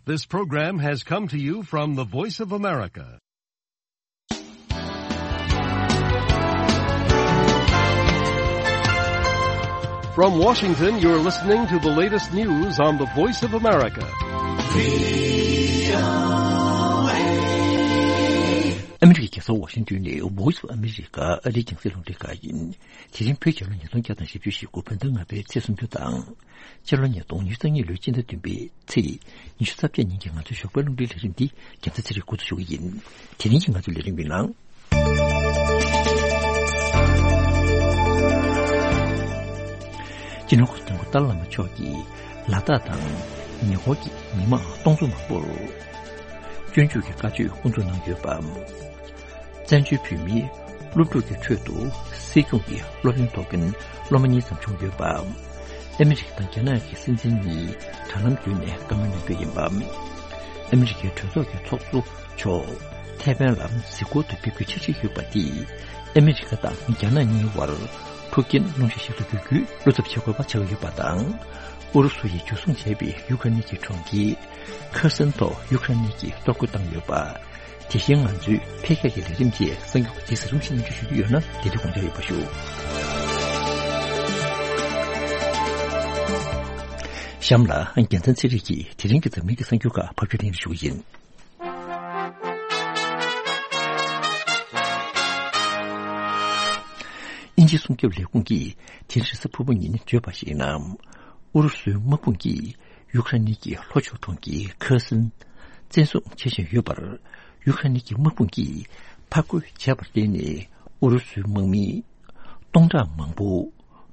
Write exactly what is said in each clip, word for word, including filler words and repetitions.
This program has come to you from the Voice of America. From Washington, you're listening to the latest news on the Voice of America. ཨ་མི་རི་ཀའི་རྒྱལ་ས་ཝ་ཤིང་ཏོན་ནས་Voice of America ཨ་རིའི་རྒྱང་སྲིང་རླུང་འཕྲིན་ཁང་ཡིན། དེ་རིང་བོད་རྒྱལ་ལོ་ཉིས་སྟོང་བརྒྱ་དང་བཞི་བཅུ་ཞེ་དགུ་བོད་ཟླ་ལྔ་པའི་ཚེས་སུམ་ཅུ་དང་། སྤྱི་ལོ་ཉིས་སྟོང་ཉི་ཤུ་རྩ་གཉིས་ལོའི་སྤྱི་ཟླ་བདུན་པའི་ཚེས་ཉི་ཤུ་རྩ་བརྒྱད་ཉིན་གྱི་ང་ཚོའི་ཞོགས་པའི་རླུང་འཕྲིན་ལས་རིམ་འདི་རྒྱལ་ས་ཚེ་རིང་འགོ་འཛུགས་ཞུ་གི་ཡིན། དེ་རིང་གི་ང་ཚོའི་ལས་རིམ་གྱི་ནང་། སྤྱི་ནོར་གོང་ས་སྐྱབས་མགོན་ཏཱ་ལའི་བླ་མ་མཆོག་གིས་ལ་དྭགས་དང་ཉེ་འཁོར་གྱི་མི་མང་སྟོང་ཚོ་མང་པོར་སྤྱོད་འཇུག་གི་བཀའ་ཆོས་དབུ་འཛུགས་གནང་ཡོད་པ། བཙན་བྱོལ་བོད་མིའི་སློབ་ཕྲུག་གི་ཁྲོད་དུ་སྲིད་སྐྱོང་གི་སློབ་ཡོན་ཐོབ་མཁན་སློབ་མ་གཉིས་ཙམ་བྱུང་ཡོད་པ། ཨ་མི་རི་ཀ་དང་རྒྱ་ནག་གི་སྲིད་འཛིན་གཉིས་དྲ་ལམ་བརྒྱུད་ནས་བཀའ་མོལ་གནང་རྒྱུ་ཡིན་པ། ཨ་མི་རི་ཀའི་གྲོས་ཚོགས་ཀྱི་ཚོགས་གཙོ་མཆོག་ཐའེ་ཝན་ལ་གཟིགས་སྐོར་དུ་ཕེབས་རྒྱུ་ཆགས་བཞིན་ཡོད་པ་དེས་ཨ་མི་རི་ཀ་དང་རྒྱ་ནག་གཉིས་བར་འཁྲུག་རྐྱེན་སློང་གཞི་ཞིག་ཏུ་འགྱུར་རྒྱུའི་བློ་འཚབ་བྱེད་དགོས་པ་ཆགས་ཀྱི་ཡོད་པ་དང་། ཨུ་རུ་སུ་ཡིས་འཇུ་བཟུང་བྱས་པའི་ཡུཀ་རེན་གྱི་གྲོང་ཁྱེར་ཁེར་སོན་ཐོག་ཡུཀ་རེན་གྱིས་གཏོར་རྒོལ་བཏང་ཡོད་པ། དེ་བཞིན་ང་ཚོའི་འཕེལ་རྒྱས་ཀྱི་ལས་རིམ་བཅས་གསར་འགྱུར་ཁག་ཅིག་གཟིགས་རིམ་བཞིན་སྙན་སྒྲོན་ཞུ་རྒྱུ་ཡོད་ན་དེ་འདྲ་དགོངས་འཇགས་ཡོད་པ་ཞུ། གཤམ་ལ་རྒྱལ་མཚན་ཚེ་རིང་གིས་དེ་རིང་གི་འཛམ་གླིང་གི་གསར་འགྱུར་ཁག་ཕབ་སྒྱུར་གནང་རོགས་ཞུ་གི་ཡིན། དབྱིན་ཇིའི་སྲུང་སྐྱོབ་ལས་ཁུངས་ཀྱིས་དེ་རིང་རེས་གཟའ་ཕུར་བུ་ཉིན་བརྗོད་པར་གཞིགས་ན། ཨུ་རུ་སུའི་དམག་དཔུང་གིས་ཡུཀ་རེན་གྱི་ལྷོ་ཕྱོགས་གྲོང་ཁྱེར་ཁེར་སོན་བཙན་བཟུང་བྱེད་བཞིན་ཡོད་པར། ཡུཀ་རེན་གྱི་དམག་དཔུང་གིས་ཕར་རྒོལ་བྱས་པར་བརྟེན་ནས་ཨུ་རུ་སུའི་དམག་མི་སྟོང་ཕྲག་མང་པོ་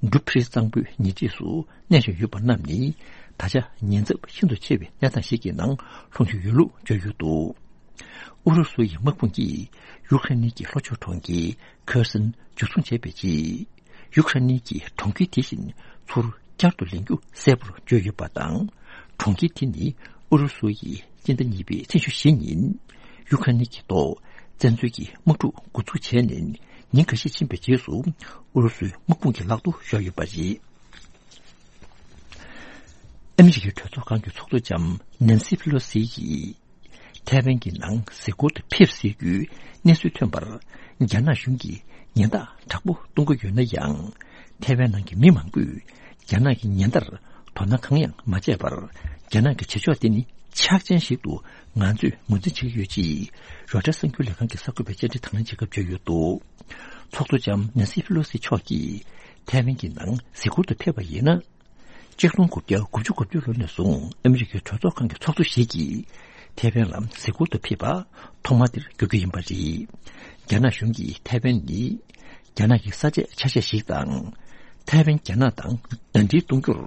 འབྲུག་ཕི་རི་གཙང་པོའི་ཉེ་འཁྲིས་སུ་གནས་བཞིན་ཡོད་པ་རྣམས་ནི་ད་ཆ་ཉེན་ཚབས་ཤིན་ཏུ་ཆེ་བའི་གནས་སྟངས་ཤིག་གི་ནང་ལྷུང་བཞིན་ཡོད་ལུགས་བརྗོད་ཡོད་འདུག་ཨུ་རུ་སུ་ཡི་དམག་དཔུང་གིས་ཡུཀ་རེན་གྱི་ལྷོ་ཕྱོགས་གྲོང་ཁྱེར་ཁེར་སོན་འཇུ་བཟུང་བྱས་པའི་རྗེས། ཡུཀ་རེན་གྱི་གྲོང་ཁྱེར་དེ་བཞིན་ཚུར་བསྐྱར་དུ་ལེན་རྒྱུ་གསལ་པོར་བརྗོད་ཡོད་པ་དང་། གྲོང་ཁྱེར་དེ་ནི་ཨུ་རུ་སུ་ཡིས་སྤྱི་ཟླ་གཉིས་པའི་ཚེས་ཉི་ཤུ་བཞི་ཉིན་ཡུཀ་རེན་གྱི་ཐོག་བཙན་འཛུལ་གྱི་དམག་འཁྲུག་འགོ་འཛུགས་བྱས་ནས་ཉིན་འགའ་ཤས་ཕྱིན་པའི་རྗེས་སུ་ཨུ་རུ་སུའི་དམག་དཔུང་གི་ལག་ཏུ་ཤོར་ཡོད་པ་རེད། ཨ་མི་རི་ཀའི་གྲོས་ཚོགས་ཁང་གི་ཚོགས་གཙོ་ལྕམ་ནན་སི་ཕེ་ལོ་སི་ཡིས་ཐའེ་ཝན་གྱི་ནང་གཟིགས་སྐོར་དུ་ཕེབས་སྲིད་རྒྱུའི་གནས་ཚུལ་ཐོན་པར། རྒྱ་ནག་གཞུང་གིས་ཉེན་བརྡ་དྲག་པོ་གཏོང་གི་ཡོད་ན་ཡང་། ཐའེ་ཝན་ནང་གི་མི་མང་པོས་རྒྱ་ནག་གི་ཉེན་བརྡར་དོ་སྣང་གང་ཡང་མ་བྱས་པར། རྒྱ་ནག་གི་བྱེད་ཕྱོགས་དེ་ནི་ཆགས་ཅན་ཞིག་ཏུ་ང་ཚོས་ངོས་འཛིན་བྱེད་ཀྱི་ཡོད་ཅེས་རོའི་ཊར་གསར་འགྱུར་ལས་ཁང་གི་གསར་འགོད་པས་བཅར་འདྲི་དང་ལེན་བྱེད་སྐབས་བརྗོད་ཡོད་འདུག་ཚོགས་གཙོ་ལྕམ་ནན་སི་ཕེ་ལོ་སི་མཆོག་གིས་ཐའེ་ཝན་གྱི་ནང་གཟིགས་སྐོར་དུ་ཕེབས་པ་ཡིན་ན། ཆིག་སྟོང་དགུ་བརྒྱ་དགུ་བཅུ་གོ་བདུན་ལོ་ནས་བཟུང་ཨ་མི་རི་ཀའི་གྲོས་ཚོགས་ཁང་གི་ཚོགས་གཙོ་ཞིག་གིས་ཐའེ་ཝན་ལ་གཟིགས་སྐོར་དུ་ཕེབས་པ་ཐོག་མ་དེར་གྱུར་རྒྱུ་ཡིན་པ་རེད། རྒྱ་ནག་གཞུང་གིས་ཐའེ་ཝན་ནི་རྒྱ་ནག་གི་ས་ཆའི་ཆ་ཤས་ཤིག་དང་། ཐའེ་ཝན་རྒྱ་ནག་དང་ཟླ་སྒྲིལ་གཏོང་རྒྱུར་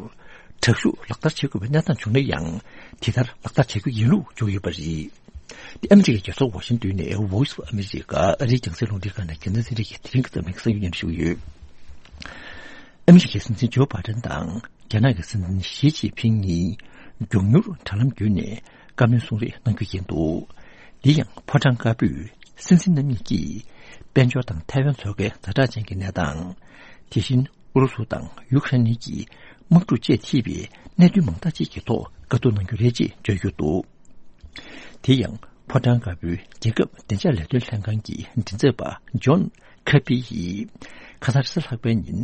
དྲག་ཤུགས་ལག་བསྟར་བྱེད་དགོས་པའི་གནས་སྟངས་བྱུང་ན་ཡང་། དེ་ལྟར་ལག་བསྟར་བྱེད་རྒྱུ་ཡིན་ལུགས་བརྗོད་ཡོད་པ་རེད། ཨ་མི་རི་ཀའི་རྒྱལ་ས་ཝ་ཤིང་ཏོན་ནས་Voice of America ཨ་རིའི་རྒྱང་སྲིང་རླུང་འཕྲིན་ཁང་ནས་རྒྱལ་མཚན་ཚེ་རིང་གིས་དེ་རིང་གི་འཛམ་གླིང་གསར་འགྱུར་སྙན་སྒྲོན་ཞུ་གི་ཡོད། ཨ་མི་རི་ཀའི་སྲིད་འཛིན་ཇོ་བྷའི་ཌེན་དང་རྒྱ་ནག་གི་སྲིད་འཛིན་ཞི་ཅིན་ཕིང་གཉིས་མགྱོགས་མྱུར་དྲ་ལམ་བརྒྱུད་ནས་བཀའ་མོལ་གསུང་རེས་གནང་རྒྱུ་ཡིན་འདུག་འདི་ཡང་ཕོ་བྲང་དཀར་པོས་སྲིད་འཛིན་རྣམ་གཉིས་ཀྱིས་དཔལ་འབྱོར་དང་ཐའེ་ཝན་མཚོ་ཁའི་ཛ་དྲག་ཅན་གྱི་གནས་སྟངས། དེ་བཞིན་ཨུ་རུ་སུ་དང་ཡུཀ་རེན་གཉིས་ཀྱི་དམག་འཁྲུག་བཅས་ཐེ་བའི་གནད་དོན་མང་དག་ཅིག་གི་ཐོག་བཀའ་བསྡུར་གནང་རྒྱུ་རེད་ཅེས་བརྗོད་ཡོད་འདུག་དེ་ཡང་ཕོ་བྲང་དཀར་པོའི་རྒྱལ་ཁབ་བདེ་འཇགས་ལས་དོན་ལྷན་ཁང་གི་མགྲིན་ཚབ་པ་ཇོན་ཁེར་པི་ཡིས་ཁ་སང་རེས་གཟའ་ལྷག་པའི་ཉིན་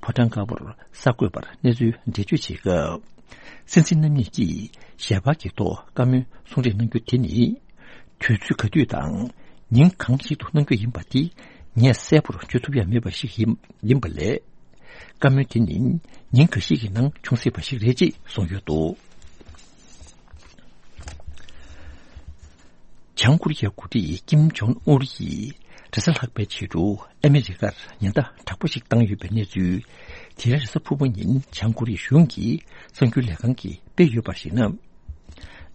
ཕོ་བྲང་དཀར་པོར་གསར་འགོད་པར་གནས་ཚུལ་འགྲེལ་བརྗོད་བྱེད་སྐབས། སྲིད་འཛིན་རྣམ་གཉིས་ཀྱིས་ཞལ་པར་གྱི་ཐོག་བཀའ་མོལ་གསུང་རེས་གནང་རྒྱུ་དེ་ནི། དུས་ཚོད་ག་དུས་དང་ཉིན་གང་ཞིག་ཏུ་གནང་རྒྱུ་ཡིན་པ་དེ་ངས་གསལ་པོར་བརྗོད་ཐུབ་ཡ་མེད་པ་ཞིག་ཡིན་ཡིན་པ་ལས། བཀའ་མོལ་དེ་ནི་ཉིན་འགའ་ཞིག་གི་ནང་འབྱུང་སྲིད་པ་ཞིག་རེད་ཅེས་གསུངས་ཡོད་འདུག་བྱང་ཀོ་རི་ཡའི་འགོ་ཁྲིད་ཀིམ་ཇོང་ཨུན་ཡིས་རེས་གཟའ་ལྷག་པའི་ཕྱི་དྲོ་ཨ་མི་རི་ཀར་ཉེན་བརྡ་དྲག་པོ་ཞིག་བཏང་ཡོད་པའི་གནས་ཚུལ། དེ་རིང་རེས་གཟའ་ཕུར་བུ་ཉིན་བྱང་ཀོ་རི་ཡའི་གཞུང་གི་གསར་འགྱུར་ལས་ཁང་གིས་སྤེལ་ཡོད་པར་གཞིགས་ན།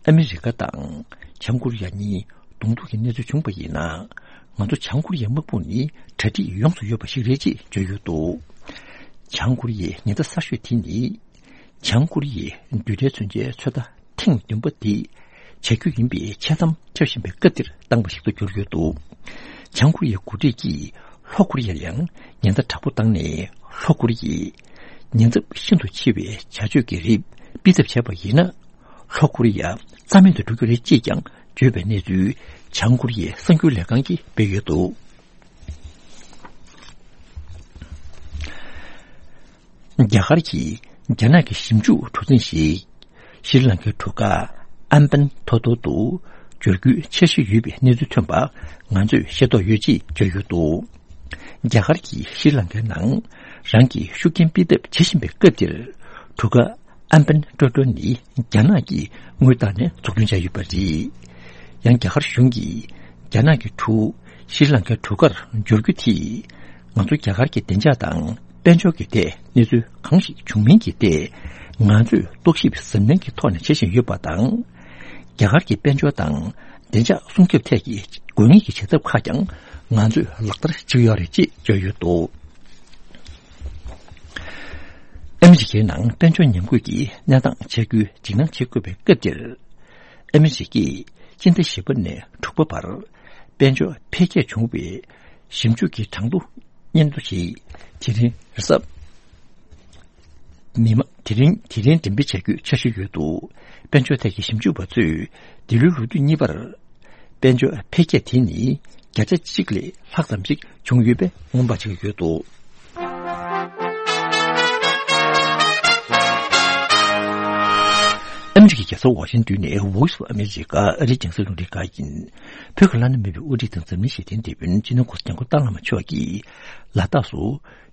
ཨ་མི་རི་ཀ་དང་བྱང་ཀོ་རི་ཡ་གཉིས་གདོང་ཐུག་གི་གནས་ཚུལ་བྱུང་བ་ཡིན་ན། ང་ཚོ་བྱང་ཀོ་རི་ཡའི་དམག་དཔུང་ནི་གྲ་སྒྲིག་ཡོངས་སུ་ཡོད་པ་ཞིག་རེད་ཅེས་བརྗོད་ཡོད་འདུག་བྱང་ཀོ་རི་ཡའི་ཉེན་བརྡ་གསར་ཤོས་དེ་ནི། བྱང་ཀོ་རི་ཡའི་རྡུལ་ཕྲན་མཚོན་ཆའི་ཚོད་ལྟ་ཐེངས་བདུན་པ་འདི་བྱ་རྒྱུ་ཡིན་པའི་འཆལ་གཏམ་ཁྱབ་བཞིན་པའི་སྐབས་འདིར་བཏང་བ་ཞིག་ཏུ་གྱུར་ཡོད་འདུག་བྱང་ཀོ་རི་ཡའི་འགོ་ཁྲིད་ཀྱིས་ལྷོ་ཀོ་རི་ཡར་ཡང་ཉེན་བརྡ་དྲག་པོ་བཏང་ནས། ལྷོ་ཀོ་རི་ཡས་ཉེན་ཚབས་ཤིན་ཏུ་ཆེ་བའི་བྱ་སྤྱོད་ཀྱི་རིགས་སྤེལ་ཐབས་བྱས་པ་ཡིན་ན། ལྷོ་ཀོ་རི་ཡ་རྩ་མེད་དུ་འགྲོ་གི་རེད་ཅེས་ཀྱང་བརྗོད་པའི་གནས་ཚུལ་བྱང་ཀོ་རི་ཡའི་གསར་འགྱུར་ལས་ཁང་གིས་སྤེལ་ཡོད་འདུག་རྒྱ་གར་གྱིས་རྒྱ་ནག་གི་ཞིབ་འཇུག་གྲུ་གཟིངས་ཤིག་ཤྲི་ལང་ཀའི་གྲུ་ཁ་ཨམ་པན་ཐོ་ཐོ་དུ་འབྱོར་རྒྱུའི་འཆར་གཞི་ཡོད་པའི་གནས་ཚུལ་ཐོན་པ་ང་ཚོས་ཤེས་རྟོགས་ཡོད་ཅེས་བརྗོད་ཡོད་འདུག་རྒྱ་གར་གྱིས་ཤྲི་ལང་ཀའི་ནང་རང་གི་ཤུགས་རྐྱེན་སྤེལ་ཐབས་བྱེད་བཞིན་པའི་སྐབས་འདིར། གྲུ་ཁ་ཨམ་པན་ཀྲོ་ཀྲོ་ནི་རྒྱ་ནག་གིས་དངུལ་བཏང་ནས་འཛུགས་སྐྲུན་བྱས་ཡོད་པ་རེད། ཡང་རྒྱ་གར་གཞུང་གིས་རྒྱ་ནག་གི་གྲུ་ཤྲི་ལང་ཀའི་གྲུ་ཁར་འབྱོར་རྒྱུ་དེས་ང་ཚོ་རྒྱ་གར་གྱི་བདེ་འཇགས་དང་དཔལ་འབྱོར་གྱི་ཐད་གནས་ཚུལ་གང་ཞིག་བྱུང་མིན་གྱི་ཐད་ང་ཚོས་རྟོག་ཞིབ་གཟབ་ནན་གྱི་ཐོག་ནས་བྱེད་བཞིན་ཡོད་པ་དང་། རྒྱ་གར་གྱི་དཔལ་འབྱོར་དང་བདེ་འཇགས་སྲུང་སྐྱོབ་ཐད་ཀྱི་དགོས་ངེས་ཀྱི་བྱེད་ཐབས་ཁག་ཀྱང་ང་ཚོས་ལག་བསྟར་བྱེད་ཀྱི་ཡོད་རེད་ཅེས་བརྗོད་ཡོད་འདུག་ཨ་མི་རི་ཀའི་ནང་དཔལ་འབྱོར་ཉམས་རྒུད་ཀྱི་གནས་སྟངས་ཆེ་རྒྱུའི་འཇིགས་སྣང་བྱེད་དགོས་པའི་སྐབས་འདིར། ཨ་མི་རི་ཀས་སྤྱི་ཟླ་བཞི་པ་ནས་དྲུག་པ་བར་དཔལ་འབྱོར་འཕེལ་རྒྱས་བྱུང་བའི་ཞིབ་འཇུག་གི་གྲངས་ཐོ་སྙན་ཐོ་ཞིག་དེ་རིང་རེས་གཟའ་མིག་དམར་དེ་རིང་དེ་རིང་འགྲེམས་སྤེལ་བྱ་རྒྱུའི་འཆར་གཞི་ཡོད་འདུག་དཔལ་འབྱོར་ཐད་ཀྱི་ཞིབ་འཇུག་པ་ཚོས་འདི་ལོའི་ལོ་དུས་གཉིས་པར། དཔལ་འབྱོར་འཕེལ་རྒྱས་དེ་ནི་བརྒྱ་ཆ་གཅིག་ལས་ལྷག་ཙམ་ཞིག་བྱུང་ཡོད་པའི་སྔོན་དཔག་བྱེད་ཀྱི་ཡོད་འདུག་ཨ་མི་རི་ཀའི་རྒྱལ་ས་ཝ་ཤིང་ཏོན་ནས་Voice of America ཨ་རིའི་རྒྱང་སྲིང་རླུང་འཕྲིན་ཁང་ཡིན། བོད་ཀྱི་བླ་ན་མེད་པའི་དབུ་ཁྲིད་དང་འཛམ་གླིང་ཞི་བདེའི་དེད་དཔོན་སྤྱི་ནོར་གོང་ས་སྐྱབས་མགོན་ཏཱ་ལའི་བླ་མ་མཆོག་གིས་ལ་དྭགས་སུ་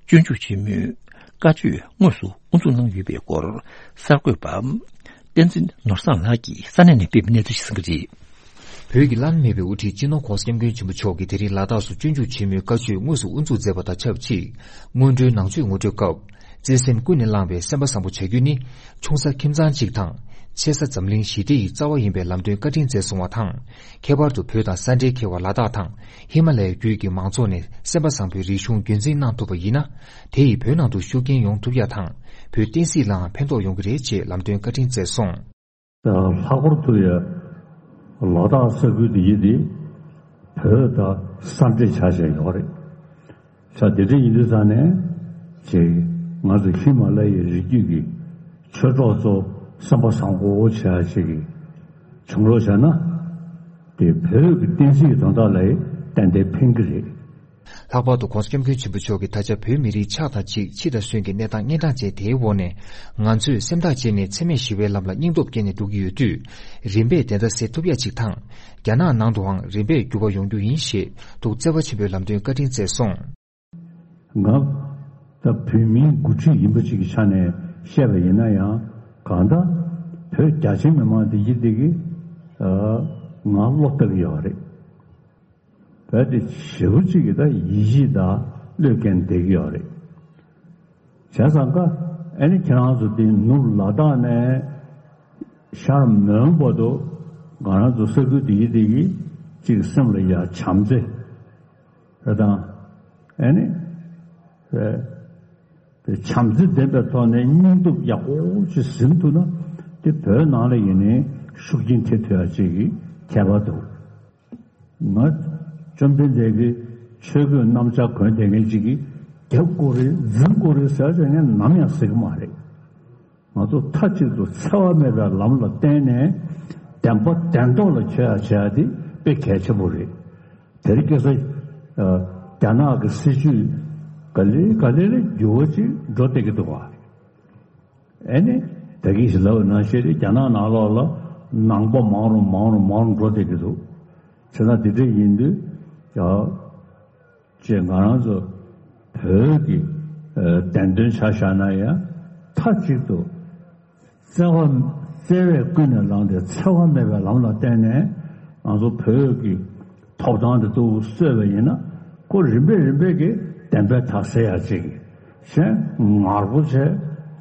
སྤྱོད་འཇུག་ཆེན་མོའི་བཀའ་ཆོས་དངོས་སུ་དབུ་འཛུགས་གནང་ཡོད་པའི་སྐོར་གསར་འགོད་པ་བསྟན་འཛིན་ནོར་བཟང་ལགས་ཀྱིས་ས་གནས་ནས་སྤེལ་བའི་གནས་ཚུལ་ཞིག་གསན་གྱི་རེད། བོད་ཀྱི་བླ་ན་མེད་པའི་དབུ་ཁྲིད་སྤྱི་ནོར་༸གོང་ས་༸སྐྱབས་མགོན་ཆེན་པོ་མཆོག་གིས་དེ་རིང་ལ་དྭགས་སུ་སྤྱོད་འཇུག་ཆེན་མོའི་བཀའ་ཆོས་དངོས་སུ་དབུ་འཛུགས་མཛད་པ་དང་ཆབས་ཅིག་སྔོན་འགྲོའི་ནང་ཆོས་ངོ་སྤྲོད་སྐབས། བརྩེ་སེམས་ཀུན་ནས་བསླངས་པའི་སེམས་པ་བཟང་པོ་བྱ་རྒྱུ་ནི། ཆུང་ས་ཁྱིམ་ཚང་གཅིག་དང་། ཆེ་ས་འཛམ་གླིང་ཞི་བདེ་ཡི་རྩ་བ་ཡིན་པའི་ལམ་སྟོན་བཀའ་དྲིན་སྩལ་སོང་བ་དང་། ཁྱད་པར་དུ་བོད་དང་ས་འབྲེལ་མཁས་པ་ལ་དྭགས་དང་ཧི་མ་ལ་ཡའི་རྒྱུད་ཀྱི་མང་ཚོགས་ནས་སེམས་པ་བཟང་པོའི་རིག་གཞུང་རྒྱུན་འཛིན་གནང་ཐུབ་པ་ཡིན་ན། དེ་ཡིས་བོད་ནང་དུ་ཤུགས་རྐྱེན་ཡོང་ཐུབ་ཡ་དང་། བོད་བསྟན་སྲིད་ལའང་ཕན་ཐོགས་ཡོང་གི་རེད་ཅེས་ལམ་སྟོན་བཀའ་དྲིན་སྩལ་སོང་། ལྷག་པར་དུ་ཡ། ལ་དྭགས་ས་ཁུལ་འདི་ཡི་འདི། བོད་དང་ས་འབྲེལ་ཆགས་བཞག་ཡོད་རེད། ས་དེ་འདྲ་ཡིན་དུས་ཙང་ནས། ཅིག་ང་ཚོ་ཧི་མ་ལ་ཡའི་རི་རྒྱུད་ཀྱི་ཆོས་གྲོགས་ཚོ་སེམས་པ་བཟང་པོ་བྱེད་ཡ་ཅིག་གི་བྱུང་རོགས་བྱས་ན། དེ་བོད་ཀྱི་བསྟན་སྲིད་ཀྱི་དོན་དག་ལ་ཏན་ཏན་ཕན་གྱི་རེད། ལྷག་པར་དུ་༸གོང་ས་༸སྐྱབས་མགོན་ཆེན་པོ་མཆོག་གིས་ད་ཆ་བོད་མི་རིགས་ཆགས་དང་གཅིག་འཆི་དང་གསོན་གྱི་གནས་སྟངས་གཉན་འཕྲང་ཅན་དེའི་འོག་ནས། ང་ཚོས་སེམས་ཐག་བཅད་ནས་འཚེ་མེད་ཞི་བའི་ལམ་ལ་སྙིང་སྟོབས་བསྐྱེད་ནས་འགྲོ་གི་ཡོད་དུས། རིམ་པས་བདེན་མཐའ་གསལ་ཐུབ་ཡ་གཅིག་དང་། རྒྱ་ནག་ནང་དུའང་རིམ་པས་འགྱུར་བ་ཡོང་རྒྱུ་ཡིན་ཞེས་ཐུགས་བརྩེ་བ་ཆེན་པོས་ལམ་སྟོན་བཀའ་དྲིན་སྩལ་སོང་། ང་ད་བོད་མིའི་འགོ་ཁྲིད་ཡིན་པ་ཅིག་གི་ཆ་ནས་བཤད་པ་ཡིན་ན་ཡང་། གང་ལྟར་བོད་རྒྱ་ཆེ་མི་མང་དེ་ཡིན་དེ་གི་ང་བློ་བཏང་གི་ཡོད་རེད། བོད་དེ་ཞེ་པོ་ཅིག་གི་ད་ཡིད་ཆེས་དང་བློས་འགེལ་བསྡད་ཀྱི་ཡོད་རེད། བྱས་ཙང་ཀ་ཨ་ནི་ཁྱེད་རང་ཚོ་དེ་ནུབ་ལ་དྭགས་ནས་ཤར་མོན་བར་དུ་ང་རང་ཚོ་ས་ཁུལ་དེ་ཡི་དེ་གི་ཅིག་སེམས་ལ་ཡ་བྱམས་བརྩེ་རེད་དང་། ཨ་ནི་རེད། བྱམས་བརྩེ་ལྡན་པའི་ཐོག་ནས་སྙིང་སྟོབས་ཡག་པོ་ཅིག་ཟིན་ཐུབ་ན། དེ་བོད་ནང་ལ་ཡིན་ནའི་ཤུགས་རྐྱེན་ཐེབས་ཐུབ་ཡ་ཅིག་གི་ཁྱད་པར་འདུག་ང་བཅོམ་ལྡན་འདས་ཀྱི་ཆོས་གོས་གནམ་ལྕགས་གོན་བསྡད་མཁན་ཅིག་གིས་རྒྱབ་དགོས་རེད་འཛིང་དགོས་རེད་ཟེར་ཟེར་ངས་ནམ་ཡང་ཟེར་གྱི་མ་རེད། ང་ཚོ་མཐའ་གཅིག་ཏུ་འཚེ་བ་མེད་པའི་ལམ་ལ་བརྟེན་ནས་བདེན་པ་བདེན་ཐོག་ལ་འཁྱོལ་ཡ་བྱེད་ཡ་དེ་དཔེ་གལ་ཆེན་པོ་རེད། དེར་སྐྱེས་ས་རྒྱ་ནག་གི་སྲིད་ཇུས་ག་ལེ་ག་ལེ་ལ་འགྱུར་བ་ཅིག་འགྲོ་བསྡད་ཀྱི་འདུག་བ། ཨེ་ནི། ད་གིན་ཞིག་ལབ་པ་ནང་བཞིན་རེད། རྒྱ་ནག་ནང་ལོགས་ལ་ནང་པ་མང་རུ་མང་རུ་མང་རུ་འགྲོ་བསྡད་ཀྱི་འདུག་བྱས་ཙང་དེ་འདྲ་ཡིན་དུས་ཡ། ཅེས་ང་རང་ཚོ་བོད་ཀྱི་བདེན་དོན་ཆ་བཞག་ན་ཡང་མཐའ་གཅིག་ཏུ་བརྩེ་བ་བརྩེ་བས་ཀུན་ནས་བསླངས་ཏེ་འཚེ་བ་མེད་པའི་ལམ་ལ་བརྟེན་ནས་ང་ཚོ་བོད་ཀྱི་ཐོབ་ཐང་དེ་ཏོག་ཙམ་རྩོད་པ་ཡིན་ན། ཁོ་རིམ་པས་རིམ་པས་ཀྱིས་བདེན་པའི་མཐའ་གསལ་ཡག་ཅིག་གཞན་ངར་པོ་བྱས་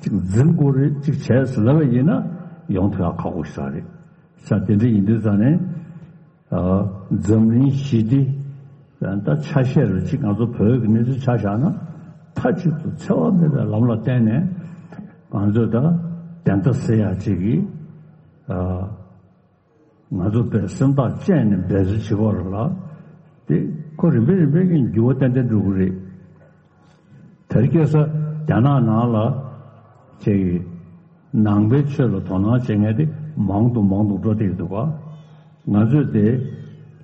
ཅིག་འཛིང་དགོས་རེད་ཅིག་བྱས་ཟེར་ལབ་པ་ཡིན་ན་ཡོང་ཐུབ་ཡག་ཁག་པོ་ཞིག་རེད། ས་དེ་འདྲ་ཡིན་དུས་ཙང་ནས། འཛམ་གླིང་ཞི་བདེ་ད་ཆ་ཤས་རུ་གཅིག་ང་ཚོ་བོད་ཀྱི་གནས་ཚུལ་ཆ་བཞག་ན། མཐའ་གཅིག་ཏུ་འཚེ་བ་མེད་པའི་ལམ་ལ་བརྟེན་ནས་ང་ཚོས་ད་བདེན་མཐའ་གསལ་ཡག་ཅིག་གིས་ང་ཚོ་བས་སེམས་ཐག་བཅད་ནས་འབད་རྩོལ་བྱེད་དགོས་རེད་ལ། དེ་ཁོ་རིམ་པས་རིམ་པས་ཀྱིས་འགྱུར་བ་ཏན་ཏན་འགྲོ་གི་རེད། དེར་སྐྱེས་ས་རྒྱ་ནག་ནང་ལ་ཅིག་ནང་པའི་ཆོས་ལ་དོ་སྣང་བྱེད་མཁན་དེ་ མང་དུ་མང་དུ་འགྲོ་བསྡད་འདུག་ག་ང་ཚོས་དེ་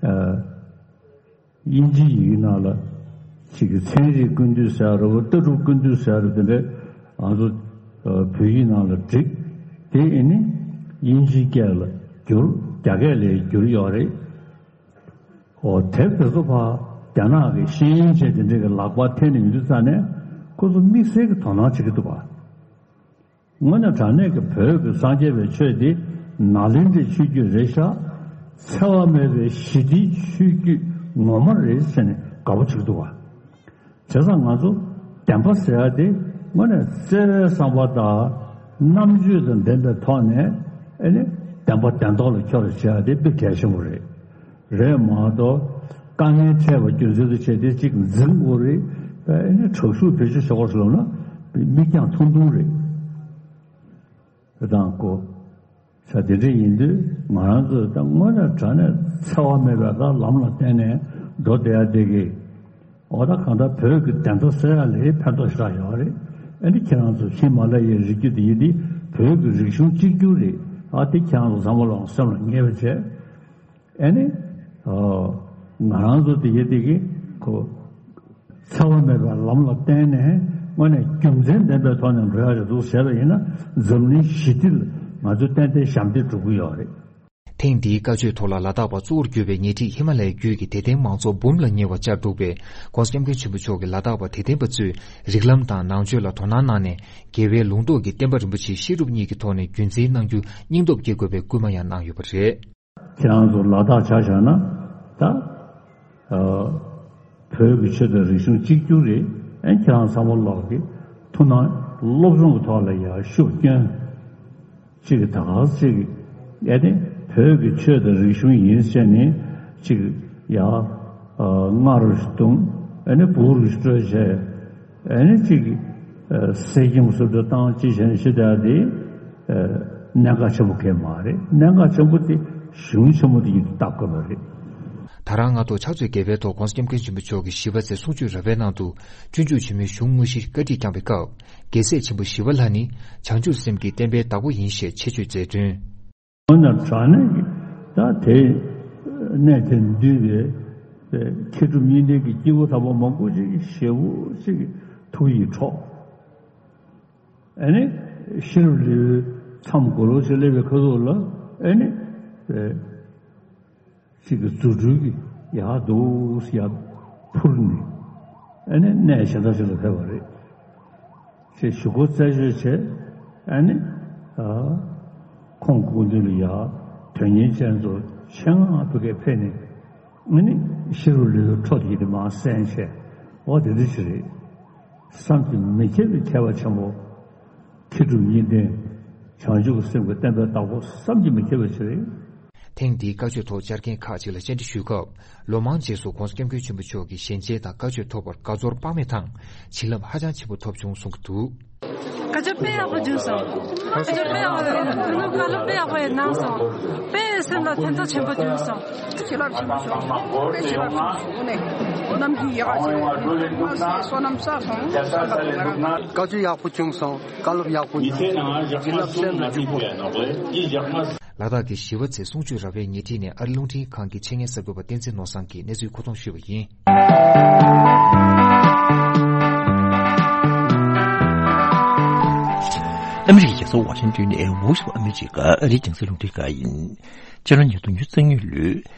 ཨ། དབྱིན་ཇིའི་ཡིག་ནང་ལ་ཅིག་གི་ཚན་རིག་ཀུན་བཏུས་ཟེར་ཡ་རེད་བ། ལྟ་གྲུབ་ཀུན་བཏུས་ཟེར་ཡ་རེད། དེ་འདྲ་ང་ཚོ་ཨ། བོད་ཡིག་ནང་ལ་བསྒྲིགས། དེ་ཨེ་ནི་དབྱིན་ཇིའི་སྐད་ལ་བསྒྱུར། རྒྱ་སྐད་ལ་བསྒྱུར་ཡོད་རེད། འོ་དེབ་དེ་ཚོ་ཕར་རྒྱ་ནག་གི་ཤེས་ཡོན་ཅན་དེ་འདྲས་ཀྱི་ལག་པར་ཐེབས་ནས་ཡོང་དུས་ཙ་ནས་ཁོ་ཚོ་དམིགས་བསལ་གྱི་དོ་སྣང་བྱེད་ཀྱི་འདུག་ག་དངོས་གནས་དྲང་གནས་ཀྱི་བོད་ཀྱི་སངས་རྒྱས་པའི་ཆོས་འདི་ནཱ་ལེནྡྲའི་ཆོས་བརྒྱུད་རེད་ཤག་འཚེ་བ་མེད་པའི་ཞི་བདེའི་ཆོས་བརྒྱུད་ངོ་མ་རེད་ཟེར་ནས་དགའ་པོ་བྱེད་ཀྱི་འདུག་ག་བྱས་ཙང་ང་ཚོ་བདེན་པ་ཟེར་ཡ་དེ་དངོས་གནས་བརྩེ་བའི་བསམ་པ་དང་རྣམ་དཔྱོད་དང་ལྡན་པའི་ཐོག་ནས་ཨེ་ནི་བདེན་པ་བདེན་ཐོག་ལ་འཁྱོལ་བ་བྱེད་ཡ་དེ་དཔེ་གལ་ཆེན་པོ་རེད། རེད་མ་གཏོགས་དཀའ་ངལ་འཕྲད་པ་རྒྱུ་མཚན་དུ་བྱས་ཏེ་གཅིག་འཛིང་དགོས་རེད། ཨེ་ནི་དྲག་ཤུགས་བེད་སྤྱོད་བྱེད་དགོས་ཟེར་ལབ་ན་མིག་རྒྱང་ཐུང་ཐུང་རེད། དེ་དང་ཀོ། ས་དེ་འདྲ་ཡིན་དུས་ང་རང་ཚོས་ད་དངོས་གནས་དྲང་གནས་འཚེ་བ་མེད་པའི་ད་ལམ་ལ་བརྟེན་ནས་འགྲོ་བསྡད་ཡ་དེ་གི་འོ་ད་གང་ལྟར་བོད་ཀྱི་བདེན་མཐའ་གསལ་ཡ་ལས་ཕན་ཐོགས་ཞེ་དྲག་ཡོད་རེད། ཨ་ནི་ཁྱེད་རང་ཚོ་ཧི་མ་ལ་ཡའི་རི་རྒྱུད་དེ་ཡིན་དུས་བོད་ཀྱི་རིག་གཞུང་གཅིག་གྱུར་རེད། ཨ་དེ་ཁྱེད་རང་ཚོ་ཚང་མ་ལོག་སེམས་ལ་ངེས་པ་བྱས། ཨ་ནི། ཨོ། ང་རང་ཚོ་དེ་ཡེ་དེ་གི་ཁོ། འཚེ་བ་མེད་པའི་ལམ་ལ་བརྟེན་ནས་དངོས་གནས་རྒྱུ་མཚན་ལྡན་པའི་ཐོག་ནས་འགྲོ་ཡ་རེད་འདུག་ཟེར་བ་ཡིན་ན་འཛམ་གླིང་ཞི་བདེ་ལ་ང་ཚོས་ཏན་ཏན་ཞབས་འདེགས་སྒྲུབ་ཀྱི་ཡོད་རེད། ཐེངས་འདིའི་བཀའ་ཆོས་ཐོག་ལ་ལ་དྭགས་པ་གཙོ་བོར་གྱུར་པའི་ཉེ་འཁྲིས་ཧི་མ་ལ་ཡའི་རྒྱུད་ཀྱི་དད་ལྡན་མང་ཚོགས་འབུམ་ལ་ཉེ་བ་བཅར་འདུག་པས། ྋགོང་ས་ྋསྐྱབས་མགོན་ཆེན་པོ་མཆོག་གིས་ལ་དྭགས་པ་དད་ལྡན་པ་ཚོས་རིགས་ལམ་དང་ནང་ཆོས་ལ་དོ་སྣང་གནང་ནས། རྒྱལ་བའི་ལུང་རྟོགས་ཀྱིས་བསྟན་པ་རིན་པོ་ཆེའི་བཤད་སྒྲུབ་གཉིས་ཀྱི་ཐོག་ནས་རྒྱུན་འཛིན་གནང་རྒྱུ་སྙིང་སྟོབས་སྐྱེ་དགོས་པའི་སྐུལ་མ་ཡང་གནང་ཡོད་པ་རེད། ཁྱེད་རང་ཚོ་ལ་དྭགས་ཆ་བཞག་ན་ད། ཨ། བོད་ཀྱི་ཆོས་དང་རིག་གཞུང་གཅིག་གྱུར་རེད། ཨེ་ཁྱེད་རང་ཚང་མ་ལོག་གི་ཐུགས་སྣང་སློབ་སྦྱོང་གི་ཐོག་ལ་ཡང་ཤུགས་བསྐྱོན། གཅིག་གི་ད་ག་ཅིག་གི་ཨེ་ནི་བོད་ཀྱི་ཆོས་དང་རིག་གཞུང་ཡིན་ཟེར་ནས་གཅིག་ཡ། ཨ། རྔ་རུ་བརྡུངས། ཨེ་ནི་སྦུག་རུ་སྤྲོད་བྱས། ཨེ་ནི་གཅིག་གི་ཨ། སྲིད་སྐྱོང་སུ་འགྲོ་བཏང་ཅི་བྱས་ནས་ཤི་བསྡད་དེ། ཨ། གནད་འགག་ཆེན་པོ་གང་མ་རེད། གནད་འགག་ཆེན་པོ་དེ་གཞུང་ཆེན་མོ་དེ་ཡིན་དུ་བལྟ་དགོས་པ་རེད། ད་རང་སྔ་ཐོག་ཕྱག་ཚོད་བརྒྱད་པའི་ཐོག་ྋགོང་ས་ྋསྐྱབས་མགོན་ཆེན་པོ་མཆོག་གིས་ཞི་བ་འཚོའི་གསུང་ཆོས་རབ་པའི་ནང་དུ། སྤྱོད་འཇུག་ཆེན་མོའི་གཞུང་དངོས་གཞི་བཀའ་ཁྲིད་བསྐྱངས་པའི་སྐབས། རྒྱལ་སྲས་ཆེན་པོ་ཞི་བ་ལྷ་ནི་བྱང་ཆུབ་སེམས་ཀྱི་བསྟན་པའི་བདག་པོ་ཡིན་ཞེས་ཆེད་བརྗོད་མཛད་དོན། དངོས་གནས་དྲང་གནས་ཀྱི་ད་དེ་གནས་དེར་འདུས་པའི་མཁས་གྲུབ་གཉིས་ལྡན་གྱི་སྐྱེས་བུ་དམ་པ་མང་པོ་ཅིག་གི་ཞེ་པོ་ཅིག་གི་ཐུགས་ཡིད་འཕྲོག་ཨ་ནི་ཤེས་རབ་ལེའུའི་མཚམས་གོ་ལོ་ཞིག་སླེབས་པའི་ཁ་ཐུག་ལ་ཨ་ནི་ཨེ་གཅིག་གི་རྫུ་འཕྲུལ་གྱིས་ཡར་འདུག་ཡར་འཕུར་ནས་ཨ་ནི་གནས་གཞན་དག་ཅིག་ལ་ཕེབས་པ་རེད། ཅེས་ཞུ་སྒོ་རྩད་གཅོད་བྱས། ཨ་ནི། ཨ། ཁོང་སྐུ་མདུན་ལ་ཡ་དོན་གཉེར་ཅན་ཚོ་ཆེད་མངགས་ཕ་གིར་ཕེབས་ནས། ཨ་ནི་ཤེས་རབ་ལེའུའི་འཕྲོ་དེ་དེ་མར་གསན་བྱས། འོ་དེ་འདྲ་ཞིག་རེད། བསམ་གྱིས་མི་ཁྱབ་པའི་མཁས་པ་ཆེན་པོ། མཁས་གྲུབ་གཉིས་ལྡན། བྱང་ཆུབ་ཀྱི་སེམས་ཀྱི་བསྟན་པའི་བདག་པོ་བསམ་གྱིས་མི་ཁྱབ་པ་ཞིག་རེད། ཐེངས་འདིའི་བཀའ་ཆོས་ཐོག་བཅར་མཁན་ཁག་ཅིག་ལ་བཅར་འདྲི་ཞུས་སྐབས། ལོ་མང་རྗེས་སུ་༧གོང་ས་༧སྐྱབས་མགོན་ཆེན་པོ་མཆོག་གི་ཞལ་མཇལ་དང་བཀའ་ཆོས་ཐོབ་པར་དགའ་ཚོར་དཔག་མེད་དང་། བྱིན་རླབས་ཧ་ཅང་ཆེན་པོ་ཐོབ་བྱུང་གསུང་གི་འདུག་བཀའ་ཆོས་དཔེ་ཡག་པོ་བྱུང་སོང་། བཀའ་ཆོས་དཔེ་ཡག་པོ་རེད། བཀའ་སློབ་དཔེ་ཡག་པོ་ཡང་གནང་སོང་། དཔེ་སེམས་ལ་ཕན་ཐོགས་ཆེན་པོ་བྱུང་སོང་། བྱིན་རླབས་ཆེན་པོ་བྱུང་སོང་། དཔེ་བྱིན་རླབས་ཆེན་པོ་བྱུང་། དངོས་གནས་རྣམ་འགྱུར་ཡག་ག་བྱུང་། མ་ཟད་བསོད་ནམས་བསགས་སོང་། བསོད་ནམས་བསགས་སོང་། བཀའ་ཆོས་ཡག་པོ་བྱུང་སོང་། བཀའ་སློབ་ཡག་པོ་བྱུང་སོང་། བྱིན་རླབས་སེམས་ལ་འཇུག་དགོས། ལ་དྭགས་ཀྱི་ཞི་བ་འཚོའི་གསུང་ཆོས་རབ་པའི་ཉེ་འཁྲིས་ནས་ཨ་རི་རླུང་འཕྲིན་ཁང་གི་ཆེད་མངགས་གསར་འགོད་པ་བསྟན་འཛིན་ནོར་བཟང་གིས་གནས་ཚུལ་མཁོ་གཏོང་ཞུས་པ་ཡིན། ཨ་མི་རི་ཀའི་རྒྱལ་ས་ཝ་ཤིང་ཏོན་ནས་Voice of America ཨ་རིའི་རྒྱང་སྲིང་རླུང་འཕྲིན་ཁང་ཡིན། སྤྱི་ལོ་ཉིས་སྟོང་ཉི་ཤུ་རྩ་གཉིས་ལོའི་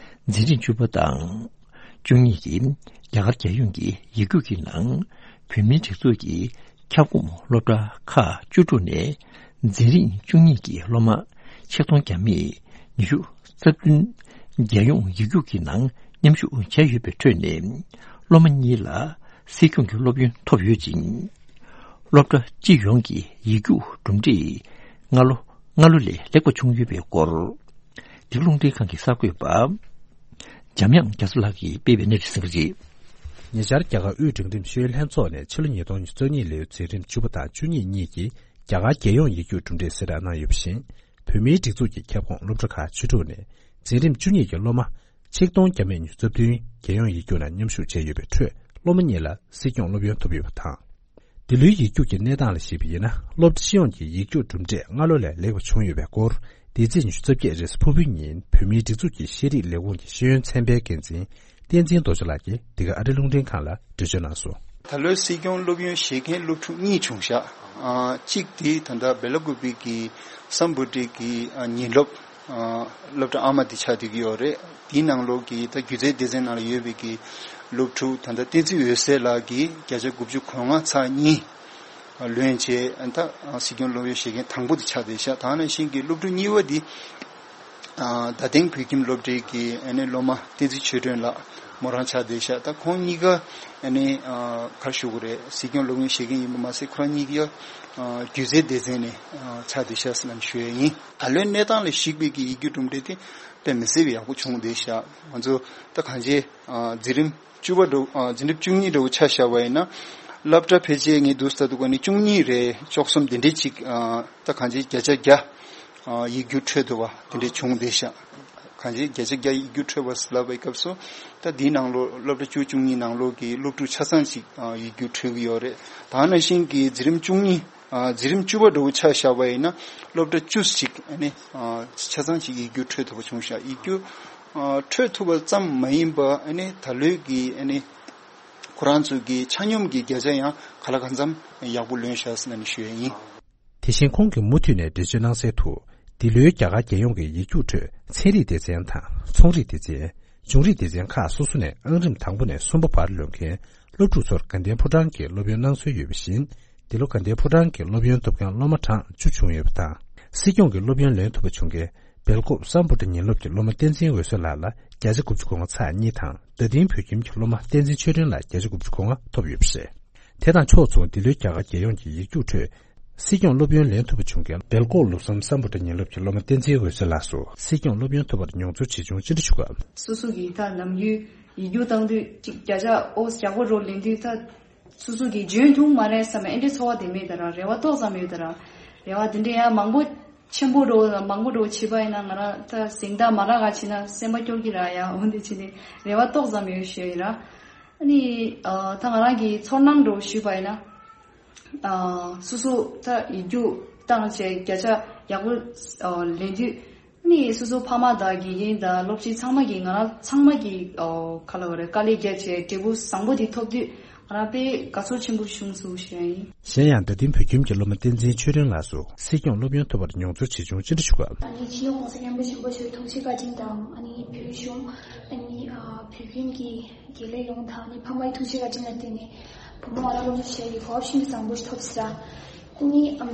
འཛིན་རིམ་བཅུ་པ་དང་། བཅུ་གཉིས་ཀྱི་རྒྱ་གར་རྒྱལ་ཡོངས་ཀྱི་ཡིག་རྒྱུགས་ཀྱི་ནང་བོད་མིའི་སྒྲིག་འཛུགས་ཀྱི་ཁྱབ་ཁོངས་སློབ་གྲྭ་ཁག་བཅུ་དྲུག་ནས་འཛིན་རིམ་བཅུ་གཉིས་ཀྱི་སློབ་མ་ཆིག་སྟོང་བརྒྱ་མེད་ཉི་ཤུ་རྩ་བདུན་རྒྱལ་ཡོངས་ཡིག་རྒྱུགས་ཀྱི་ནང་མཉམ་ཞུགས་བྱས་ཡོད་པའི་ཁྲོད་ནས་སློབ་མ་གཉིས་ལ་སྲིད་སྐྱོང་གི་སློབ་ཡོན་ཐོབ་ཡོད་ཅིང་། སློབ་གྲྭ་སྤྱི་ཡོངས་ཀྱི་ཡིག་རྒྱུགས་གྲུབ་འབྲས་སྔ་ལོ་སྔ་ལོ་ལས་ལེགས་པ་བྱུང་ཡོད་པའི་སྐོར། འདི་རླུང་འཕྲིན་ཁང་གི་གསར་འགོད་པ། འཇམ་དབྱངས་རྒྱ་མཚོ་ལགས་ཀྱིས་སྤེལ་བའི་གནས་ཚུལ་གསན་གྱི་རེད། ཉེ་ཆར་རྒྱ་གར་དབུས་འབྲིང་རིམ་ཤེས་ཡོན་ལྷན་ཚོགས་ནས་ཕྱི་ལོ་ཉིས་སྟོང་ཉི་ཤུ་རྩ་གཉིས་ལོའི་འཛིན་རིམ་བཅུ་པ་དང་བཅུ་གཉིས་གཉིས་ཀྱི་རྒྱ་གར་རྒྱལ་ཡོངས་ཡིག་རྒྱུགས་གྲུབ་འབྲས་གསལ་བསྒྲགས་གནང་ཡོད་པ་བཞིན། བོད་མིའི་སྒྲིག་འཛུགས་ཀྱི་ཁྱབ་ཁོངས་སློབ་གྲྭ་ཁག་བཅུ་དྲུག་ནས་འཛིན་རིམ་བཅུ་གཉིས་ཀྱི་སློབ་མ་ཆིག་སྟོང་བརྒྱ་མེད་ཉི་ཤུ་རྩ་བདུན་རྒྱལ་ཡོངས་ཡིག་རྒྱུགས་ནང་མཉམ་ཞུགས་བྱས་ཡོད་པའི་ཁྲོད་སློབ་མ་གཉིས་ལ་སྲིད་སྐྱོང་སློབ་ཡོན་ཐོབ་ཡོད་པ་དང་། འདི་ལོའི་ཡིག་རྒྱུགས་ཀྱི་གནས་སྟངས་ལ་གཞིགས་པ་ཡིན་ན། སློབ་གྲྭ་སྤྱི་ཡོངས་ཀྱི་ཡིག་རྒྱུགས་གྲུབ་འབྲས་སྔ་ལོ་ལས་ལེགས་པ་བྱུང་ཡོད་པའི་སྐོར། འདི་ཚེས་ཉི་ཤུ་རྩ་བརྒྱད་རེས་གཟའ་ཕུར་བུའི་ཉིན་བོད་མིའི་སྒྲིག་འཛུགས་ཀྱི་ཤེས་རིག་ལས་ཁུངས་ཀྱི་ཤེས་ཡོན་ཚན་པའི་འགན་འཛིན་བསྟན་འཛིན་རྡོ་རྗེ་ལགས་ཀྱིས་འདི་ག་ཨ་རི་རླུང་འཕྲིན་ཁང་ལ་འགྲེལ་བརྗོད་གནང་སོང་། ད་ལོའི་སྲིད་སྐྱོང་སློབ་ཡོན་བཞེས་མཁན་སློབ་ཕྲུག་གཉིས་བྱུང་ཤག་ཨ། གཅིག་དེ་ད་ལྟ་སྦེ་ལ་ཀུ་པི་གི་སམ་བྷོ་ཊ་གི་ཨ། ཉིན་སློབ་ཨ། སློབ་གྲྭ་ཨ་མ་དེ་ཆགས་བསྡད་ཀྱི་ཡོད་རེད། དེའི་ནང་ལོགས་ཀྱི་ད་སྒྱུ་རྩལ་སྡེ་ཚན་ནང་ལ་ཡོད་པའི་གི་སློབ་ཕྲུག་ད་ལྟ་བསྟན་འཛིན་འོད་ཟེར་ལགས་ཀྱིས་བརྒྱ་ཆ་དགུ་བཅུ་གོ་ལྔ་ཚེག་གཉིས་ལོན་བྱས། ད་སྲིད་སྐྱོང་སློབ་ཡོན་བཞེས་མཁན་དང་པོ་དེ་ཆགས་བསྡད་ཤག་ད་ནང་བཞིན་གྱི་སློབ་ཕྲུག་གཉིས་པ་དེ་ཨ། རྡ་སྟེང་བོད་ཁྱིམ་སློབ་གྲྭའི་གི་ཨ་ནི་སློབ་མ་བསྟན་འཛིན་ཆོས་སྒྲོན་ལགས་མོ་རང་ཆགས་བསྡད་ཤག་ད་ཁོང་གཉིས་ཀ་ཨ་ནི་ཨ། ག་རེ་ཞུ་དགོས་རེད། སྲིད་སྐྱོང་སློབ་ཡོན་བཞེས་མཁན་ཡིན་པ་མ་ཟད་ཁོ་རང་གཉིས་ཀ་ཨ། སྒྱུ་རྩལ་སྡེ་ཚན་ནས་ཨ། ཆགས་བསྡད་ཤག་ཟེར་ནས་ཞུ་ཡས་ཡིན། ད་ལོའི་གནས་སྟངས་ལ་གཞིགས་པའི་གི་ཡིག་རྒྱུགས་གྲུབ་འབྲས་དེ་དཔེ་མི་སྲིད་པའི་ཡག་པོ་བྱུང་བསྡད་ཤག་ང་ཚོ་ད་གང་ཅི་ཨ། འཛིན་རིམ་བཅུ་པ་འདྲ་བོ་ཨ། འཛིན་རིམ་བཅུ་གཉིས་འདྲ་བོ་ཆ་བཞག་པ་ཡིན་ན། སློབ་གྲྭ་ཕལ་ཆེར་ངས་འདུག་ལྟ་འདུག་ག་ནི་བཅུ་གཉིས་རེད། བཅུ་གསུམ་དེ་འདྲས་ཅིག་ཨ། ད་གང་ཅི་བརྒྱ་ཆ་བརྒྱ་ཨ། ཡིག་རྒྱུགས་འཕྲོད་ཐུབ་པ་དེ་འདྲས་བྱུང་བསྡད་ཤག་གང་ཅི་བརྒྱ་ཆ་བརྒྱ་ཡིག་རྒྱུགས་འཕྲོད་པ་ལབ་པའི་སྐབས་སུ་ད་འདིའི་ནང་ལོགས་སློབ་གྲྭ་བཅུ་བཅུ་གཉིས་ནང་ལོགས་ཀྱི་སློབ་ཕྲུག་ཆ་ཚང་ཅིག་ཨ། ཡིག་རྒྱུགས་འཕྲོད་ཀྱི་ཡོད་རེད། ད་ནང་བཞིན་གྱི་འཛིན་རིམ་བཅུ་གཉིས་ཨ། འཛིན་རིམ་བཅུ་པ་འདྲ་བོ་ཆ་བཞག་པ་ཡིན་ན་སློབ་གྲྭ་བཅུ་ཅིག་ཨ་ནི་ཨ། ཆ་ཚང་ཅིག་ཡིག་རྒྱུགས་འཕྲོད་ཐུབ་པ་བྱུང་ཤག་ཡིག་རྒྱུགས་ཨ། འཕྲོད་ཐུབ་པ་ཙམ་མ་ཡིན་པ་ཨ་ནི་ད་ལོའི་གི་ཨ་ནི་ཁོ་རང་ཚོ་གི་ཆ་སྙོམས་ཀྱི་བརྒྱ་ཆ་ཡང་ག་ལ་གང་འཚམ་ཡག་པོ་ལོན་ཤག་ཟེར་ནས་ཞུ་ཡས་ཡིན། དེ་བཞིན་ཁོང་གིས་མུ་མཐུད་ནས་འགྲེལ་བརྗོད་གནང་གསལ་དུ། འདི་ལོའི་རྒྱ་གར་རྒྱལ་ཡོངས་ཀྱི་ཡིག་རྒྱུགས་ཁྲོད་ཚན་རིག་སྡེ་ཚན་དང་ཚོང་རིག་སྡེ་ཚན། འབྱུང་རིག་སྡེ་ཚན་ཁག་སོ་སོ་ནས་ཨང་རིམ་དང་པོ་ནས་གསུམ་པ་བར་ལོན་མཁན་སློབ་ཕྲུག་ཚོར་དགའ་ལྡན་ཕོ་བྲང་གི་སློབ་ཡོན་གནང་སྲོལ་ཡོད་པ་བཞིན། འདི་ལོ་དགའ་ལྡན་ཕོ་བྲང་གི་སློབ་ཡོན་ཐོབ་མཁན་སློབ་མ་གྲངས་བཅུ་བྱུང་ཡོད་པ་དང་། སྲིད་སྐྱོང་གི་སློབ་ཡོན་ལེན་ཐུབ་པ་བྱུང་མཁན་སྦེལ་ཀོབ་སམ་བྷོ་ཊ་ཉིན་སློབ་ཀྱི་སློབ་མ་བསྟན་འཛིན་འོད་ཟེར་ལགས་ལ་བརྒྱ་ཆ་དགུ་བཅུ་གོ་ལྔ་ཚེག་གཉིས་དང་། རྡ་སྟེང་བོད་ཁྱིམ་གྱི་སློབ་མ་བསྟན་འཛིན་ཆོས་སྒྲོན་ལ་བརྒྱ་ཆ་དགུ་བཅུ་གོ་ལྔ་ཐོབ་ཡོད་པ་རེད། དེ་དང་ཕྱོགས་མཚུངས་འདི་ལོའི་རྒྱ་གར་རྒྱལ་ཡོངས་ཀྱི་ཡིག་རྒྱུགས་ཁྲོད། སྲིད་སྐྱོང་སློབ་ཡོན་ལེན་ཐུབ་པ་བྱུང་མཁན་སྦེལ་ཀོབ་ལུགས་བསམ་སམ་བྷོ་ཊ་ཉིན་སློབ་ཀྱི་སློབ་མ་བསྟན་འཛིན་འོད་ཟེར་ལགས་སུ་སྲིད་སྐྱོང་སློབ་ཡོན་ཐོབ་པར་མྱོང་ཚོར་ཇི་བྱུང་ཅི་འདྲ་ཞུ་སྐབས། སོ་སོ་གིས་ད་ནམ་རྒྱུན་ཡིག་རྒྱུགས་བཏང་དུས་ཅིག་བརྒྱ་ཆ་ཨོ་ཡག་པོ་འདྲ་ལེན་དུས་ད་སོ་སོ་གིས་འཇོན་ཐུབ་མ་རེད་བསམ་པའི་ཨེ་འདྲའི་ཚོར་བ་དེ་མེད་ད་ར། རེ་བ་ཏོག་ཙམ་ཡོད་ད་ར། རེ་བ་དེ་འདྲའི་ཡང་མང་པོ་ཆེན་པོ་འདྲ་མང་པོ་འདྲ་བྱས་པ་ཡིན་ན་ང་རང་ད་གཟེངས་རྟགས་མ་རག་ག་བྱས་ན་སེམས་པ་སྐྱོ་གི་ར། ཡ་འོན་ཏེ་བྱས་ནས་རེ་བ་ཏོག་ཙམ་ཡོད་ཞུ་ཡིན་ར། ཨ་ནི་ཨ་ད་ང་རང་གི་ཚོར་སྣང་འདྲ་ཞུས་པ་ཡིན་ན། ཨ་སོ་སོ་ད་ཡིག་རྒྱུགས་བཏང་བྱས་བརྒྱ་ཆ་ཡག་པོ་ཨ་ལེན་དུས་ཨ་ནི་སོ་སོ་ཕ་མ་དང་དགེ་རྒན་དང་སློབ་སྤྱི་ཚང་མ་གིས་ང་རང་ཚང་མ་གིས་ཨ་ག་ལ་བ་རེད་དཀའ་ལས་བརྒྱབ་བྱས་འབྲས་བུ་བཟང་པོ་དེ་ཐོབ་དུས་ང་རང་དཔེ་དགའ་ཚོར་ཆེན་པོ་བྱུང་སོང་ཞུ་ཡ་ཡིན། གཞན་ཡང་རྡ་སྟེང་བོད་ཁྱིམ་གྱི་སློབ་མ་བསྟན་འཛིན་ཆོས་སྒྲོན་ལགས་སུ་སྲིད་སྐྱོང་སློབ་ཡོན་ཐོབ་པར་མྱོང་ཚོར་ཇི་བྱུང་ཅི་འདྲ་ཞུ་སྐབས། ཨ་ནི་སྤྱི་ནོར་༸གོང་ས་༸སྐྱབས་མགོན་ཆེན་པོ་མཆོག་ཐུགས་རྗེ་བཀའ་དྲིན་དང་ཨ་ནི་བོད་གཞུང་ཨ་ནི་ཨ་བོད་ཁྱིམ་གྱི་དགེ་ལས་ཡོངས་དང་ནི་ཕ་མའི་ཐུགས་རྗེ་བཀའ་དྲིན་ལ་བརྟེན་ནས་བུ་མོ་ང་རང་སློབ་གཉེར་བྱེད་ཡའི་གོ་སྐབས་ཤིན་ཏུ་བཟང་པོ་ཞིག་ཐོབ་ཟེར། ཨ་ནི་ཨམ་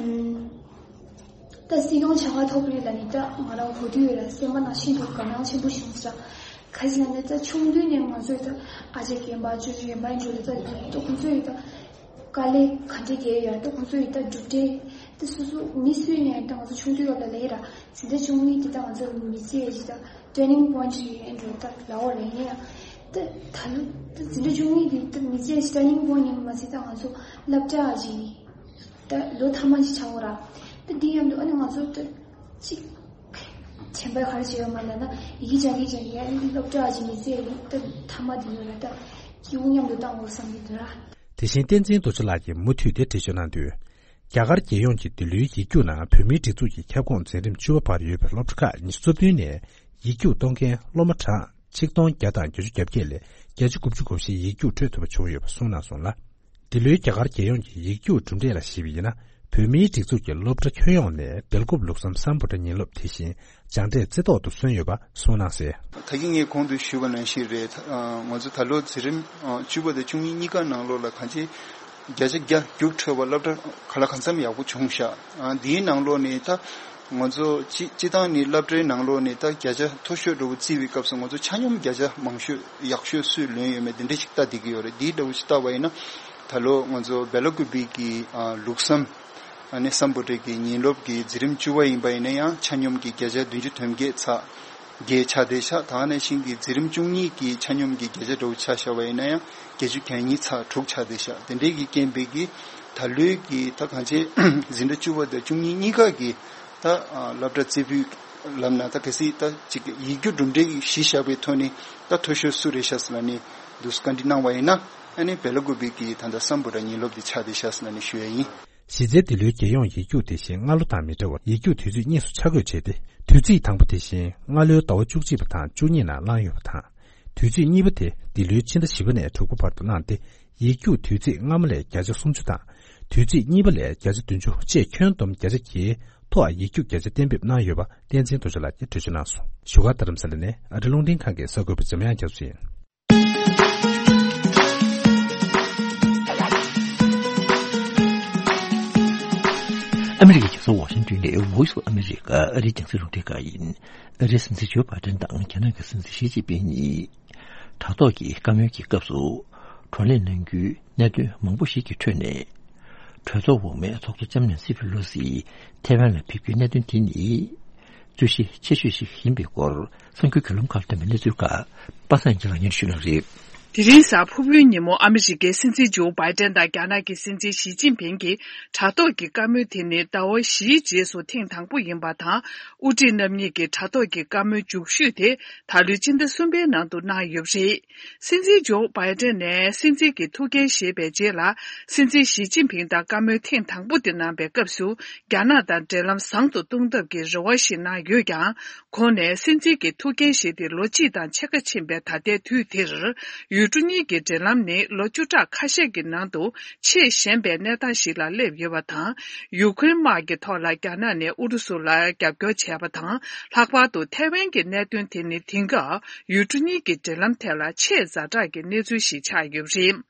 ད་སྲིད་སྐྱོང་བྱ་དགའ་ཐོབ་རེད་ལ་ནི་ད་ང་རང་གོ་དུས་ཡོད་ལ་སེམས་པ་ནང་ཤིན་ཏུ་དགའ་སྣང་ཆེན་པོ་བྱུང་ཟེར། ག་ཟེར་ན་ནི་ད་ཆུང་དུས་ནས་ང་ཚོས་ད་ཨ་ཅག་རྒན་པ་ཅོ་ཅོ་རྒན་པ་འགྲོ་ལ་ད་ད་ཁོང་ཚོས་ད་དཀའ་ལས་ག་འདྲ་བརྒྱབ་ཡོད་ད་ཁོང་ཚོ་ཡི་ད་གྲུབ་འབྲས་ད་སོ་སོ་མི་སུ་ཡིན་ཡང་ད་ང་ཚོ་ཆུང་དུས་སྐབས་ལ་ལས་ར། འཛིན་གྲྭ་བཅུ་གཉིས་འདི་ད་ང་ཚོ་མི་ཚེ་ཡི་ད་turning point ཞིག་ཡིན་འགྲོ་ད་ལའོ་རེད་ཡིན་ཡང་། ད་ད་ལོ་ད་འཛིན་གྲྭ་བཅུ་གཉིས་འདི་ད་མི་ཚེ་ཡི་turning point ཡིན་པ་མ་ཟད་ད་ང་ཚོ་སློབ་གྲྭ་ཞིག་ད་ལོ་ཐ་མ་ཞིག་ཆགས་འོ་ར། ད་འདི་མཉམ་དུ་ཨ་ནི་ང་ཚོ་ད་ཅིག་དྲན་པ་ག་རེ་བྱེད་ཡོད་མ་ལབ་ན་ཡི་གེ་སྦྱང་གི་སྦྱང་གི་ཨ་ནི་སློབ་གྲྭ་ཞིག་མི་ཚེ་ཡི་ད་ཐ་མ་འདི་ཡོད་ར་ད་སྐྱིད་པོ་མཉམ་དུ་བཏང་འོ་བསམ་གི་འདུག་ར། དེ་བཞིན་བསྟན་འཛིན་རྡོ་རྗེ་ལགས་ཀྱིས་མུ་མཐུད་དེ་འགྲེལ་བརྗོད་གནང་དུས། རྒྱ་གར་རྒྱལ་ཡོངས་ཀྱི་འདི་ལོའི་ཡིག་རྒྱུགས་ནང་བོད་མིའི་སྒྲིག་འཛུགས་ཀྱི་ཁྱབ་ཁོངས་འཛིན་རིམ་བཅུ་པ་བར་ཡོད་པའི་སློབ་གྲྭ་ཁག་ཉི་ཤུ་རྩ་བདུན་ནས་ཡིག་རྒྱུགས་གཏོང་མཁན་སློབ་མ་གྲངས་ཆིག་སྟོང་བརྒྱ་དང་བརྒྱད་ཅུ་གྱ་བརྒྱད་ལས་བརྒྱ་ཆ་དགུ་བཅུ་གོ་བཞི་ཡིག་རྒྱུགས་འཕྲོད་ཐུབ་པ་བྱུང་ཡོད་པ་གསུངས་གནང་སོང་ལ། འདི་ལོའི་རྒྱ་གར་རྒྱལ་ཡོངས་ཀྱི་ཡིག་རྒྱུགས་གྲུབ་འབྲས་ལ་གཞིགས་པ་ཡིན་ན། བོད་མིའི་སྒྲིག་འཛུགས་ཀྱི་སློབ་གྲྭ་ཁྱོན་ཡོངས་ནས་སྦེལ་ཀོབ་ལུགས་བསམ་སམ་བྷོ་ཊ་ཉིན་སློབ་དེ་བཞིན་སྦྱངས་འབྲས་རྩེ་ཐོག་ཏུ་སོན་ཡོད་པ་གསུངས་གནང་གསལ། ད་གིན་ངས་གོང་དུ་ཞུས་པ་ནང་བཞིན་རེད། ང་ཚོ་ད་ལོ་འཛིན་རིམ་བཅུ་པ་དང་བཅུ་གཉིས་གཉིས་ཀ་ནང་ལོགས་ལ་གང་ཅི་བརྒྱ་ཆ་བརྒྱ་རྒྱུགས་འཕྲོད་པ་སློབ་གྲྭ་ག་ལ་གང་འཚམ་ཡག་པོ་བྱུང་ཤག་འདིའི་ནང་ལོགས་ནས་ད་ང་ཚོ་སྤྱི་སྤྱི་བཏང་ནས་སློབ་གྲྭའི་ནང་ལོགས་ནས་ད་བརྒྱ་ཆ་མཐོ་ཤོས་འདྲ་བོ་བརྩིས་པའི་སྐབས་སུ་ང་ཚོ་ཆ་སྙོམས་བརྒྱ་ཆ་མང་ཤོས་ཡག་ཤོས་སུས་ལོན་ཡོད་མེད་འདི་འདྲ་ཞིག་ལྟ་བསྡད་ཀྱི་ཡོད་རེད། འདིའི་འདྲ་བོ་ཞིག་ལྟ་བ་ཡིན་ན་ད་ལོ་ང་ཚོ་སྦེ་ལ་ཀུ་པི་གི་ལུགས་བསམ་ཨ་ནི་སམ་བྷོ་ཊ་གི་ཉིན་སློབ་ཀྱི་འཛིན་རིམ་བཅུ་པ་ཡིན་པ་ཡིན་ན་ཡང་ཆ་སྙོམས་ཀྱི་བརྒྱ་ཆ་བདུན་ཅུ་དོན་བརྒྱད་ཚེག་བརྒྱད་ཆགས་བསྡད་ཤག་ད་ནང་བཞིན་གྱི་འཛིན་རིམ་བཅུ་གཉིས་ཀྱི་ཆ་སྙོམས་ཀྱི་བརྒྱ་ཆ་འདྲ་བོ་ཆ་བཞག་པ་ཡིན་ན་ཡང་བརྒྱད་ཅུ་གྱ་གཉིས་ཚེག་དྲུག་ཆགས་བསྡད་ཤག་དེ་འདྲའི་གི་རྐྱེན་པས་ཀྱི་ད་ལོའི་གི་ད་གང་ཅི་འཛིན་གྲྭ་བཅུ་པ་དང་བཅུ་གཉིས་གཉིས་ཀ་གི་ད་སློབ་གྲྭ་རྩེ་ཕུད་ལབ་ན་ད་གལ་སྲིད་ད་ཅིག་ཡིག་རྒྱུགས་གྲུབ་འབྲས་གཞི་བཞག་པའི་ཐོག་ནས་ད་མཐོ་ཤོས་སུ་རེད་ཤག་ཟེར་ལབ་ནས་འདུག་བཀའ་འདྲི་གནང་བ་ཡིན་ན་ཨ་ནི་སྦེ་ལ་ཀུ་པི་གི་ད་ལྟ་སམ་བྷོ་ཊ་ཉིན་སློབ་དེ་ཆགས་བསྡད་ཤག་ཟེར་ལབ་ནས་ཞུ་ཡ་ཡིན། གཞི་རྩའི་འདི་ལོའི་རྒྱལ་ཡོངས་ཡིག་རྒྱུགས་དེ་བཞིན་སྔ་ལོ་དང་མི་འདྲ་བར་ཡིག་རྒྱུགས་དུས་ཚོད་གཉིས་སུ་ཆ་བགོས་བྱས་ཏེ། དུས་ཚིགས་དང་པོ་དེ་བཞིན་སྔ་ལོའི་ཟླ་བ་བཅུ་གཅིག་པ་དང་བཅུ་གཉིས་ནང་བླངས་ཡོད་པ་དང་། དུས་ཚིགས་གཉིས་པ་དེ་འདི་ལོའི་ཕྱི་ཟླ་བཞི་པ་ནས་དྲུག་པ་བར་དུ་བླངས་ཏེ། ཡིག་རྒྱུགས་དུས་ཚིགས་སྔ་མ་ལས་བརྒྱ་ཆ་སུམ་ཅུ་དང་། དུས་ཚིགས་གཉིས་པ་ལས་བརྒྱ་ཆ་བདུན་ཅུ་བཅས་ཁྱོན་བསྡོམས་བརྒྱ་ཆ་བརྒྱའི་ཐོག་ཡིག་རྒྱུགས་བརྒྱ་ཆ་གཏན་འབེབས་གནང་ཡོད་པ། བསྟན་འཛིན་རྡོ་རྗེ་ལགས་ཀྱིས་འགྲེལ་བརྗོད་གནང་སོང་། བཞུགས་སྒར་རྡ་རམ་ས་ལ་ནས་ཨ་རི་རླུང་འཕྲིན་ཁང་གི་གསར་འགོད་པ་འཇམ་དབྱངས་རྒྱ་མཚོ་ཡིན། ཨ་མི་རི་ཀའི་རྒྱལ་ས་ཝ་ཤིང་ཏོན་ནས་Voice of America ཨ་རིའི་རྒྱང་སྲིང་རླུང་འཕྲིན་ཁང་ཡིན། ཨ་རིའི་སྲིད་འཛིན་ཇོ་བྷའི་ཏན་དང་རྒྱ་ནག་གི་སྲིད་འཛིན་ཞི་ཅིན་ཕིང་གཉིས་དྲ་ཐོག་གི་བཀའ་མོལ་གྱི་སྐབས་སུ། བགྲོ་གླེང་གནང་རྒྱུའི་གནད་དོན་མང་པོ་ཞིག་གི་ཁྲོད་ནས། གྲོས་ཚོགས་འོག་མའི་ཚོགས་གཙོ་ལྕམ་ནན་སི་ཕེ་ལོ་སི་ཐེ་ཝན་ལ་ཕེབས་རྒྱུའི་གནད་དོན་དེ་ནི། རྩོད་གཞི་ཆེ་ཤོས་ཤིག་ཡིན་པའི་སྐོར་གསར་འགྱུར་བརྒྱུད་ལམ་ཁག་ལ་ཐོན་པའི་གནས་ཚུལ་ཁག་པ་སངས་སྐྱིད་ལགས་སྙན་ཞུ་གནང་རེད། དེ་རིང་གཟའ་ཕུར་བུའི་ཉིན་མོ་ཨ་མི་རི་ཀའི་སྲིད་འཛིན་ཇོ་བྷའི་ཏན་དང་རྒྱ་ནག་གི་སྲིད་འཛིན་ཞི་ཅིན་ཕིང་གི་དྲ་ཐོག་གི་བཀའ་མོལ་དེ་ནི་ཟླ་བ་བཞིའི་རྗེས་སུ་ཐེངས་དང་པོ་ཡིན་པ་དང་། དབུ་ཁྲིད་རྣམ་གཉིས་ཀྱི་དྲ་ཐོག་གི་བཀའ་མོལ་མཇུག་ཤོས་དེ་ད་ལོའི་ཕྱི་ཟླ་གསུམ་པའི་ནང་དུ་གནང་ཡོད་པ་རེད། སྲིད་འཛིན་ཇོ་བྷའི་ཏན་ནས་སྲིད་འཛིན་གྱི་ཐུགས་འགན་བཞེས་པའི་རྗེས་ལ། སྲིད་འཛིན་ཞི་ཅིན་ཕིང་དང་བཀའ་མོལ་ཐེངས་དང་པོ་དེ་གནང་པའི་སྐབས་སུ། རྒྱ་ནག་དང་འབྲེལ་ལམ་བཟང་དུ་གཏོང་ཐབས་ཀྱི་རེ་བ་ཞིག་གནང་ཡོད་ཀྱང་། ཁོང་ནས་སྲིད་འཛིན་གྱི་ཐུགས་འགན་བཞེས་ཏེ་ལོ་གཅིག་དང་ཕྱེད་ཀ་ཕྱིན་པའི་ད་ལྟའི་དུས་དེར། ཡུལ་གྲུ་གཉིས་ཀྱི་འབྲེལ་ལམ་ནི་ལོ་བཅུ་ཕྲག་ཁ་ཤས་ཀྱི་ནང་དུ་ཆེས་ཞན་པའི་གནས་སྟངས་ཤིག་ལ་སླེབས་ཡོད་པ་དང་། ཡུ་ཁུ་རེན་དམག་གི་ཐོག་ལ་རྒྱ་ནག་ནས་ཨུ་རུ་སུ་ལ་རྒྱབ་སྐྱོར་བྱས་པ་དང་། ལྷག་པར་དུ་ཐའེ་ཝན་གྱི་གནད་དོན་དེ་ནི་དེང་སྐབས་ཡུལ་གྲུ་གཉིས་ཀྱི་འབྲེལ་ལམ་ཐད་ལ་ཆེས་ཛ་དྲག་གི་གནས་ཚུལ་ཞིག་ཆགས་ཡོད་པ་རེད།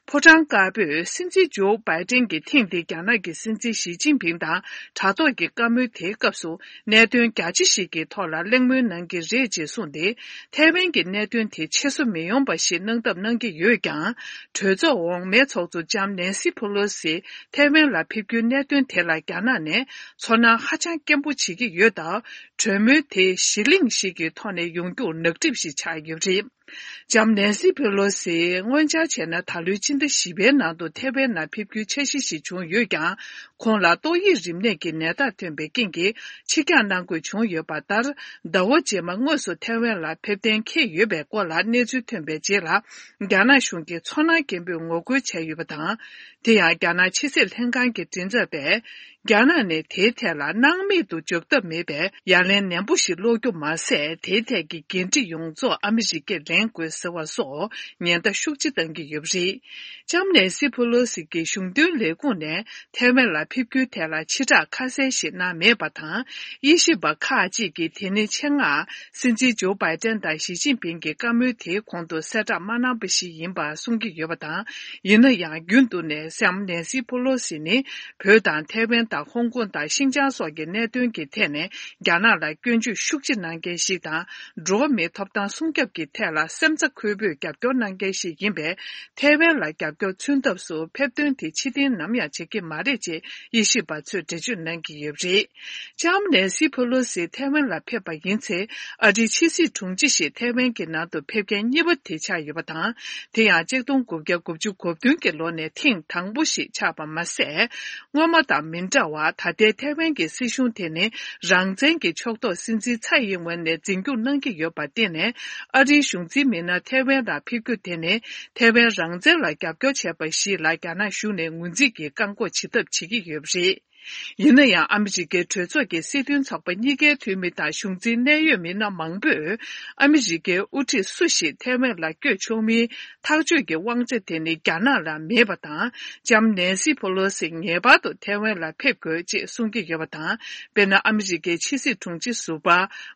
ཕོ་བྲང་དཀར་པོས་སྲིད་འཛིན་ཇོ་བྷའི་ཏན་གྱིས་ཐེངས་འདིའི་རྒྱ་ནག་གི་སྲིད་འཛིན་ཞི་ཅིན་ཕིང་དང་དྲ་ཐོག་གི་བཀའ་མོལ་དེའི་སྐབས་སུ། གནད་དོན་རྒྱ་ཆེ་ཞིག་གི་ཐོག་ལ་གླེང་མོལ་གནང་གི་རེད་ཅེས་གསུངས་ཏེ། ཐའེ་ཝན་གྱི་གནད་དོན་དེ་ཆེ་བཟོ་མི་ཡོང་པ་ཞིག་གནང་ཐབས་གནང་གི་ཡོད་ཀྱང་། གྲོས་ཚོགས་འོག་མའི་ཚོགས་གཙོ་ལྕམ་ནན་སི་ཕུ་ལོ་སི་ཐའེ་ཝན་ལ་ཕེབས་རྒྱུའི་གནད་དོན་དེ་ལ་རྒྱ་ནག་ནས་ཚོར་སྣང་ཧ་ཅང་སྐྱེན་པོ་བྱེད་ཀྱི་ཡོད་སྟབས། གྲོས་མོལ་དེ་གཞི་གླིང་ཞིག་གི་ཐོག་ནས་ཡོང་རྒྱུར་ནག་ཁྲིམས་ཤིག་ཆགས་ཡོད་པ་རེད། ལྕམ་ནན་སི་ཕེ་ལོ་སི་སྔོན་ཆར་བྱས་ན་ད་ལོའི་ཕྱི་ཟླ་བཞི་པའི་ནང་དུ་ཐའེ་ཝན་ནང་ཕེབས་རྒྱུའི་འཆར་གཞི་ཞིག་བྱུང་ཡོད་ཀྱང་། ཁོང་ལ་ཏོག་དབྱིབས་རིམས་ནད་ཀྱི་ནད་རྟགས་ཐོན་པའི་རྐྱེན་གྱིས་ཕྱིར་འགྱངས་གནང་དགོས་བྱུང་ཡོད་པ་ལྟར། ཟླ་བ་རྗེས་མ་དངོས་སུ་ཐའེ་ཝན་ལ་ཕེབས་གཏན་འཁེལ་ཡོད་པའི་སྐོར་ལ་གནས་ཚུལ་ཐོན་པའི་རྗེས་ལ། རྒྱ་ནག་གཞུང་གིས་ཚོར་སྣང་སྐྱེན་པོས་ངོ་རྒོལ་བྱས་ཡོད་པ་དང་། དེ་ཡང་རྒྱ་ནག་ཕྱི་སྲིད་ལྷན་ཁང་གི་མགྲིན་ཚབ་པས། རྒྱ་ནག་ནས་དེའི་ཐད་ལ་སྣང་མེད་དུ་འཇོག་ཐབས་མེད་པའི་ཡ་ལན་ནན་པོ་ཞིག་སློག་རྒྱུ་མ་ཟད། དེའི་ཐད་ཀྱི་འགན་འཁྲི་ཡོངས་རྫོགས་ཨ་མི་རི་ཀས་ལེན་དགོས་ཟེར་བ་སོགས་ཉེན་བརྡ་ཤུགས་ཆེ་བཏང་གི་ཡོད་པ་རེད། ལྕམ་ནན་སི་ཕུ་ལོ་སི་གིས་གཞུང་དོན་ལས་ཁུངས་ནས་ཐའེ་ཝན་ལ་ཕེབས་རྒྱུའི་ཐད་ལ་ཕྱི་བསྒྲགས་ཁ་གསལ་ཞིག་གནང་མེད་པ་དང་། དབྱེ་ཞིབ་པ་ཁག་ཅིག་གིས་དེ་ནི་ཆེད་མངགས་སྲིད་འཛིན་ཇོ་བྷའི་ཏན་དང་ཞི་ཅིན་ཕིང་གི་བཀའ་མོལ་དེའི་གོང་དུ་གསལ་བསྒྲགས་མ་གནང་པ་ཞིག་ཡིན་པ་གསུང་གི་ཡོད་པ་དང་། ཡིན་ན་ཡང་རྒྱུན་དུ་ནས་ལྕམ་ནན་སི་ཕུ་ལོ་སི་ནི། བོད་དང་ཐའེ་ཝན་དང་ཧོང་ཀོང་དང་ཤིན་ཅང་སོགས་ཀྱི་གནད་དོན་གྱི་ཐད་ནས་རྒྱ་ནག་ལ་སྐྱོན་བརྗོད་ཤུགས་ཆེ་གནང་མཁན་ཞིག་དང་། འགྲོ་བ་མིའི་ཐོབ་ཐང་སྲུང་སྐྱོབ་ཀྱི་ཐད་ལ་སེམས་རྩ་འཁོལ་པོས་རྒྱབ་སྐྱོར་གནང་མཁན་ཞིག་ཡིན་པས། ཐའེ་ཝན་ལ་རྒྱབ་སྐྱོར་མཚོན་ཐབས་སུ་ཕེབས་ཐོན་དེ་ཕྱིར་འཐེན་ནམ་ཡང་བྱེད་ཀྱི་མ་རེད་ཅེས་དབྱེ་ཞིབ་པ་ཚོས་འགྲེལ་བརྗོད་གནང་གི་ཡོད་པ་རེད། ལྕམ་ནན་སི་ཕུ་ལོ་སི་ཐའེ་ཝན་ལ་ཕེབས་པ་ཡིན་ཚེ། ཨ་རིའི་ཕྱི་སྲིད་དྲུང་ཆེ་ཞིག་ཐའེ་ཝན་གྱི་ནང་དུ་ཕེབས་མཁན་གཉིས་པ་དེ་ཆགས་ཡོད་པ་དང་། དེ་ཡང་ཆིག་སྟོང་དགུ་བརྒྱ་དགུ་བཅུ་གོ་བདུན་གྱི་ལོ་ནས་ཐེངས་དང་པོ་ཞིག་ཆགས་པ་མ་ཟད། སྔོན་མ་དང་མི་འདྲ་བར་ད་ལྟའི་ཐའེ་ཝན་གྱི་སྲིད་གཞུང་དེ་ནི་རང་བཙན་གྱི་ཕྱོགས་གཏོགས་སྲིད་འཛིན་ཚའེ་ཡིན་ཝེན་ནས་འཛིན་སྐྱོང་གནང་གི་ཡོད་པར་བརྟེན་ནས། ཨ་རིའི་གཞུང་འཛིན་མི་སྣ་ཐའེ་ཝན་ལ་ཕེབས་རྒྱུ་དེ་ནི་ཐའེ་ཝན་རང་བཙན་ལ་རྒྱབ་སྐྱོར་བྱས་པ་ཞིག་ལ་རྒྱ་ནག་གཞུང་ནས་ངོས་འཛིན་གྱིས་བཀག་འགོག་བྱེད་ཐབས་བྱེད་ཀྱི་ཡོད་པ་རེད། ཡིན་ན་ཡང་། ཨ་མི་རི་ཀའི་གྲོས་ཚོགས་ཀྱི་སྲིད་དོན་ཚོགས་པ་གཉིས་ཀའི་འཐུས་མི་དང་གཞུང་འཛིན་གནད་ཡོད་མི་སྣ་མང་པོས། ཨ་མི་རི་ཀའི་དབུ་ཁྲིད་སུ་ཞིག་ཐའེ་ཝན་ལ་བསྐྱོད་ཆོག་མིན། ཐག་གཅོད་ཀྱི་དབང་ཆ་དེ་ནི་རྒྱ་ནག་ལ་མེད་པ་དང་། ལྕམ་ནན་སི་ཕོ་ལོ་སི་ངེས་པར་དུ་ཐའེ་ཝན་ལ་ཕེབས་དགོས་ཅེས་གསུང་གི་ཡོད་པ་དང་། དཔེར་ན། ཨ་མི་རི་ཀའི་ཕྱི་སྲིད་དྲུང་ཆེ་ཟུར་པ་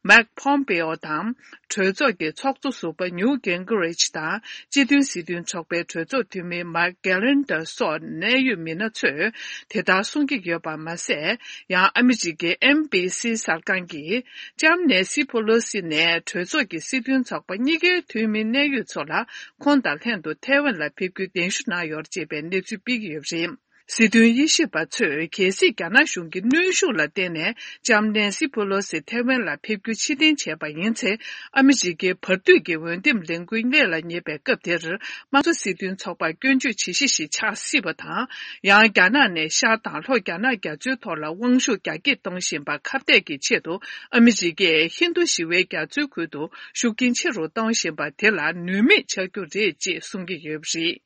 མེག་ཕོམ་པེའོ་དང་། གྲོས་ཚོགས་ཀྱི་ཚོགས་གཙོ་ཟུར་པ་ཉུ་གིན་གྷི་རིཆ་དང་། སྤྱི་མཐུན་སྲིད་དོན་ཚོགས་པའི་གྲོས་ཚོགས་འཐུས་མི་མེག་གྷེ་ལན་ཏར་སོགས་གནད་ཡོད་མི་སྣ་ཚོས་དེ་ལྟར་གསུང་གི་ཡོད་པ་མ་ཟད། ཡང་ཨ་མི་རི་ཀའི་ཨེན་བྷི་སི་གསར་ཁང་གིས། ལྕམ་ནེ་སི་ཕོ་ལོ་སི་ནས་གྲོས་ཚོགས་ཀྱི་སྲིད་དོན་ཚོགས་པ་གཉིས་ཀའི་འཐུས་མི་གནད་ཡོད་ཚོ་ལ་ཁོང་དང་ལྷན་དུ་ཐའེ་ཝན་ལ་ཕེབས་རྒྱུའི་གདན་ཞུ་གནང་ཡོད་ཅེས་པའི་གནས་ཚུལ་སྤེལ་གྱི་ཡོད་པ་རེད། སྲིད་དོན་དབྱེ་ཞིབ་པ་ཚོས། གལ་སྲིད་རྒྱ་ནག་གཞུང་གི་གནོན་ཤུགས་ལ་བརྟེན་ནས་ལྕམ་ནེ་སི་ཕོ་ལོ་སི་ཐའེ་ཝན་ལ་ཕེབས་རྒྱུ་ཕྱིར་འཐེན་བྱས་པ་ཡིན་ཚེ། ཨ་མི་རི་ཀའི་བར་དོའི་འོས་འདེམས་ལས་འགུལ་སྔོན་ལ་ཉེ་བའི་སྐབས་དེར། དམངས་གཙོ་སྲིད་དོན་ཚོགས་པར་སྐྱོན་བརྗོད་བྱེད་གཞི་ཞིག་ཆགས་སྲིད་པ་དང་། ཡང་རྒྱ་ནག་ནས་ཤར་དང་ལྷོ་རྒྱ་ནག་རྒྱ་མཚོའི་ཐོག་ལ་དབང་ཤུགས་རྒྱ་སྐྱེད་གཏོང་བཞིན་པ་ཁ་གཏད་ཀྱི་ཆེད་དུ། ཨ་མི་རི་ཀས་ཧིན་རྡུ་ཞི་བའི་རྒྱ་མཚོའི་ཁུལ་དུ་ཤུགས་རྐྱེན་ཆེ་རུ་གཏོང་བཞིན་པ་དེ་ལ་ནུས་མེད་ཆགས་རྒྱུ་རེད་ཅེས་གསུང་གི་ཡོད་པ་རེད།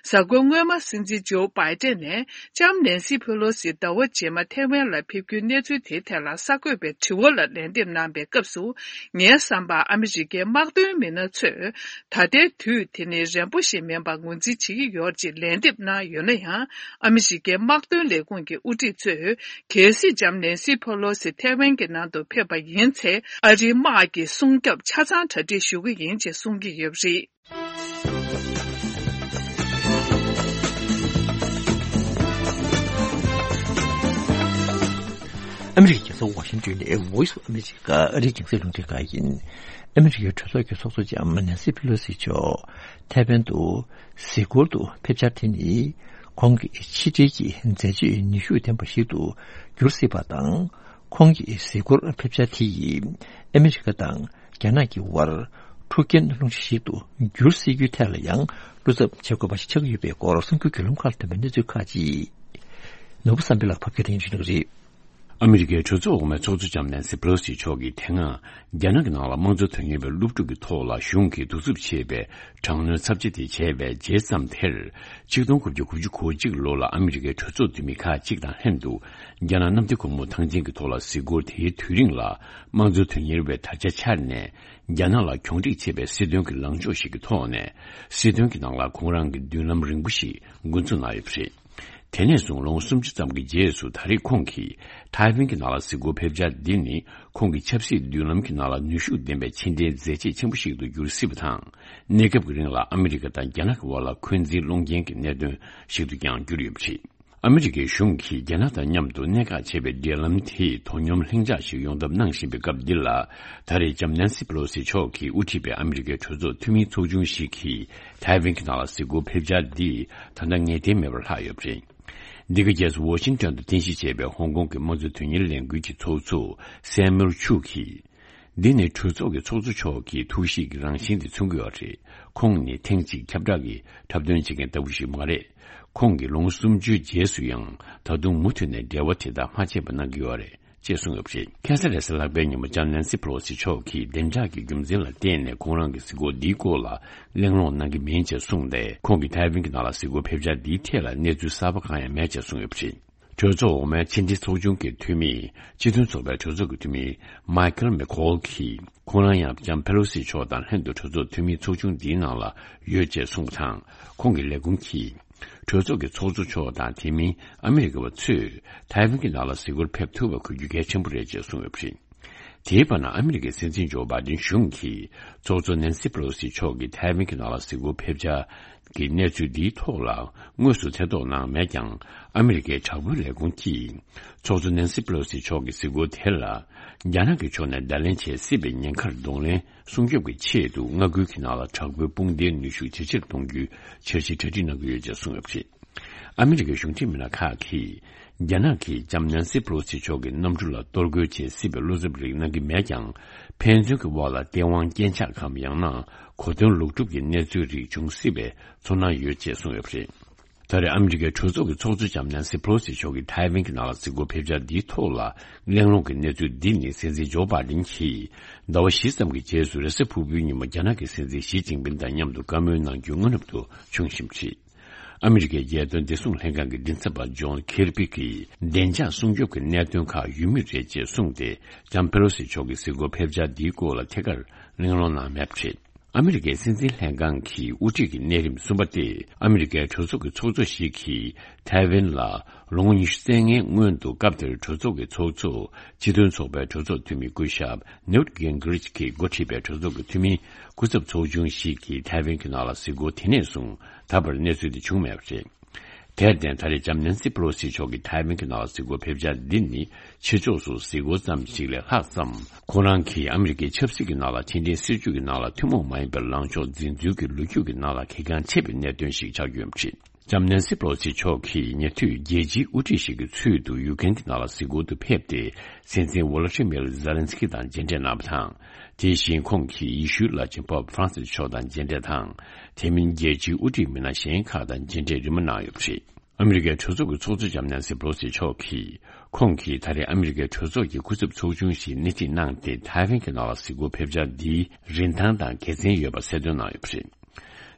གཟའ་འཁོར་སྔོན་མ་སྲིད་འཛིན་ཇོ་བྷའི་ཏན་ནས་ ལྕམ་ནན་སི་ཕེ་ལོ་སི་ཟླ་བ་རྗེས་མ་ཐའེ་ཝན་ལ་ཕེབས་རྒྱུའི་གནས་ཚུལ་དེའི་ཐད་ལ་གསར་འགོད་པའི་དྲི་བ་ལ་ལན་འདེབས་གནང་བའི་སྐབས་སུ། ངའི་བསམ་པར་ཨ་མི་རི་ཀའི་དམག་དོན་མི་སྣ་ཚོས་ད་ལྟའི་དུས་དེ་ནི་རན་པོ་ཞིག་མིན་པར་ངོས་འཛིན་བྱེད་ཀྱི་ཡོད་ཅེས་ལན་འདེབས་གནང་ཡོད་ན་ཡང་། ཨ་མི་རི་ཀའི་དམག་དོན་ལས་ཁུངས་ཀྱི་དབུ་ཁྲིད་ཚོས། གལ་སྲིད་ལྕམ་ནན་སི་ཕེ་ལོ་སི་ཐའེ་ཝན་གྱི་ནང་དུ་ཕེབས་པ་ཡིན་ཚེ། ཨ་རིའི་དམག་གི་སྲུང་སྐྱོབ་ཆ་ཚང་གྲ་སྒྲིག་ཞུ་གི་ཡིན་ཅེས་གསུང་གི་ཡོད་པ་རེད། ཨ་མི་རི་ཀའི་རྒྱལ་ས་ཝ་ཤིང་ཏོན་ནས་Voice of America ཨ་རིའི་རྒྱང་སྲིང་རླུང་འཕྲིན་ཁང་ཡིན། ཨ་མི་རི་ཀའི་གྲོས་ཚོགས་ཀྱི་ཚོགས་གཙོ་ལྕམ་ནན་སི་ཕེ་ལོ་སི་མཆོག་ཐའེ་ཝན་དུ་གཟིགས་སྐོར་དུ་ཕེབས་འཆར་དེ་ནི། ཁོང་གི་ཕྱི་འབྲེལ་གྱི་མཛད་རྗེས་ནུས་ཤུགས་ལྡན་པ་ཞིག་ཏུ་འགྱུར་སྲིད་པ་དང་། ཁོང་གི་གཟིགས་སྐོར་ཕེབས་འཆར་དེ་ཡིས་ཨ་མི་རི་ཀ་དང་རྒྱ་ནག་གི་དབར་འཁྲུག་རྐྱེན་སློང་གཞི་ཞིག་ཏུ་འགྱུར་སྲིད་རྒྱུའི་ཐད་ལ་ཡང་བློ་འཚབ་བྱེད་དགོས་པ་ཞིག་ཆགས་ཀྱི་ཡོད་པའི་སྐོར་གསར་འགྱུར་བརྒྱུད་ལམ་ཁག་ལ་ཐོན་པའི་གནས་ཚུལ་ཁག་ཅིག་ནོར་བུ་བསམ་འཕེལ་ལགས་ཕབ་སྒྱུར་དང་ཞུ་གནང་གི་རེད། ཨ་མི་རི་ཀའི་གྲོས་ཚོགས་འོག་མའི་ཚོགས་གཙོ་ལྕམ་ནན་སི་པེ་ལོ་སི་མཆོག་གིས་དེ་སྔ་རྒྱ་ནག་གི་ནང་ལ་དམངས་གཙོ་དོན་གཉེར་བའི་སློབ་ཕྲུག་གི་ཐོག་ལ་གཞུང་གིས་གདུག་རྩུབ་ཆེ་བའི་དྲག་གནོན་ཚབས་ཆེ་དེ་བྱས་པའི་རྗེས་ཙམ་དེར། ཆིག་སྟོང་དགུ་བརྒྱ་དགུ་བཅུ་གོ་གཅིག་ལོ་ལ་ཨ་མི་རི་ཀའི་གྲོས་ཚོགས་འཐུས་མི་ཁག་ཅིག་དང་ལྷན་དུ། རྒྱ་ནག་གནམ་བདེ་སྒོ་མོ་ཐང་ཆེན་གྱི་ཐོག་ལ་གཟིགས་སྐོར་དེའི་དུས་རིང་ལ། དམངས་གཙོ་དོན་གཉེར་བའི་དར་ཆ་འཕྱར་ནས། རྒྱ་ནག་ལ་གྱོང་རིག་ཆེ་བའི་སྲིད་དོན་གྱི་ལངས་ཕྱོགས་ཤིག་གི་ཐོག་ནས། སྲིད་དོན་གྱི་ནང་ལ་ཁོང་རང་གི་མདུན་ལམ་རིང་པོ་ཞིག་འགོ་འཛུགས་གནང་ཡོད་པ་རེད། དེ་ནས་བཟུང་ལོ་ངོ་སུམ་ཅུ་ཙམ་གྱི་རྗེས་སུ་ད་རེས་ཁོང་གིས་ཐའེ་ཝན་གྱི་ནང་ལ་གཟིགས་སྐོར་ཕེབས་འཆར་འདི་ནི། ཁོང་གི་ཆབ་སྲིད་མདུན་ལམ་གྱི་ནང་ལ་ནུས་ཤུགས་ལྡན་པའི་ཕྱི་འབྲེལ་མཛད་རྗེས་ཆེན་པོ་ཞིག་ཏུ་འགྱུར་སྲིད་པ་དང་། གནས་སྐབས་ཀྱི་རིང་ལ་ཨ་མི་རི་ཀ་དང་རྒྱ་ནག་གི་དབར་ལ་འཁོན་འཛིན་སློང་རྐྱེན་གྱི་གནད་དོན་ཞིག་ཏུ་ཀྱང་གྱུར་ཡོད་པ་རེད། ཨ་མི་རི་ཀའི་གཞུང་གིས་རྒྱ་ནག་དང་མཉམ་དུ་གནད་འགག་ཆེ་བའི་འབྲེལ་ལམ་དེ་དོ་སྙོམས་ལྷིང་འཇགས་ཤིག་ཡོང་ཐབས་གནང་བཞིན་པའི་སྐབས་འདི་ལ། ད་རེས་ལྕམ་ནན་སི་པེ་ལོ་སི་མཆོག་གིས་དབུ་ཁྲིད་པའི་ཨ་མི་རི་ཀའི་གྲོས་ཚོགས་འཐུས་མིའི་ཚོགས་ཆུང་ཞིག་གིས་ཐའེ་ཝན་གྱི་ནང་ལ་གཟིགས་སྐོར་ཕེབས་འཆར་འདི་ད་ལྟ་ངེས་གཏན་མེད་པར་ལྷག་ཡོད་པ་རེད། འདི་ག་རྗེས་སུ་ཝ་ཤིང་ཏོན་དུ་རྟེན་གཞི་བྱས་པའི་ཧོང་ཀོང་གི་དམངས་གཙོ་དོན་གཉེར་ལས་འགུལ་གྱི་ཚོགས་གཙོ་སེ་མུལ་ཆུ་གིས། འདི་ནི་གྲོས་ཚོགས་ཀྱི་ཚོགས་གཙོ་མཆོག་གི་ཐུགས་གཤིས་ཀྱི་རང་བཞིན་དེ་མཚོན་གྱི་ཡོད་རེད། ཁོང་ནི་ཐེངས་གཅིག་ཁྱབ་བསྒྲགས་ཀྱི་འཁྲབ་སྟོན་བྱེད་མཁན་ལྟ་བུ་ཞིག་མ་རེད། ཁོང་གིས་ལོ་ངོ་སུམ་ཅུའི་རྗེས་སུ་ཡང་ད་དུང་མུ་མཐུད་ནས་འབྲེལ་བ་དེ་དག་མ་ཆད་པ་གནང་གི་ཡོད་རེད་ཅེས་གསུངས་ཡོད་པ་རེད། ཁ་སང་རེས་གཟའ་ལྷག་པའི་ཉིན་མོ་ལྕམ་ནན་སི་པེ་ལོ་སི་མཆོག་གིས་བདེ་འཇགས་ཀྱི་རྒྱུ་མཚན་ལ་བརྟེན་ནས་ཁོང་རང་གི་གཟིགས་སྐོར་འདིའི་སྐོར་ལ་གླེང་སློང་གནང་གི་མིན་ཅེས་གསུངས་ཏེ། ཁོང་གིས་ཐའེ་ཝན་གྱི་ནང་ལ་གཟིགས་སྐོར་ཕེབས་འཆར་འདིའི་ཐད་ལ་གནས་ཚུལ་གསར་པ་གང་ཡང་མེད་ཅེས་གསུངས་ཡོད་པ་རེད། གྲོས་ཚོགས་འོག་མའི་ཕྱི་འབྲེལ་ཚོགས་ཆུང་གི་འཐུས་མི། སྤྱི་མཐུན་ཚོགས་པའི་གྲོས་ཚོགས་ཀྱི་འཐུས་མི། མའི་ཁལ་མེ་ཁོལ་གྱིས། ཁོང་རང་ཡང་ལྕམ་ཕེ་ལོ་སི་མཆོག་དང་ལྷན་དུ་གྲོས་ཚོགས་འཐུས་མིའི་ཚོགས་ཆུང་འདིའི་ནང་ལ་ཡོད་ཅེས་གསུངས་པ་དང་། ཁོང་གི་ལས་ཁུངས་ཀྱིས། གྲོས་ཚོགས་ཀྱི་ཚོགས་གཙོ་མཆོག་དང་དེ་མིན་ཨ་མི་རི་ཀ་བ་ཚོས་ཐའེ་ཝན་གྱི་ནང་ལ་གཟིགས་སྐོར་ཕེབས་ཐུབ་པ་དགོས་རྒྱུ་གལ་ཆེན་པོ་རེད་ཅེས་གསུངས་ཡོད་པ་རེད། དེའི་བར་ན་ཨ་མི་རི་ཀའི་སྲིད་འཛིན་ཇོ་བྷའི་ཏིན་གཞུང་གིས་ཚོགས་གཙོ་ནན་སི་པེ་ལོ་སི་མཆོག་གིས་ཐའེ་ཝན་གྱི་ནང་ལ་གཟིགས་སྐོར་ཕེབས་འཆར་གྱི་གནས་ཚུལ་འདིའི་ཐོག་ལ་དངོས་སུ་ཐེ་གཏོགས་གནང་མེད་ཀྱང་། ཨ་མི་རི་ཀའི་དྲག་པོའི་ལས་ཁུངས་ཀྱིས་ཚོགས་གཙོ་ནན་སི་པེ་ལོ་སི་མཆོག་གི་གཟིགས་སྐོར་དེ་ལ་རྒྱ་ནག་གི་ཕྱོགས་ནས་བརྡ་ལན་བྱེད་སྲིད་པའི་ཉེན་ཁར་གདོང་ལེན་སྲུང་སྐྱོབ་ཀྱི་ཆེད་དུ་མངའ་ཁུལ་གྱི་ནང་ལ་དྲག་པོའི་དཔུང་སྡེའི་ནུས་ཤུགས་ཇེ་ཆེར་གཏོང་རྒྱུའི་འཆར་གཞི་གྲ་སྒྲིག་གནང་གི་ཡོད་ཅེས་གསུངས་ཡོད་པ་རེད། ཨ་མི་རི་ཀའི་གཞུང་འབྲེལ་མི་སྣ་ཁག་གིས། རྒྱ་ནག་གིས་ལྕམ་ནན་སི་པེ་ལོ་སི་མཆོག་གི་གནམ་གྲུ་ལ་གཏོར་རྒོལ་བྱེད་སྲིད་པའི་བློ་འཚབ་རིགས་གནང་གི་མེད་ཀྱང་། ཕན་ཚུན་གྱི་དབར་ལ་སྟེས་དབང་རྐྱེན་ཆག་གམ་ཡང་ན་གོ་སྟོན་ལུགས་གྲུབ་ཀྱི་གནས་ཚུལ་རིགས་འབྱུང་སྲིད་པའི་ཚོར་སྣང་ཡོད་ཅེས་གསུངས་ཡོད་པ་རེད། ད་རེས་ཨ་མི་རི་ཀའི་གྲོས་ཚོགས་ཀྱི་ཚོགས་གཙོ་ལྕམ་ནན་སི་པེ་ལོ་སི་མཆོག་གིས་ཐའེ་ཝན་གྱི་ནང་ལ་གཟིགས་སྐོར་ཕེབས་འཆར་འདིའི་ཐོག་ལ་གླེང་སློང་གི་གནས་ཚུལ་འདི་ནི་སྲིད་འཛིན་ཇོ་བྷའི་ཏིན་གྱིས་ཟླ་བ་བཞི་ཙམ་གྱི་རྗེས་སུ་རེས་གཟའ་ཕུར་བུའི་ཉིན་མོ་རྒྱ་ནག་གི་སྲིད་འཛིན་ཞི་ཅིན་ཕིན་དང་མཉམ་དུ་བཀའ་མོལ་གནང་རྒྱུའི་སྔ་ནུབ་ཏུ་བྱུང་བཞིན་པ་རེད། ཨ་མི་རི་ཀའི་རྒྱལ་དོན་བདེ་སྲུང་ལྷན་ཁང་གི་མགྲིན་ཚབ་པ་ཇོན་ཁེར་པི་གིས་བདེ་འཇགས་སྲུང་སྐྱོབ་ཀྱི་གནད་དོན་ཁག་ཡོད་མུས་རེད་ཅེས་གསུངས་ཏེ། ལྕམ་ཕེ་ལོ་སི་མཆོག་གི་གཟིགས་སྐོར་ཕེབས་འཆར་འདིའི་སྐོར་ལ་ཐད་ཀར་གླེང་སློང་གནང་མེད་པ་རེད། ཨ་མི་རི་ཀའི་སྲིད་འཛིན་ལྷན་ཁང་གི་དབུ་ཁྲིད་ཀྱི་གནས་རིམ་གསུམ་པ་སྟེ། ཨ་མི་རི་ཀའི་གྲོས་ཚོགས་ཀྱི་ཚོགས་གཙོ་ཞིག་གིས་ཐའེ་ཝན་ལ་ལོ་ངོ་ཉི་ཤུ་རྩ་ལྔའི་སྔོན་དུ་སྐབས་དེར་གྲོས་ཚོགས་ཀྱི་ཚོགས་གཙོ། སྤྱི་མཐུན་ཚོགས་པའི་གྲོས་ཚོགས་འཐུས་མི་སྐུ་ཞབས་ནིའུ་ཊི་གིན་གྷི་རིཆ་གིས་འགོ་ཁྲིད་པའི་གྲོས་ཚོགས་ཀྱི་འཐུས་མིའི་སྐུ་ཚབ་ཚོགས་ཆུང་ཞིག་གིས་ཐའེ་ཝན་གྱི་ནང་ལ་གཟིགས་སྐོར་དེ་ནས་བཟུང་ད་བར་གནས་ཚུལ་དེ་བྱུང་མེད་པ་རེད། དེར་བརྟེན། ད་རེས་ལྕམ་ནན་སི་པེ་ལོ་སི་མཆོག་གིས་ཐའེ་ཝན་གྱི་ནང་ལ་གཟིགས་སྐོར་ཕེབས་འཆར་འདི་ནི། ཕྱི་ཕྱོགས་སུ་གཟིགས་སྐོར་ཙམ་ཞིག་ལས་ལྷག་ཙམ། ཁོང་རང་གིས་ཨ་མི་རི་ཀའི་ཆབ་སྲིད་ཀྱི་ནང་ལ་ཕྱི་འབྲེལ་སྲིད་ཇུས་ཀྱི་ནང་ལ་ཐུན་མོང་མ་ཡིན་པའི་ལངས་ཕྱོགས་འཛིན་ཚུལ་གྱི་ལོ་རྒྱུས་ཀྱི་ནང་ལ་གལ་འགངས་ཆེ་བའི་གནད་དོན་ཞིག་ཆགས་ཡོད་པ་རེད། ལྕམ་ནན་སི་པེ་ལོ་སི་མཆོག་གིས་ཉེ་དུས་རྒྱལ་སྤྱིའི་དབུ་ཁྲིད་ཞིག་གི་ཚུལ་དུ་ཡུ་ཀེན་གྱི་ནང་ལ་གཟིགས་སྐོར་དུ་ཕེབས་ཏེ། སྲིད་འཛིན་ཝོ་ལོ་ཏི་མིར་ཛེ་ལན་སི་ཀི་དང་མཇལ་འཕྲད་གནང་བ་དང་། དེ་བཞིན་ཁོང་གིས་ཡེ་ཤུའི་བླ་ཆེན་པོབ་ཧྥ་རན་སིས་མཆོག་དང་མཇལ་འཕྲད་དང་། དེ་མིན་རྒྱལ་སྤྱིའི་དབུ་ཁྲིད་མི་སྣ་གཞན་ཁག་དང་མཇལ་འཕྲད་རིམ་པ་གནང་ཡོད་པ་རེད། ཨ་མི་རི་ཀའི་གྲོས་ཚོགས་ཀྱི་ཚོགས་གཙོ་ལྕམ་ནན་སི་པེ་ལོ་སི་མཆོག་གིས། ཁོང་གིས་ད་རེས་ཨ་མི་རི་ཀའི་གྲོས་ཚོགས་ཀྱི་སྐུ་ཚབ་ཚོགས་ཆུང་ཞིག་སྣེ་ཁྲིད་གནང་སྟེ། ཐའེ་ཝན་གྱི་ནང་ལ་གཟིགས་སྐོར་ཕེབས་འཆར་འདིའི་རིན་ཐང་དང་དགེ་མཚན་ཡོད་པ་གསལ་སྟོན་གནང་ཡོད་པ་རེད།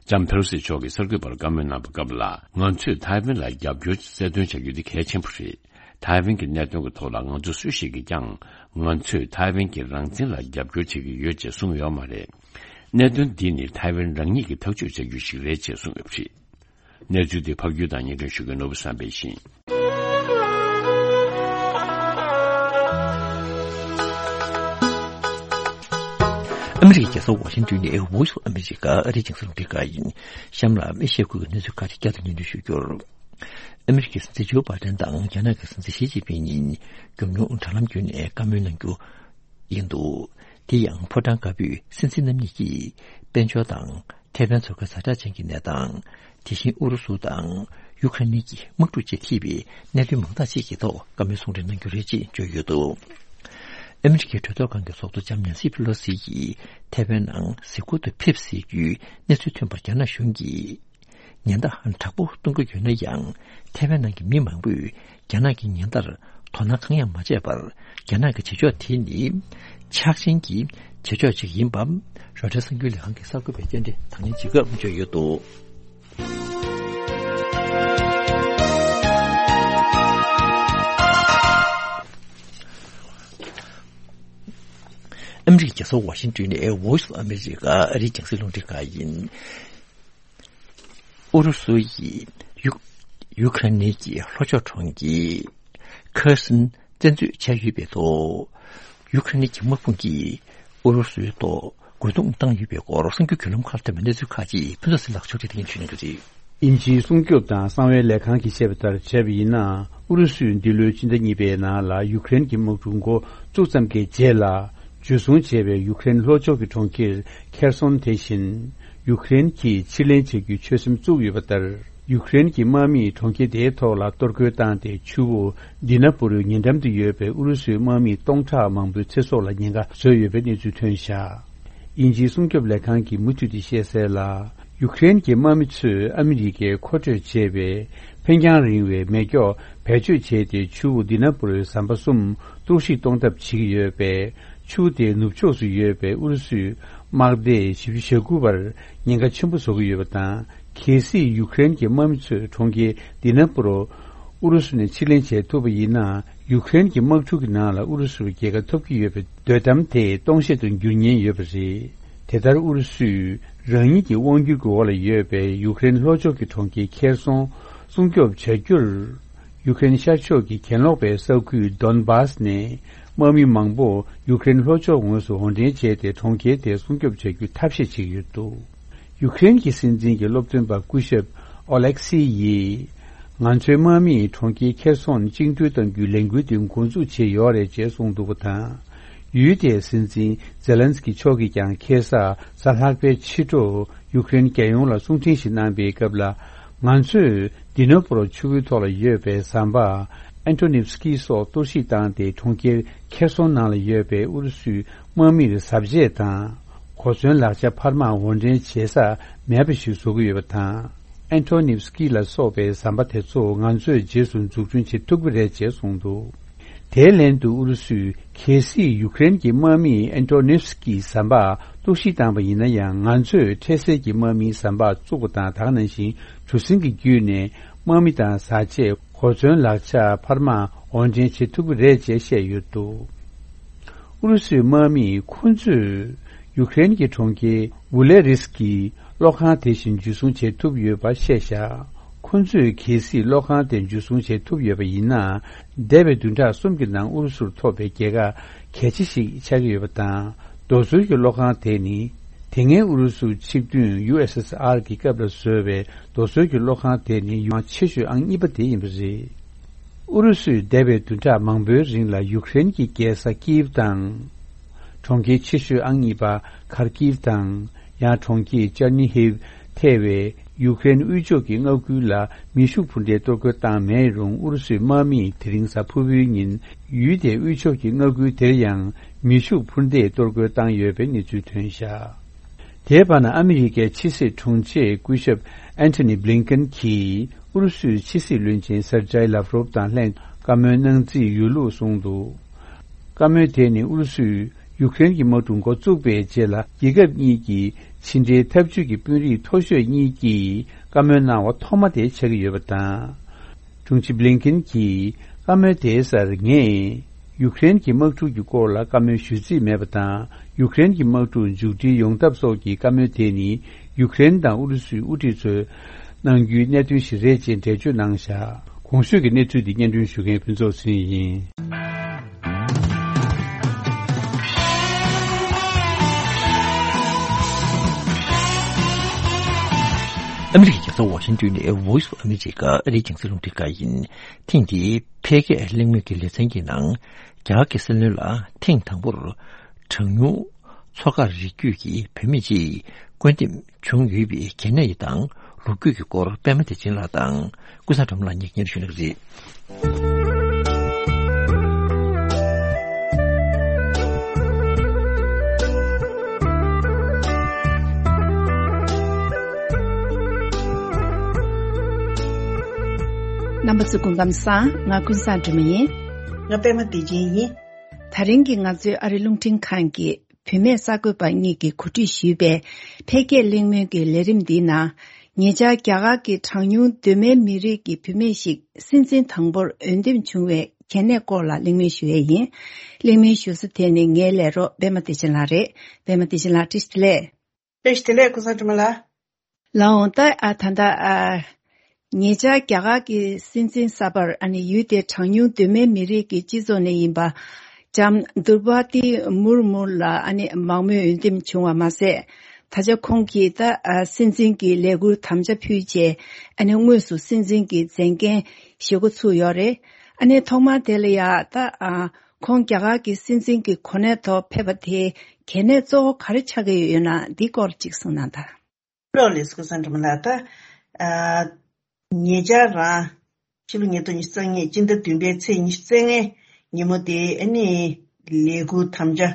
ལྕམ་ཕེ་ལོ་སི་མཆོག་གིས་གསར་འགོད་པར་བཀའ་མོལ་གནང་པའི་སྐབས་ལ། ང་ཚོས་ཐའེ་ཝན་ལ་རྒྱབ་སྐྱོར་གྱི་རྩ་དོན་བྱ་རྒྱུ་དེ་གལ་ཆེན་པོ་རེད། ཐའེ་ཝན་གྱི་གནད་དོན་གྱི་ཐོག་ལ་ང་ཚོ་སུ་ཞིག་གིས་ཀྱང་ང་ཚོས་ཐའེ་ཝན་གྱི་རང་བཙན་ལ་རྒྱབ་སྐྱོར་བྱེད་ཀྱི་ཡོད་ཅེས་གསུངས་ཡོད་མ་རེད། གནད་དོན་འདི་ནི་ཐའེ་ཝན་རང་ཉིད་ཀྱིས་ཐག་གཅོད་བྱ་རྒྱུ་ཞིག་རེད་ཅེས་གསུངས་ཡོད་པ་རེད། གནས་ཚུལ་དེ་ཕབ་སྒྱུར་དང་སྙན་སྒྲོན་ཞུ་མཁན་ནོར་བུ་བསམ་འཕེལ་ཡིན། ཨ་མི་རི་ཀའི་རྒྱལ་ས་ཝ་ཤིང་ཏོན་ནས་Voice of America ཨ་རིའི་རྒྱང་སྲིང་རླུང་འཕྲིན་ཁང་ཡིན། གཤམ་ལ་ཨེ་ཤི་ཡ་ཁུལ་གྱི་གནས་ཚུལ་ཁག་ཅིག་བསྐྱར་དུ་སྙན་སྒྲོན་ཞུ་རྒྱུར། ཨ་མི་རི་ཀའི་སྲིད་འཛིན་ཇོ་བྷའི་ཏན་དང་རྒྱ་ནག་གི་སྲིད་འཛིན་ཞི་ཅིན་ཕིང་གཉིས་མགྱོགས་མྱུར་དྲ་ལམ་བརྒྱུད་ནས་བཀའ་མོལ་གནང་རྒྱུ་ཡིན་འདུག། དེ་ཡང་ཕོ་བྲང་དཀར་པོའི་སྲིད་འཛིན་རྣམ་གཉིས་ཀྱིས་དཔལ་འབྱོར་དང་ཐའེ་ཝན་མཚོ་ཁའི་ཛ་དྲག་ཅན་གྱི་གནས་སྟངས། དེ་བཞིན་ཨུ་རུ་སུ་དང་ཡུ་ཁ་རེན་གྱི་དམག་འཁྲུག་བཅས་ཐེ་བའི་གནད་དོན་མང་དག་ཅིག་གི་ཐོག་བཀའ་མོལ་གསུང་འཕྲིན་གནང་རྒྱུ་རེད་ཅེས་བརྗོད་ཡོད་འདུག། ཨ་མི་རི་ཀའི་གྲོས་ཚོགས་ཁང་གི་ཚོགས་གཙོ་ལྕམ་ནན་སི་ཕེ་ལོ་སི་ཡིས་ཐའེ་ཝན་ནང་གཟིགས་སྐོར་དུ་ཕེབས་སྲིད་རྒྱུའི་གནས་ཚུལ་ཐོན་པར་རྒྱ་ནག་གཞུང་གིས་ཉེན་བརྡ་དྲག་པོ་གཏོང་གི་ཡོད་ན་ཡང་། ཐའེ་ཝན་ནང་གི་མི་མང་པོས་རྒྱ་ནག་གི་ཉེན་བརྡར་དོ་སྣང་གང་ཡང་མ་བྱས་པར། རྒྱ་ནག་གི་བྱེད་ཕྱོགས་དེ་ནི་ཆག་ཞེན་གྱི་བྱེད་ཕྱོགས་ཤིག་ཡིན་པ། རོའི་ཊར་གསར་འགྱུར་ལས་ཁང་གི་གསར་འགོད་པས་རྟེན་འབྲེལ་དང་ལེན་བྱེད་སྐབས་བརྗོད་ཡོད་འདུག། ཨ་མི་རི་ཀའི་རྒྱལ་ས་ཝ་ཤིང་ཏོན་ནས་Voice of America ཨ་རིའི་རྒྱང་སྲིང་རླུང་འཕྲིན་ཁང་ཡིན། ཨུ་རུ་སུ་ཡིས་ཡུ་ཡུ་ཁ་རེན་གྱི་ལྷོ་ཕྱོགས་གྲོང་ཁྱེར་ཁེར་སོན་བཙན་འཛུལ་བྱས་ཡོད་པའི་ཐོག། ཡུ་ཁ་རེན་གྱི་དམག་དཔུང་གིས་ཨུ་རུ་སུའི་ཐོག་རྒོལ་རྡུང་བཏང་ཡོད་པའི་སྐོར་གསར་འགྱུར་བརྒྱུད་ལམ་ཁག་ཐོན་པའི་གནས་ཚུལ་ཁག་ཅིག་ཕུན་ཚོགས་ཟིལ་ལགས་ཕྱོགས་སྒྲིག་སྟེ་སྙན་ཞུ་གནང་གི་རེད། དབྱིན་ཇིའི་སྲུང་སྐྱོབ་དང་གསང་བའི་ལས་ཁང་གིས་བཤད་པ་ལྟར་བྱས་པ་ཡིན་ན། ཨུ་རུ་སུས་འདི་ལོའི་ཕྱི་ཟླ་གཉིས་པའི་ནང་ལ་ཡུ་ཀེ་རེན་གྱི་དམག་འཁྲུག་འགོ་བཙུགས་ཙམ་གྱི་རྗེས་ལ། འཇུ་བཟུང་བྱས་པའི་ཡུ་ཀེ་རེན་ལྷོ་ཕྱོགས་ཀྱི་གྲོང་ཁྱེར་ཁེར་སོན་དེ་བཞིན། ཡུ་ཀེ་རེན་གྱིས་ཕྱིར་ལེན་བྱེད་རྒྱུའི་ཆོད་སེམས་བཙུགས་ཡོད་པ་ལྟར། ཡུ་ཀེ་རེན་གྱི་དམག་མིས་གྲོང་ཁྱེར་དེའི་ཐོག་ལ་གཏོར་རྒོལ་བཏང་སྟེ། ཆུ་བོ་དི་ན་པུ་རུའི་ཉེ་འགྲམ་དུ་ཡོད་པའི་ཨུ་རུ་སུའི་དམག་མི་སྟོང་ཕྲག་མང་པོའི་ཚེ་སྲོག་ལ་ཉེན་ཁ་བཟོས་ཡོད་པའི་གནས་ཚུལ་ཐོན་བཞག། དབྱིན་ཇིའི་སྲུང་སྐྱོབ་ལས་ཁང་གིས་མུ་མཐུད་དེ་བཤད་གསལ་ལ། ཡུ་ཀེ་རེན་གྱི་དམག་མི་ཚོས་ཨ་མི་རི་ཀས་མཁོ་སྤྲོད་བྱས་པའི་འཕེན་རྒྱང་རིང་བའི་མེ་སྒྱོགས་བེད་སྤྱོད་བྱས་ཏེ། ཆུ་བོ་དི་ན་པུ་རུའི་ཟམ་པ་གསུམ་གཏོར་བཤིག་གཏོང་ཐབས་བྱེད་ཀྱི་ཡོད་པས། ཆུ་བོ་དེའི་ནུབ་ཕྱོགས་སུ་ཡོད་པའི་ཨུ་རུ་སུའི་དམག་སྡེ་བཞི་བཅུ་ཞེ་དགུ་པར་ཉེན་ཁ་ཆེན་པོ་བཟོ་གི་ཡོད་པ་དང་། གལ་སྲིད་ཡུ་ཀེ་རེན་གྱི་དམག་མི་ཚོས་གྲོང་ཁྱེར་དི་ན་པུ་རུ་ཨུ་རུ་སུ་ནས་ཕྱིར་ལེན་བྱེད་ཐུབ་པ་ཡིན་ན། ཡུ་ཀེ་རེན་གྱི་དམག་འཁྲུག་གི་ནང་ལ་ཨུ་རུ་སུར་རྒྱལ་ཁ་ཐོབ་ཀྱི་ཡོད་པའི་འདོད་གཏམ་དེ་སྟོང་བཤད་དུ་འགྱུར་ཉེན་ཡོད་པ་རེད། དེ་ལྟར་ཨུ་རུ་སུས་རང་ཉིད་ཀྱི་དབང་སྒྱུར་གྱི་འོག་ལ་ཡོད་པའི་ཡུ་ཀེ་རེན་ལྷོ་ཕྱོགས་ཀྱི་གྲོང་ཁྱེར་ཁེར་སོན་སྲུང་སྐྱོབ་བྱ་རྒྱུར། ཡུ་ཀེ་རེན་ཤར་ཕྱོགས་ཀྱི་གྱེན་ལོག་པའི་ས་ཁུལ་དོན་བཱས་ནས་དམག་མི་མང་པོ་ཡུ་ཀེ་རེན་ལྷོ་ཕྱོགས་ངོས་སུ་འོར་འདྲེན་བྱས་ཏེ། གྲོང་ཁྱེར་དེ་སྲུང་སྐྱོབ་བྱ་རྒྱུའི་ཐབས་ཤེས་བྱེད་ཀྱི་ཡོད་འདུག། ཡུ་ཀེ་རེན་གྱི་སྲིད་འཛིན་གྱི་སློབ་སྟོན་པ་སྐུ་ཞབས་ཨོ་ལེག་སི་ཡིས། ང་ཚོའི་དམག་མིས་གྲོང་ཁྱེར་ཁེར་སོན་བཅིངས་འགྲོལ་གཏང་རྒྱུའི་ལས་འགུལ་དེ་འགོ་འཛུགས་བྱས་ཡོད་རེད་ཅེས་གསུངས་འདུག་པ་དང་། ཡུལ་དེའི་སྲིད་འཛིན་ཛེ་ལན་སི་ཀི་མཆོག་གིས་ཀྱང་ཁ་སང་གཟའ་ལྷག་པའི་ཕྱི་དྲོ་ཡུ་ཀེ་རེན་རྒྱལ་ཡོངས་ལ་གསུང་འཕྲིན་ཞིག་གནང་པའི་སྐབས་ལ། ང་ཚོས་དི་ནོ་པོ་རོ་ཆུ་བོའི་ཐོག་ལ་ཡོད་པའི་ཟམ་པ་ཨན་ཏོ་ནིབ་སི་ཀི་སོགས་གཏོར་བཤིག་བཏང་སྟེ། གྲོང་ཁྱེར་ཁེར་སོན་ནང་ལ་ཡོད་པའི་ཨུ་རུ་སུའི་དམག་མིར་གཟབ་བྱེད་དང་། གོ་མཚོན་ལག་ཆ་འཕར་མ་འོར་འདྲེན་བྱེད་ས་མེད་པ་ཞིག་བཟོ་གི་ཡོད་པ་དང་། ཨན་ཏོ་ནིབ་སི་ཀི་ལ་སོགས་པའི་ཟམ་པ་དེ་ཚོ་ང་ཚོས་རྗེས་སུ་འཛུགས་སྐྲུན་བྱེད་ཐུབ་ཀྱི་རེད་ཅེས་གསུངས་འདུག། དེའི་ལན་དུ་ཨུ་རུ་སུས། གལ་སྲིད་ཡུ་ཀེ་རེན་གྱི་དམག་མིས་ཨན་ཏོ་ནིབ་སི་ཀི་ཟམ་པ་གཏོར་བཤིག་བཏང་པ་ཡིན་ན་ཡང་། ང་ཚོས་འཕྲལ་སེལ་གྱི་དམག་མིའི་ཟམ་པ་བཙུགས་པ་དང་། ད་ག་ནང་བཞིན་གྲུ་གཟིངས་ཀྱི་བརྒྱུད་ནས་དམག་མི་དང་བཟའ་ཆས། གོ་མཚོན་ལག་ཆ་འཕར་མ་འོར་འདྲེན་བྱེད་ཐུབ་ཀྱི་རེད་ཅེས་བཤད་ཡོད་འདུག། ཨུ་རུ་སུའི་དམག་མིས་ཁོ་ཚོས་ཡུ་ཀེ་རེན་གྱི་གྲོང་ཁྱེར་བུ་ལེ་རི་སི་ཀི་གློག་ཁང་དེ་བཞིན་འཇུ་བཟུང་བྱེད་ཐུབ་ཡོད་པ་བཤད་བཞག། ཁོ་ཚོས་གལ་སྲིད་གློག་ཁང་དེ་འཇུ་བཟུང་བྱེད་ཐུབ་ཡོད་པ་ཡིན་ན། འདས་པའི་བདུན་ཕྲག་གསུམ་གྱི་ནང་ཨུ་རུ་སུར་ཐོབ་པའི་རྒྱལ་ཁ་གལ་ཆེ་ཞིག་ཆགས་ཀྱི་ཡོད་པ་དང་། རྡོ་སོལ་གྱི་གློག་ཁང་དེ་ནི། དེ་སྔའི་ཨུ་རུ་སུ་ཆིག་བདུན་ཡུ་ཨེས་ཨེས་ཨར་གྱི་སྐབས་ལ་བཟོས་པའི་རྡོ་སོལ་གྱི་གློག་ཁང་དེ་ནི་ཡུང་ཆེ་ཤོས་ཨང་གཉིས་པ་དེ་ཡིན་པ་རེད། ཨུ་རུ་སུས་འདས་པའི་བདུན་ཕྲག་མང་པོའི་རིང་ལ་ཡུཀ་རེན་གྱི་རྒྱལ་ས་ཀིབ་དང་། གྲོང་ཁྱེར་ཆེ་ཤོས་ཨང་གཉིས་པ་ཁར་ཀིབ་དང་། ཡང་གྲོང་ཁྱེར་ཅར་ནི་ཧིབ་ཐེ་བའི་ཡུཀ་རེན་དབུས་ཕྱོགས་ཀྱི་མངའ་ཁུལ་ལ་མེ་ཤུགས་འཕུར་མདེལ་གཏོར་རྒོལ་བཏང་མེད་རུང་། ཨུ་རུ་སུའི་དམག་མིས་དེ་རིང་གཟའ་ཕུར་བུའི་ཉིན་ཡུལ་དེའི་དབུས་ཕྱོགས་ཀྱི་མངའ་ཁུལ་དེར་ཡང་མེ་ཤུགས་འཕུར་མདེལ་གཏོར་རྒོལ་བཏང་ཡོད་པའི་གནས་ཚུལ་ཐོན་བཞག། དེའི་བར་ན་ཨ་མི་རི་ཀའི་ཕྱི་སྲིད་དྲུང་ཆེ་སྐུ་ཞབས་ཨན་ཐོ་ནི་བྷི་ལིན་ཀེན་གྱིས་ཨུ་རུ་སུའི་ཕྱི་སྲིད་བློན་ཆེན་སར་ཇའི་ལབ་རོབ་དང་ལྷན་བཀའ་མོལ་གནང་རྩིས་ཡོད་ལུགས་གསུངས་འདུག། བཀའ་མོལ་དེ་ནི་ཨུ་རུ་སུའི་ ཡུཀ་རེན་གྱི་དམག་འཁྲུག་འགོ་བཙུགས་པའི་རྗེས་ལ། རྒྱལ་ཁབ་གཉིས་ཀྱི་ཕྱི་འབྲེལ་འཐབ་ཇུས་ཀྱི་དཔོན་རིགས་མཐོ་ཤོས་གཉིས་ཀྱིས་བཀའ་མོལ་གནང་བ་ཐོག་མ་དེ་ཆགས་ཀྱི་ཡོད་པ་དང་། དྲུང་ཆེ་བྷི་ལིན་ཀེན་གྱིས་བཀའ་མོལ་དེའི་སར། ངས་ཡུཀ་རེན་གྱི་དམག་འཁྲུག་གི་སྐོར་ལ་བཀའ་མོལ་ཞུ་རྩིས་མེད་པ་དང་། ཡུཀ་རེན་གྱི་དམག་འཁྲུག་མཇུག་སྒྲིལ་ཡོང་ཐབས་སོགས་ཀྱི་བཀའ་མོལ་དེ་ནི། ཡུཀ་རེན་དང་ཨུ་རུ་སུའི་དབུ་ཁྲིད་ཚོས་གནང་རྒྱུའི་གནད་དོན་ཞིག་རེད་ཅེས་འགྲེལ་བརྗོད་གནང་བཞག་གོང་ཞུས་ཀྱི་གནས་ཚུལ་འདི་སྙན་སྒྲོན་ཞུ་མཁན་ཕུན་ཚོགས་ཚེ་རིང་ཡིན། ཨ་མི་རི་ཀའི་རྒྱལ་ས་ཝ་ཤིང་ཏོན་ནས་Voice of America ཨ་རིའི་རྒྱང་སྲིང་རླུང་འཕྲིན་ཁང་ཡིན། ཐེངས་འདིའི་འཕེལ་རྒྱས་གླེང་མོལ་གྱི་ལེ་ཚན་གྱི་ནང་། རྒྱ་གར་གྱི་སྲིད་བློན་ལ་ཐེངས་དང་པོར་གྲངས་ཉུང་མཚོ་ཁ་རིགས་རྒྱུད་ཀྱི་བུད་མེད་ཅིག་བསྐོ་འདེམས་བྱུང་ཡོད་པའི་གལ་གནད་དང་ལོ་རྒྱུས་ཀྱི་སྐོར། པད་མ་བདེ་ཆེན་ལགས་དང་ཀུན་བཟང་སྒྲོལ་མ་ལགས་གཉིས་སྙན་ཞུ་གནང་གི་རེད། རྣམ་པ་ཚོ་སྐུ་ཁམས་བཟང་། ང་ཀུན་བཟང་སྒྲོལ་མ་ཡིན། ང་པད་མ་བདེ་ཆེན་ཡིན། དེ་རིང་གི་ང་ཚོའི་ཨ་རི་རླུང་འཕྲིན་ཁང་གི་བུད་མེད་གསར་འགོད་པ་གཉིས་ཀྱིས་གོ་སྒྲིག་ཞུས་པའི་འཕེལ་རྒྱས་གླེང་མོལ་གྱི་ལས་རིམ་འདིའི་ནང་། ཉེ་ཆར་རྒྱ་གར་གྱི་གྲངས་ཉུང་གདོད་མའི་མི་རིགས་ཀྱི་བུད་མེད་ཞིག་སྲིད་འཛིན་དང་པོར་འོས་འདེམས་བྱུང་བའི་གལ་གནད་སྐོར་ལ་གླེང་མོལ་ཞུ་ཡས་ཡིན། གླེང་མོལ་ཞུ་ས་དེ་ནི་ངའི་ལས་རོགས་པད་མ་བདེ་ཆེན་ལགས་རེད། པད་མ་བདེ་ཆེན་ལགས་བཀྲ་ཤིས་བདེ་ལེགས། བཀྲ་ཤིས་བདེ་ལེགས་ཀུན་བཟང་སྒྲོལ་མ་ལགས། ལགས་འོང་། ད་ཨ་ད་ལྟ་ཨ་ཉེ་ཆར་རྒྱ་གར་གྱི་སྲིད་འཛིན་གསར་པར་ཨ་ནི་ཡུལ་དེའི་གྲངས་ཉུང་གདོད་མའི་མི་རིགས་ཀྱི་སྤྱི་ཚོགས་ནས་ཡིན་པ་ལྕམ་དུར་བ་ཏི་མུར་མུར་ལ་ཨ་ནི་མང་མོས་འོས་འདེམས་བྱུང་བ་མ་ཟད། ད་ཆ་ཁོང་གིས་ད་ཨ་སྲིད་འཛིན་གྱི་ལས་འཁུར་དམ་བཅའ་ཕུལ་རྗེས་ཨ་ནི་དངོས་སུ་སྲིད་འཛིན་གྱི་མཛད་འགན་བཞེས་འགོ་ཚུགས་ཡོད་རེད། ཨ་ནི་ཐོག་མར་དེ་ལ་ཡ་ད་ཨ་ཁོང་རྒྱ་གར་གྱི་སྲིད་འཛིན་གྱི་གོ་གནས་ཐོག་ཕེབས་པ་དེ་གལ་གནད་གཙོ་བོ་ག་རེ་ཆགས་ཀྱི་ཡོད་ན་འདིའི་སྐོར་ཅིག་གསུངས་གནང་དང་། ལགས་ལགས་སོ། ཀུན་བཟང་སྒྲོལ་མ་ལགས། ད་ཨ་ཉེ་ཆར་རང་ཕྱི་ལོ་ཉིས་སྟོང་ཉི་ཤུ་རྩ་གཉིས་སྤྱི་ཟླ་བདུན་པའི་ཚེས་ཉི་ཤུ་རྩ་ལྔའི་ཉིན་མོ་དེ་ཨ་ནི་ལས་འཁུར་དམ་བཅའ་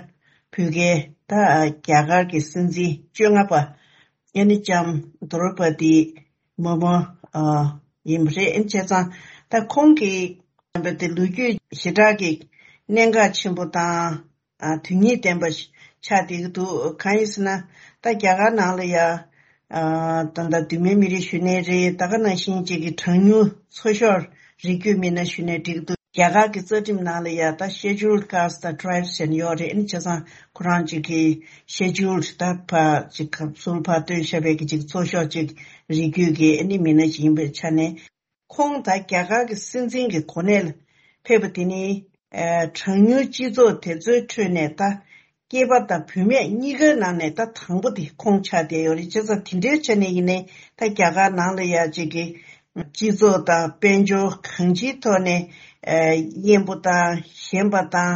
ཕུལ་མཁན་ད་རྒྱ་གར་གྱི་སྲིད་འཛིན་བཅོ་ལྔ་པ་ཨ་ནི་ལྕམ་དྲོ་པ་ཏི་མུར་མུ་ཨ་ཡིན་པ་རེད། ཨ་ནི་བྱས་ཙང་ད་ཁོང་གི་རྣམ་པ་དེ་ལོ་རྒྱུས་ཞེ་དྲག་གི་གནད་འགག་ཆེན་པོ་དང་། ཨ་དོན་སྙིང་ལྡན་པ་ཞིག་ཆགས་བསྡད་ཀྱི་འདུག་གང་ཡིན་ཟེར་ན། ད་རྒྱ་གར་ནང་ལ་ཡ་ཨ་ད་ལྟ་གདོད་མའི་མི་རིགས་གཞོན་ནུ་རེད། ད་ག་ནང་བཞིན་ཅིག་གི་གྲངས་ཉུང་མཚོ་ཤོར་རིགས་རྒྱུད་མི་སྣ་ཞུས་ནའི་འགྲིག་གི་འདུག་རྒྱ་གར་གྱི་རྩ་ཁྲིམས་ནང་ལ་ཡ་ད་Scheduled Caste་དང་Tribes་ཟེར་ནས་ཡོད་རེད། ཨ་ནི་བྱས་ཙང་ཁོ་རང་ཅིག་གི་Scheduled་ད་ཕར་ཅིག་ཟུར་ཕར་བཏོན་བཞག་པའི་གི་ཅིག་མཚོ་ཤོར་ཅིག་རིགས་རྒྱུད་ཀྱི་ཨ་ནི་མི་སྣ་ཞིག་ཡིན་པའི་ཆ་ནས། ཁོང་ད་རྒྱ་གར་གྱི་སྲིད་འཛིན་གྱི་གོ་གནས་ལ་ཕེབས་པ་དེ་ནི། ཨ་གྲངས་ཉུང་སྤྱི་ཚོགས་དེ་ཚོའི་ཁྲོད་ནས་ད་སྐྱེས་པ་དང་བུད་མེད་གཉིས་ཀའི་ནང་ནས་ད་དང་པོ་དེ་ཁོང་ཆགས་བསྡད་ཡོད་རེད། བྱས་ཙང་དེ་འདྲའི་ཆ་ནས་ཡིན་ནའི་ད་རྒྱ་གར་ནང་ལ་ཡ་ཅིག་གི་སྤྱི་ཚོགས་དང་དཔལ་འབྱོར་གང་ཅིའི་ཐོག་ནས་ཨ་དབྱེན་པོ་དང་ཞེན་པ་དང་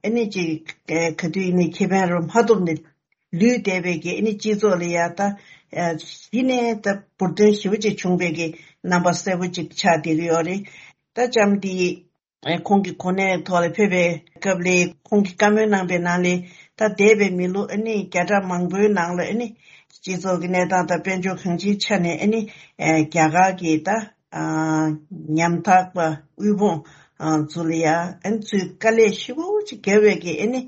ཨ་ནི་ཅིག་ཨ་ག་དུས་ཡིན་ནའི་ཁེ་ཕན་རུ་མ་ཐོབ་ནས། ལུས་བསྡད་པའི་གི་ཨ་ནི་སྤྱི་ཚོགས་ལ་ཡ་ད་ཨ་གཞི་ནས་ད་འབུར་ཐོན་ཞེ་པོ་ཅིག་བྱུང་བའི་གི་རྣམ་པ་གསལ་པོ་ཅིག་ཆགས་བསྡད་ཀྱི་ཡོད་རེད། ད་ལྕམ་འདི་ཨ་ཁོང་གི་གོ་གནས་ཐོག་ལ་ཕེབས་པའི་སྐབས་ལ་ཁོང་གིས་བཀའ་མོལ་གནང་པའི་ནང་ལ་ད་འདས་པའི་མི་ལོ་ཨ་ནི་བརྒྱ་ཕྲག་མང་པོའི་ནང་ལ་ཨ་ནི་སྤྱི་ཚོགས་ཀྱི་གནས་སྟངས་དང་དཔལ་འབྱོར་གང་ཅིའི་ཆ་ནས་ཨ་ནི་ཨ་རྒྱ་གར་གྱི་ད་ཨ་ཉམ་ཐག་པ་དབུལ་ཕོངས་ཨ་ཚོ་ལ་ཡ་ཨ་ནི་ཚུར་དཀའ་ལས་ཞེ་པོ་ཅིག་བརྒྱབ་པའི་གི་ཨ་ནི།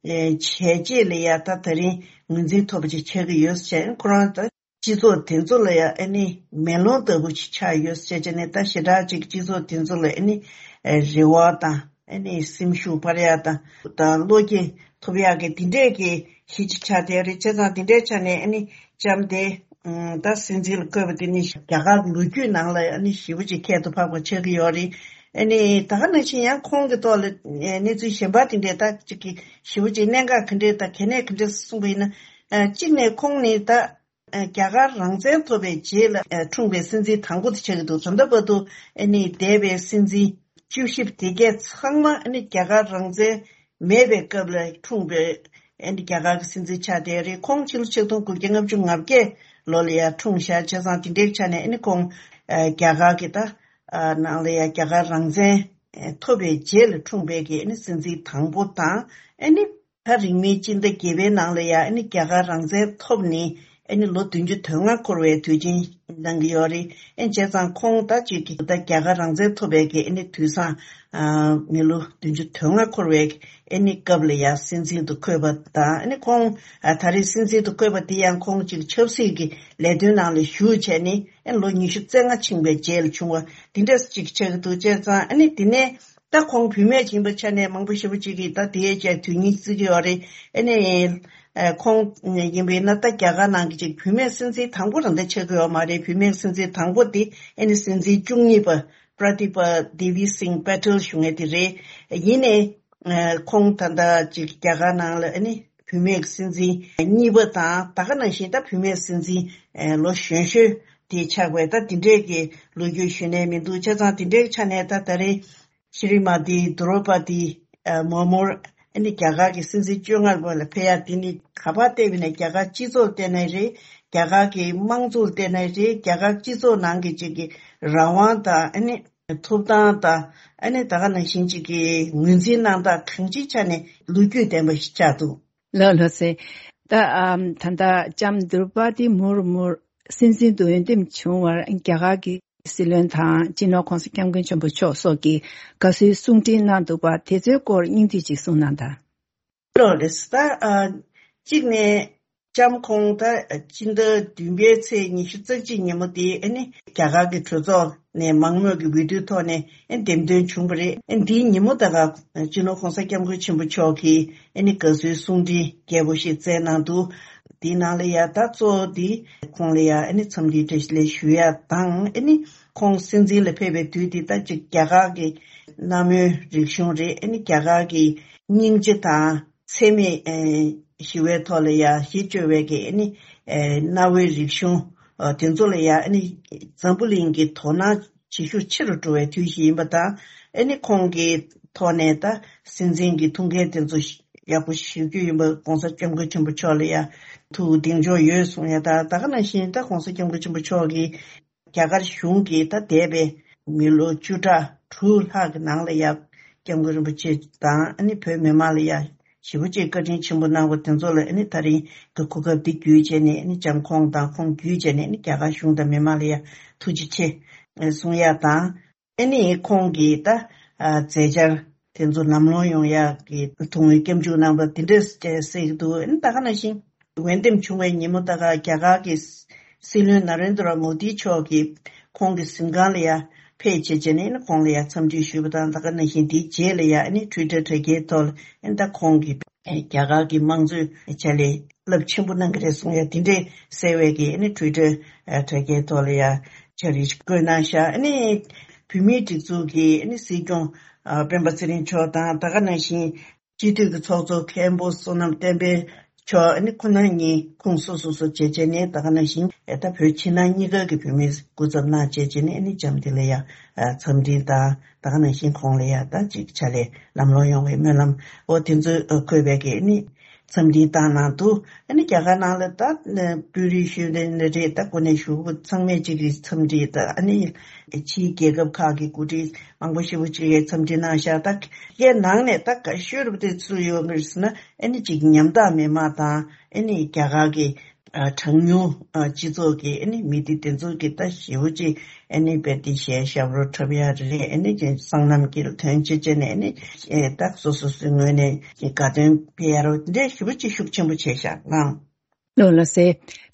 ཨེ་བྱས་རྗེས་ལ་ཡ་ད་ད་རིང་ངོས་འཛིན་ཐོབ་པ་ཅིག་ཆགས་ཀྱི་ཡོད་ཟེར། ཁོ་རང་ད་སྤྱི་ཚོགས་དེ་ཚོ་ལ་ཡ་ཨ་ནི་མེ་ལོང་ལྟ་བུ་ཅིག་ཆགས་ཡོད་ཟེར་བྱས་ནས། ད་ཞེ་དྲག་ཅིག་སྤྱི་ཚོགས་དེ་ཚོ་ལ་ཨ་ནི་ཨེ་རེ་བ་དང་ཨ་ནི་སེམས་ཤུགས་སྤར་ཡ་དང་ད་བློ་སྐྱེད་ཐོབ་ཡག་གི་དེ་འདྲས་ཀྱི་གཞི་ཅིག་ཆགས་བསྡད་རེད། བྱས་ཙང་དེ་འདྲའི་ཆ་ནས་ཨ་ནི་ལྕམ་དེ་ཨུམ་ད་སྲིད་འཛིན་ལ་བསྐོས་པ་དེ་ནི་རྒྱ་གར་ལོ་རྒྱུས་ནང་ལ་ཨ་ནི་ཞེ་པོ་ཅིག་ཁྱད་དུ་འཕགས་པ་ཆགས་ཀྱི་ཡོད་རེད། ཨ་ནི་ད་ག་ནང་བཞིན་ཡང་ཁོང་གི་ཐོག་ལ་ཨེ་གནས་ཚུལ་གཞན་པ་དེ་འདྲས་ད་ཅིག་གི་ཞེ་པོ་ཅིག་གནད་འགག་ག་འདྲས་ད་གལ་གནད་ག་འདྲས་གསུངས་པ་ཡིན་ན། ཨ་གཅིག་ནས་ཁོང་ནི་ད་ཨ་རྒྱ་གར་རང་བཙན་ཐོབ་པའི་རྗེས་ལ་ཨ་འཁྲུངས་པའི་སྲིད་འཛིན་དང་པོ་དེ་ཆགས་ཀྱི་འདུག་ད་ལྟ་བར་དུ་ཨ་ནི་འདས་པའི་སྲིད་འཛིན་བཅུ་བཞི་དེ་གས་ཚང་མ་ཨ་ནི་རྒྱ་གར་རང་བཙན་མེད་པའི་སྐབས་ལ་འཁྲུངས་པའི་ཨ་ནི་རྒྱ་གར་གྱི་སྲིད་འཛིན་ཆགས་བསྡད་རེད། ཁོང་ཕྱི་ལོ་ཆིག་སྟོང་དགུ་བརྒྱ་ལྔ་བཅུ་ང་བརྒྱད་ལོ་ལ་ཡ་འཁྲུངས་ཤག་བྱས་ཙང་དེ་འདྲའི་ཆ་ནས་ཨ་ནི་ཁོང་ཨ་རྒྱ་གར་གྱི་ད་ཨ་ནང་ལ་ཡ་རྒྱ་གར་རང་བཙན་ཨ་ཐོབ་པའི་རྗེས་ལ་འཁྲུངས་པའི་གི་ཨ་ནི་སྲིད་འཛིན་དང་པོ་དང་། ཨ་ནི་ད་རིང་མིན་སྤྱི་ཟླ་བརྒྱད་པའི་ནང་ལ་ཡ་ཨ་ནི་རྒྱ་གར་རང་བཙན་ཐོབ་ནས་ ཨ་ནི་ལོ་བདུན་ཅུ་དོན་ལྔ་འཁོར་བའི་དུས་ཆེན་གནང་གི་ཡོད་རེད། ཨ་ནི་བྱས་ཙང་ཁོང་ད་ཅིག་གི་ད་རྒྱ་གར་རང་བཙན་ཐོབ་པའི་གི་ཨ་ནི་དུས་བཟང་ཨ་མི་ལོ་བདུན་ཅུ་དོན་ལྔ་འཁོར་བའི་ཨ་ནི་སྐབས་ལ་ཡང་སྲིད་འཛིན་དུ་བསྐོས་པ་དང་། ཨ་ནི་ཁོང་ཨ་ད་རེས་སྲིད་འཛིན་དུ་བསྐོས་པ་དེ་ཡང་ཁོང་ཅིག་ཆབ་སྲིད་ཀྱི་ལས་དོན་ནང་ལ་ཞུགས་བྱས་ནས་ཨ་ནི་ལོ་ཉི་ཤུ་རྩ་ལྔ་ཕྱིན་པའི་རྗེས་ལ་བྱུང་བ་དེ་འདྲས་ཅིག་ཆགས་ཀྱི་འདུག་བྱས་ཙང་ཨ་ནི་དེ་ནས། ད་ཁོང་བུད་མེད་ཡིན་པའི་ཆ་ནས་མང་པོ་ཞེ་པོ་ཅིག་གིས་ད་དེའི་རྗེས་དོན་སྙིང་བརྩི་གི་ཡོད་རེད། ཨ་ནི་ཨ་ཁོང་ཡིན་པས་ན་ད་རྒྱ་གར་ནང་གི་ཅིག་བུད་མེད་སྲིད་འཛིན་དང་པོ་རང་ད་ཆགས་ཀྱི་ཡོད་མ་རེད། བུད་མེད་སྲིད་འཛིན་དང་པོ་དེ་ཨ་ནི་སྲིད་འཛིན་བཅུ་གཉིས་པ་པྲ་དི་པ་དེ་བི་སིང་པེ་ཊལ་ཞུ་མཁན་དེ་རེད། ཡིན་ནའི་ཨ་ཁོང་ད་ལྟ་ཅིག་རྒྱ་གར་ནང་ལ་ཨ་ནི་བུད་མེད་སྲིད་འཛིན་གཉིས་པ་དང་། ད་ག་ནང་བཞིན་ད་བུད་མེད་སྲིད་འཛིན་ཨ་ལོ་གཞོན་ཤོས་དེ་ཆགས་པའི་ད་དེ་འདྲས་ཀྱི་ལོ་རྒྱུས་ཞུས་ནས་མི་འདུག་བྱས་ཙང་དེ་འདྲའི་ཆ་ནས་ད་ད་རེས་ཤྲི་མ་ཏི་དུ་རོ་པ་ཏི་མོ་མོར་ཨ་ནི་རྒྱ་གར་གྱི་སྲིད་འཛིན་བཅོ་ལྔ་པ་ལ་ཕེབས་ཡ་དེ་ནི་ག་པར་བལྟས་པ་ཡིན་ན་རྒྱ་གར་སྤྱི་ཚོགས་བལྟས་ནའི་རེད། རྒྱ་གར་གྱི་དམངས་གཙོ་བལྟས་ནའི་རེད། རྒྱ་གར་སྤྱི་ཚོགས་ནང་གི་ཅིག་གི་རང་དབང་དང་ཨ་ནི་ཐོབ་ཐང་དང་ཨ་ནི་ད་ག་ནང་བཞིན་ཅིག་གི་ངོས་འཛིན་གནང་སྟངས་གང་ཅིའི་ཆ་ནས་ལོ་རྒྱུས་ལྡན་པ་ཞིག་ཆགས་འདུག་ལགས་ལགས་སེ། ད་ཨམ་ད་ལྟ་ལྕམ་དུར་པ་ཏི་མུར་མུར་སྲིད་འཛིན་དུ་འོས་འདེམས་བྱུང་བར་རྒྱ་གར་གྱི་སྲིད་བློན་དང་སྤྱི་ནོར་༸གོང་ས་༸སྐྱབས་མགོན་ཆེན་པོ་མཆོག་སོགས་ཀྱིས་དགའ་བསུའི་གསུང་འཕྲིན་གནང་འདུག་པ་དེ་ཚོའི་སྐོར་སྙིང་བསྡུས་ཅིག་གསུང་གནང་དང་། ལགས་རེད། ད་ཨ་གཅིག་ནས་ལྕམ་ཁོང་ད་སྤྱི་ཟླ་བདུན་པའི་ཚེས་ཉི་ཤུ་རྩ་གཅིག་ཉིན་མོ་དེ་ཨ་ནི་རྒྱ་གར་གྱི་གྲོས་ཚོགས་ནས་མང་མོས་ཀྱི་འོས་བསྡུའི་ཐོག་ནས་ཨ་འདེམས་ཐོན་བྱུང་བ་རེད། ཨ་འདིའི་ཉིན་མོ་ད་ག་སྤྱི་ནོར་༸གོང་ས་༸སྐྱབས་མགོན་ཆེན་པོ་མཆོག་གིས་ཨ་ནི་དགའ་བསུའི་གསུང་འཕྲིན་རྒྱས་པོ་ཞིག་བསྩལ་གནང་འདུག་དེའི་ནང་ལ་ཡ་ད་གཙོ་བོ་དེ་ཁོང་ལ་ཡ་ཨ་ནི་འཚམས་འདྲིའི་བཀྲ་ཤིས་བདེ་ལེགས་ཞུ་ཡ་དང་། ཨ་ནི་ཁོང་སྲིད་འཛིན་ལ་ཕེབས་པའི་དུས་དེ་ད་ཅིག་རྒྱ་གར་གྱི་གནའ་མོའི་རིག་གཞུང་རེད། ཨ་ནི་རྒྱ་གར་གྱི་སྙིང་རྗེ་དང་འཚེ་མེད་ཨེ་ཞི་བའི་ཐོག་ལ་ཡ་གཞི་བཅོལ་བའི་གི་ཨ་ནི་ཨེ་གནའ་བོའི་རིག་གཞུང་ཨ་དེ་ཚོ་ལ་ཡ་ཨ་ནི་འཛམ་བུ་གླིང་གི་དོ་སྣང་བྱེད་ཤུགས་ཆེ་རུ་འགྲོ་བའི་དུས་ཤིག་ཡིན་པ་དང་། ཨ་ནི་ཁོང་གི་ཐོག་ནས་ད་སྲིད་འཛིན་གྱི་ཐུགས་འགན་དེ་ཚོ་ཡག་པོ་ཞུ་རྒྱུ་ཡིན་པ་༸གོང་ས་༸སྐྱབས་མགོན་ཆེན་པོ་མཆོག་ལ་ཡ་ཐུགས་གདེང་འཇོག་ཡོད་གསུང་ཡ་དང་། ད་ག་ནང་བཞིན་ད་༸གོང་ས་༸སྐྱབས་མགོན་ཆེན་པོ་མཆོག་གིས་རྒྱ་གར་གཞུང་གིས་ད་འདས་པའི་མི་ལོ་བཅུ་ཕྲག་དྲུག་ལྷག་གི་ནང་ལ་ཡ་༸སྐྱབས་མགོན་རིན་པོ་ཆེ་དང་ཨ་ནི་བོད་མི་མང་ལ་ཡ་ཞེ་པོ་ཅིག་བཀའ་དྲིན་ཆེན་པོ་གནང་བ་དེ་ཚོ་ལ་ཨ་ནི་ད་རིང་གི་གོ་སྐབས་འདི་བརྒྱུད་བྱས་ནས་ཨ་ནི་ལྕམ་ཁོང་དང་ཁོང་བརྒྱུད་བྱས་ནས་ཨ་ནི་རྒྱ་གར་གཞུང་དང་མི་མང་ལ་ཡ་ཐུགས་རྗེ་ཆེ་གསུང་ཡ་དང་། ཨ་ནི་ཁོང་གིས་ད་ཨ་མཛད་འཆར་དེ་ཚོ་ལམ་ལྷོང་ཡོང་ཡག་གི་ཐུགས་སྨོན་སྐྱབས་འཇུག་གནང་བ་འདི་འདྲས་ཅིག་གསལ་གྱི་འདུག་ཨ་ནི་ད་ག་ནང་བཞིན་འོས་འདེམས་བྱུང་བའི་ཉིན་མོ་ད་ག་རྒྱ་གར་གྱི་སྲིད་བློན་ན་རེན་དྲ་མོ་དི་མཆོག་གིས་ཁོང་གི་གཟིམ་ཁང་ལ་ཡ་ཕེབས་བྱས་བྱས་ནས་ཨ་ནི་ཁོང་ལ་ཡ་འཚམས་འདྲི་ཞུས་པ་དང་། ད་ག་ནང་བཞིན་དེའི་རྗེས་ལ་ཡ་ཨ་ནི་ཊུའི་ཊར་དྲ་རྒྱའི་ཐོག་ལ་ཨ་ནི་ད་ཁོང་གིས་རྒྱ་གར་གྱི་དམངས་གཙོའི་ཆ་ལས་རླབས་ཆེན་པོ་གནང་གི་རེད་གསུང་ཡ་དེ་འདྲས་གསལ་བའི་གི་ཨ་ནི་ཊུའི་ཊར་ཨ་དྲ་རྒྱའི་ཐོག་ལ་ཡ་འཆར་གཞི་བཀོད་གནང་ཤག་ཨ་ནི་བོད་མིའི་སྒྲིག་འཛུགས་ཀྱི་ཨ་ནི་སྲིད་སྐྱོང་ཨ་སྤེན་པ་ཚེ་རིང་མཆོག་དང་། ད་ག་ནང་བཞིན་སྤྱི་འཐུས་ཀྱི་ཚོགས་གཙོ་མཁན་པོ་བསོད་ནམས་བསྟན་འཕེལ་མཆོག་ཨ་ནི་ཁོ་ན་གཉིས་ཁོངས་སོ་སོ་སོ་བྱས་བྱས་ནས། ད་ག་ནང་བཞིན་ཨ་ད་བོད་ཕྱི་ནང་གཉིས་ཀ་གི་བོད་མི་སྐུ་ཚབ་གནང་བྱས་བྱས་ནས་ཨ་ནི་ལྕམ་དེ་ལ་ཡ་ཨ་འཚམས་འདྲི་དང་། ད་ག་ནང་བཞིན་ཁོང་ལ་ཡ་ད་ཅིག་ཕྱག་ལས་ལམ་ལྷོང་ཡོང་བའི་སྨོན་ལམ་འོ་དེ་ཚོ་ཨ་འཁོད་པའི་གི་ཨ་ནི་འཚམས་འདྲི་བཏང་གནང་འདུག་ཨ་ནི་རྒྱ་གར་ནང་ལ་ད་དཔོན་རིགས་ཞུས་ནས་རེད། ད་གོ་གནས་ཞུ་བ་ཚང་མས་ཅིག་གི་འཚམས་འདྲི་དང་། ཨ་ནི་ཕྱིའི་རྒྱལ་ཁབ་ཁག་གི་འགོ་ཁྲིད་མང་པོ་ཞེ་པོ་ཅིག་གིས་འཚམས་འདྲི་གནང་ཤག་ད་ཡའི་ནང་ནས་ད་དགའ་ཤོས་རུ་དེ་ཚོ་ཡོད་མི་རེད་ཟེར་ན། ཨ་ནི་ཅིག་ཉམ་ཐག་མི་མང་དང་ཨ་ནི་རྒྱ་གར་གི་ཨ་གྲངས་ཉུང་ཨ་སྤྱི་ཚོགས་ཀྱི་ཨ་ནི་མི་སྡེ་དེ་ཚོ་གི་ད་ཞེ་པོ་ཅིག་ཨ་ནི་དཔེ་དེ་གཞས་ཞབས་བྲོ་འཁྲབ་ཡ་རེད། ཨ་ནི་ཅིག་སྲང་ལམ་གྱི་ཐོན་སྐྱེད་བྱས་ནས་ཨ་ནི་ཨེ་ད་སོ་སོ་སོའི་ངོས་ནས་དགའ་སྟོན་སྤེལ་ཡ་རོ་འདྲ་ཞེ་པོ་ཅིག་ཤུགས་ཆེན་པོ་བྱས་ཤག་ལགས། ལགས་ལགས་སེ།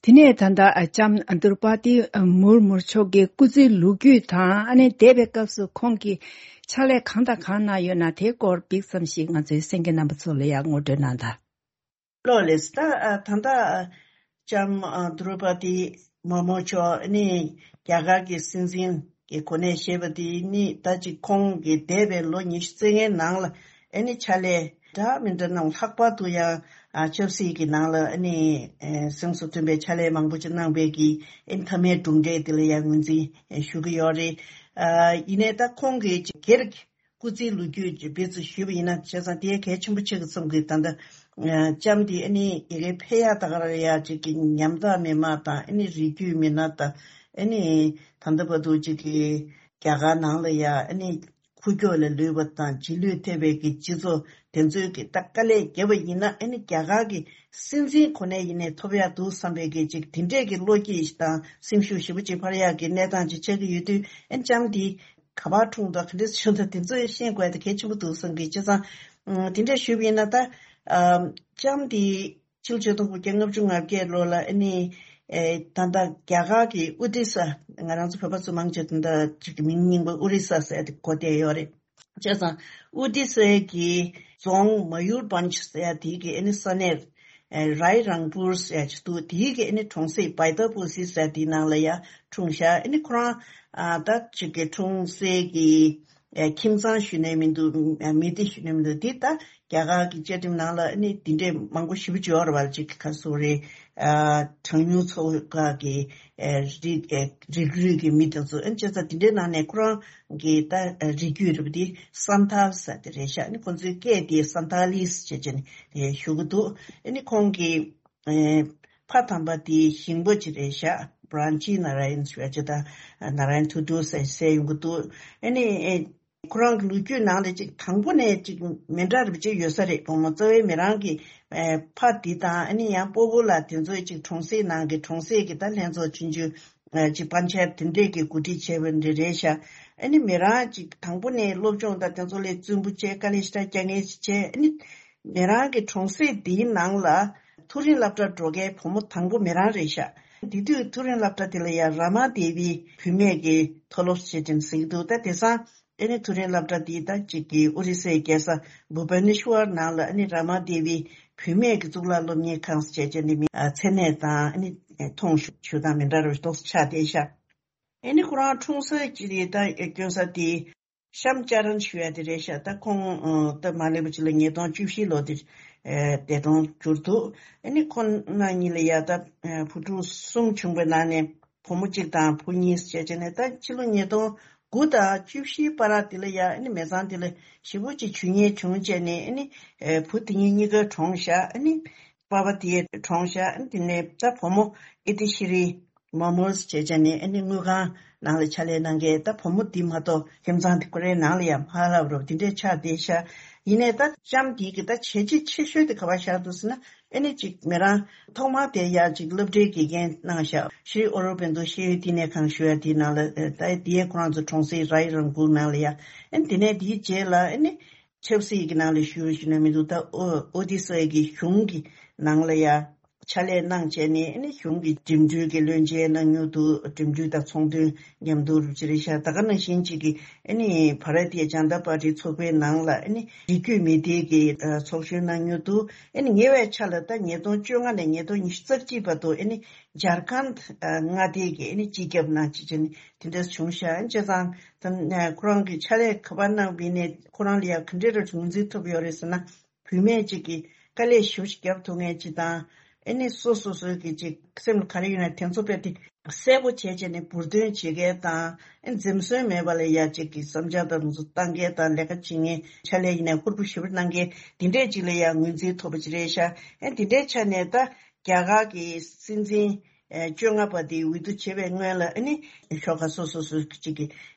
དེ་ནས་ད་ལྟ་ཨ་ལྕམ་དུར་པ་ཏི་མུར་མུར་མཆོག་གི་སྐུ་ཚེའི་ལོ་རྒྱུས་དང་། ཨ་ནི་འདས་པའི་སྐབས་སུ་ཁོང་གིས་ཕྱག་ལས་གང་དང་གང་གནང་ཡོད་ན་དེའི་སྐོར་ཕྱོགས་ཙམ་ཞིག་ང་ཚོའི་གསན་མཁན་རྣམ་པ་ཚོ་ལ་ཡང་ངོ་སྤྲོད་གནང་དང་། ལགས་ལགས་སེ། ད་ཨ་ད་ལྟ་ཨ་ལྕམ་ཨ་དུར་པ་ཏི་མུར་མུར་མཆོག་ཨ་ནི་རྒྱ་གར་གྱི་སྲིད་འཛིན་གྱི་གོ་གནས་བཞེས་པ་དེ་ནི་ད་ཅིག་ཁོང་གི་འདས་པའི་ལོ་ཉི་ཤུ་རྩ་ལྔའི་ནང་ལ་ཨ་ནི་ཕྱག་ལས་འདྲ་མི་འདྲ་གནང་། ལྷག་པར་དུ་ཡང་ཨ་ཆབ་སྲིད་ཀྱི་ནང་ལ་ཨ་ནི་ཨེ་གཟེངས་སུ་ཐོན་པའི་ཕྱག་ལས་མང་པོ་ཅིག་གནང་བའི་གི་ཨ་ནི་མཐའ་མའི་གྲུབ་འབྲས་དེ་ལ་ཡང་ངོས་འཛིན་ཞུ་གི་ཡོད་རེད། ཨ་ཡིན་ནའི་ད་ཁོང་གི་སྒེར་གྱི་སྐུ་ཚེའི་ལོ་རྒྱུས་ཀྱི་སྦས་ཚུལ་ཞུས་པ་ཡིན་ན། བྱས་ཙང་དེ་གལ་ཆེན་པོ་ཆགས་ཀྱི་བསམ་གི། ད་ལྟ་ཨ་ལྕམ་དེ་ཨ་ནི་ཡ་གི་ཕེབས་ཡ་ད་ག་རང་ཡ་ཅིག་གི་ཉམ་ཐག་མི་མང་དང་ཨ་ནི་རིགས་རྒྱུད་མི་སྣ་དང་ཨ་ནི་ད་ལྟ་བར་དུ་ཅིག་གི་རྒྱ་གར་ནང་ལ་ཡ་ཨ་ནི་ ཁུག་ཀྱོག་ལ་ལུས་པ་དང་རྗེས་ལུས་ཐེབས་པའི་གི་སྤྱི་ཚོགས་དེ་ཚོའི་གི་ད་དཀའ་ལས་བརྒྱབ་པ་ཡིན་ན་ཨ་ནི་རྒྱ་གར་གི་སྲིད་འཛིན་གོ་གནས་ཡིན་ནའི་ཐོབ་ཡག་འདུག་བསམ་པའི་གི་ཅིག་དེ་འདྲས་གི་བློ་སྐྱེད་དང་སེམས་ཤུགས་ཞེ་པོ་ཅིག་འཕར་ཡག་གི་གནས་སྟངས་ཅིག་ཆགས་ཀྱི་ཡོད་དུས་ཨ་ནི་ལྕམ་འདི་ག་པར་འཁྲུངས་དང་ག་འདྲས་བྱུང་དང་དེ་ཚོ་ཤེས་དགོས་དེ་གལ་ཆེན་པོ་འདུག་བསམ་གི། བྱས་ཙང་དེ་འདྲས་ཞུས་པ་ཡིན་ན་ད་ལྕམ་འདི་ཕྱི་ལོ་ཆིག་སྟོང་དགུ་བརྒྱ་ལྔ་བཅུ་ང་བརྒྱད་ལོ་ལ་ཨ་ནི་ད་ལྟ་རྒྱ་གར་གྱི་ཨོ་ཏི་ས། ང་རང་ཚོ་བོད་པ་ཚོ་མང་ཆེ་ད་ལྟ་ཅིག་གི་མིང་རྙིང་པ་ཨོ་རི་ས་ཟེར་ཏེ་གོ་བསྡད་ཡོད་རེད། བྱས་ཙང་ཨོ་ཏི་སའི་གི་རྫོང་མ་ཡུར་བྷན་ཇི་ཟེར་དེའི་གི་ཨ་ནི་ས་གནས་རའི་རང་པུར་ཟེར་ཅིག་འདུག་དེའི་གི་ཨ་ནི་གྲོང་གསེབ་བའི་ད་པུ་སི་ཟེར་དེའི་ནང་ལ་ཡ་འཁྲུངས་ཤག་ཨ་ནི་ཁོ་རང་ད་ཅིག་གི་འཁྲུངས་སའི་གི་ཁྱིམ་ཚང་ཞུ་ནས་མི་འདུག་མི་སྡེ་ཞུ་ནས་མི་འདུག་འདི་ད་རྒྱ་གར་གྱི་བཅའ་ཁྲིམས་ནང་ལ་ཨ་ནི་འདི་འདྲས་མང་པོ་ཞེ་པོ་ཅིག་ཡོད་རེད་བ། ཅིག་ག་སོ་རེད། གྲངས་ཉུང་ཚོ་ཁག་གི་རིགས་རིགས་རུས་ཀྱི་མི་དེ་ཚོ་ཨ་ནི་བྱས་ཙང་འདི་འདྲའི་ནང་ནས་ཁོ་རང་གི་ད་རིགས་རྒྱུད་རེད་པ། འདི་སན་ཐལ་ཟེར་དེ་རེད་ཤག་ཨ་ནི་ཁོང་ཚོའི་སྐད་དེ་སན་ཐ་ལིས་བྱས་བྱས་ནས་ཞུ་གི་འདུག་ཨ་ནི་ཁོང་གི་ཕ་དམ་པ་དེ་ཞིང་པ་ཅིག་རེད་ཤག་བྷ་རན་ཅི་ན་ར་ཡན་ཞུ་བ་ཅིག་དང་ན་ར་ཡན་ཐུ་ཏུ་ཟེར་ཟེར་ཡོང་གི་འདུག་ཨ་ནི་ཁོ་རང་གི་ལོ་རྒྱུས་ནང་ལ་ཅིག་དང་པོ་ནས་ཅིག་མི་འདྲ་རེ་ཅིག་ཡོད་ས་རེད། བུ་མོ་རྩ་བའི་མི་རང་གི་ཕ་དེ་དང་ཨ་ནི་ཡང་སྤོ་བོ་ལ་དེ་ཚོའི་ཅིག་གྲོང་གསེབ་ནང་གི་གྲོང་གསེབ་ཀྱི་ད་ལྷན་ཚོགས་ཆུང་ཆུང་ཅིག་པན་ཆེད་དེ་འདྲས་ཀྱི་འགོ་ཁྲིད་བྱས་པ་འདྲ་རེད་ཤག་ཨ་ནི་མི་རང་ཅིག་དང་པོ་ནས་སློབ་སྦྱོང་དང་དེ་ཚོ་ལས་རྩོམ་པོ་བྱས་དཀའ་ལས་ཞེ་དྲག་རྒྱག་མཁན་ཞིག་བྱས། ཨ་ནི་མི་རང་གི་གྲོང་གསེབ་འདིའི་ནང་ལ་མཐོ་རིམ་སློབ་གྲྭར་འགྲོ་མཁན་བུ་མོ་དང་པོ་མི་རང་རེད་ཤག་དེ་དུས་མཐོ་རིམ་སློབ་གྲྭ་དེ་ལ་ཡང་ར་མ་དེ་བི་བུད་མེད་ཀྱི་མཐོ་སློབ་ཞེས་ཀྱང་ཟེར་གྱི་འདུག་ད་དེང་སང་ཨ་ནི་མཐོ་རིམ་སློབ་གྲྭ་དེ་ད་ཅིག་གི་ཨོ་རི་སའི་རྒྱལ་ས་བྷུ་བ་ནེ་ཤྭར་ནང་ལ་ཨ་ནི་ར་མ་དེ་བི་བུད་མེད་ཀྱི་གཙུག་ལག་སློབ་གཉེར་ཁང་ཞེས་བྱས་ནས་མི་མཚན་གནས་དང་ཨ་ནི་མཐོང་ཞུ་དང་མི་འདྲ་བའི་ཏོག་ཙམ་ཆགས་བསྡད་ཤག་ཨ་ནི་ཁོ་རང་འཁྲུངས་ས་ཅིག་དེ་ད་སྐྱོན་ས་དེ། ཤམ་ཅ་རན་ཞུ་ཡ་དེ་རེད་ཤག་ད་ཁོང་ད་མ་སླེབས་པ་ཅིག་ལ་ཉིས་སྟོང་བཅུ་བཞི་ལོ་དེར་འདས་གྲོངས་གྱུར་འདུག་ཨ་ནི་ཁོང་རྣམ་གཉིས་ལ་ཡ་ད་བུ་ཕྲུག་གསུམ་བྱུང་བའི་ནང་ནས་བུ་མོ་གཅིག་དང་བུ་གཉིས་བྱས་བྱས་ནས། ད་ཕྱི་ལོ་ཉིས་སྟོང་དགུ་དང་བཅུ་བཞིའི་བར་དེ་ལ་ཡ་ཨ་ནི་མི་ཚང་དེ་ལ་ཞེ་པོ་ཅིག་ཇུས་ཉེས་བྱུང་བྱས་ནས་ཨ་ནི་བུ་དེ་གཉིས་གཉིས་ཀ་གྲོངས་ཤག་ཨ་ནི་པ་ཕ་དེ་གྲོངས་ཤག་ཨ་ནི་དེ་ནས་ད་བུ་མོ་ཨི་ཏི་ཤི་རི་མ་མོས་བྱས་བྱས་ནས་ཨ་ནི་དངུལ་ཁང་ནང་ལ་ཕྱག་ལས་གནང་མཁན། ད་བུ་མོ་འདི་མ་གཏོགས་ཁྱིམ་ཚང་དེ་ཁོ་རའི་ནང་ལ་ཡང་མ་ལབ་རོགས་དེ་འདྲས་ཆགས་བསྡད་ཤག་ཡིན་ནའི་ད་ལྕམ་འདི་གི་ད་བྱས་རྗེས་ཆེ་ཤོས་དེ་ག་པར་བཞག་འདུག་ཟེར་ན། ཨ་ནི་ཅིག་མི་རང་ཐོག་མར་དེ་ཡ་ཅིག་སློབ་གྲྭའི་དགེ་རྒན་གནང་ཤག་ཤྲི་ཨོ་རོ་བན་དོ་ཤེས་ཡོན་བསྟི་གནས་ཁང་ཞུ་ཡ་དེའི་ནང་ལ་ད་དེའི་ཁོ་རང་ཚོ་གྲོང་གསེབ་རའི་རང་གུར་ནང་ལ་ཡ། ཨ་ནི་དེ་ནས་དེའི་རྗེས་ལ་ཨ་ནི་ཆབ་སྲིད་ཀྱི་ནང་ལ་ཞུགས་ཞུ་ན་མི་འདུག་ད་ཨོ་ཨོ་ཏི་སའི་གི་གཞུང་གི་ནང་ལ་ཡ་ཕྱག་ལས་གནང་བྱས་ནས་ཨ་ནི་གཞུང་གི་འགྲིམ་འགྲུལ་གྱི་བློན་ཆེན་གནང་མྱོང་འདུག་འགྲིམ་འགྲུལ་དང་ཚོང་དོན་མཉམ་དུ་རུ་ཅི་རེད་ཤག་ད་ག་ནང་བཞིན་ཅིག་གི་ཨ་ནི་བྷ་ར་ཏི་ཡ་ཇན་ཏ་པར་ཏི་ཚོགས་པའི་ནང་ལ་ཨ་ནི་རིགས་རྒྱུད་མི་སྡེ་གི་ཚོགས་གཞོན་གནང་མྱོང་འདུག་ཨ་ནི་ཉེ་བའི་ཆར་ལ་ད་ཉིས་སྟོང་བཅོ་ལྔ་ནས་ཉིས་སྟོང་ཉི་ཤུ་རྩ་གཅིག་བར་དུ་ཨ་ནི་ཇར་ཁན་མངའ་སྡེ་གི་ཨ་ནི་སྤྱི་ཁྱབ་གནང་བྱས་བྱས་ནས་དེ་འདྲ་བྱུང་ཤག་བྱས་ཙང་ད་ཁོ་རང་གི་ཕྱག་ལས་ག་པར་གནང་བ་ཡིན་ནའི་ཁོ་རང་ལ་ཡང་ག་འདྲས་ར་ངོས་འཛིན་ཐོབ་ཡོད་རེད་ཟེར་ན། བུད་མེད་ཅིག་གིས་དཀའ་ལས་ཞེ་པོ་ཞིག་རྒྱབ་ཐུབ་མཁན་ཅིག་དང་། ཨ་ནི་སོ་སོ་སོའི་གི་ཅིག་སེམས་ལ་ག་རེ་ཡོད་ན་དེ་ཚོ་དཔེ་དེ་གསལ་པོ་བྱས་བྱས་ནས་འབུར་འདོན་བྱེད་མཁན་དང་། ཨ་ནི་འཛེམ་ཟོན་མེད་པ་ལ་ཡ་ཅིག་གི་བསམ་འཆར་དང་དེ་ཚོ་བཏང་མཁན་དང་། ལས་ཀ་བྱེད་མཁན་ཕྱག་ལས་ཡིན་ན་ཧུར་པོ་ཞེ་པོ་གནང་མཁན་དེ་འདྲས་ཅིག་ལ་ཡ་ངོས་འཛིན་ཐོབ་པ་ཅིག་རེད་ཤག་ཨ་ནི་དེ་འདྲའི་ཆ་ནས་ད་རྒྱ་གར་གི་སྲིད་འཛིན་བཅོ་ལྔ་པ་དེ་འོས་བསྡུ་བྱེད་པའི་སྔོན་ལ་ཨ་ནི་ཤོག་ཁག་སོ་སོ་སོ་ཅིག་གི་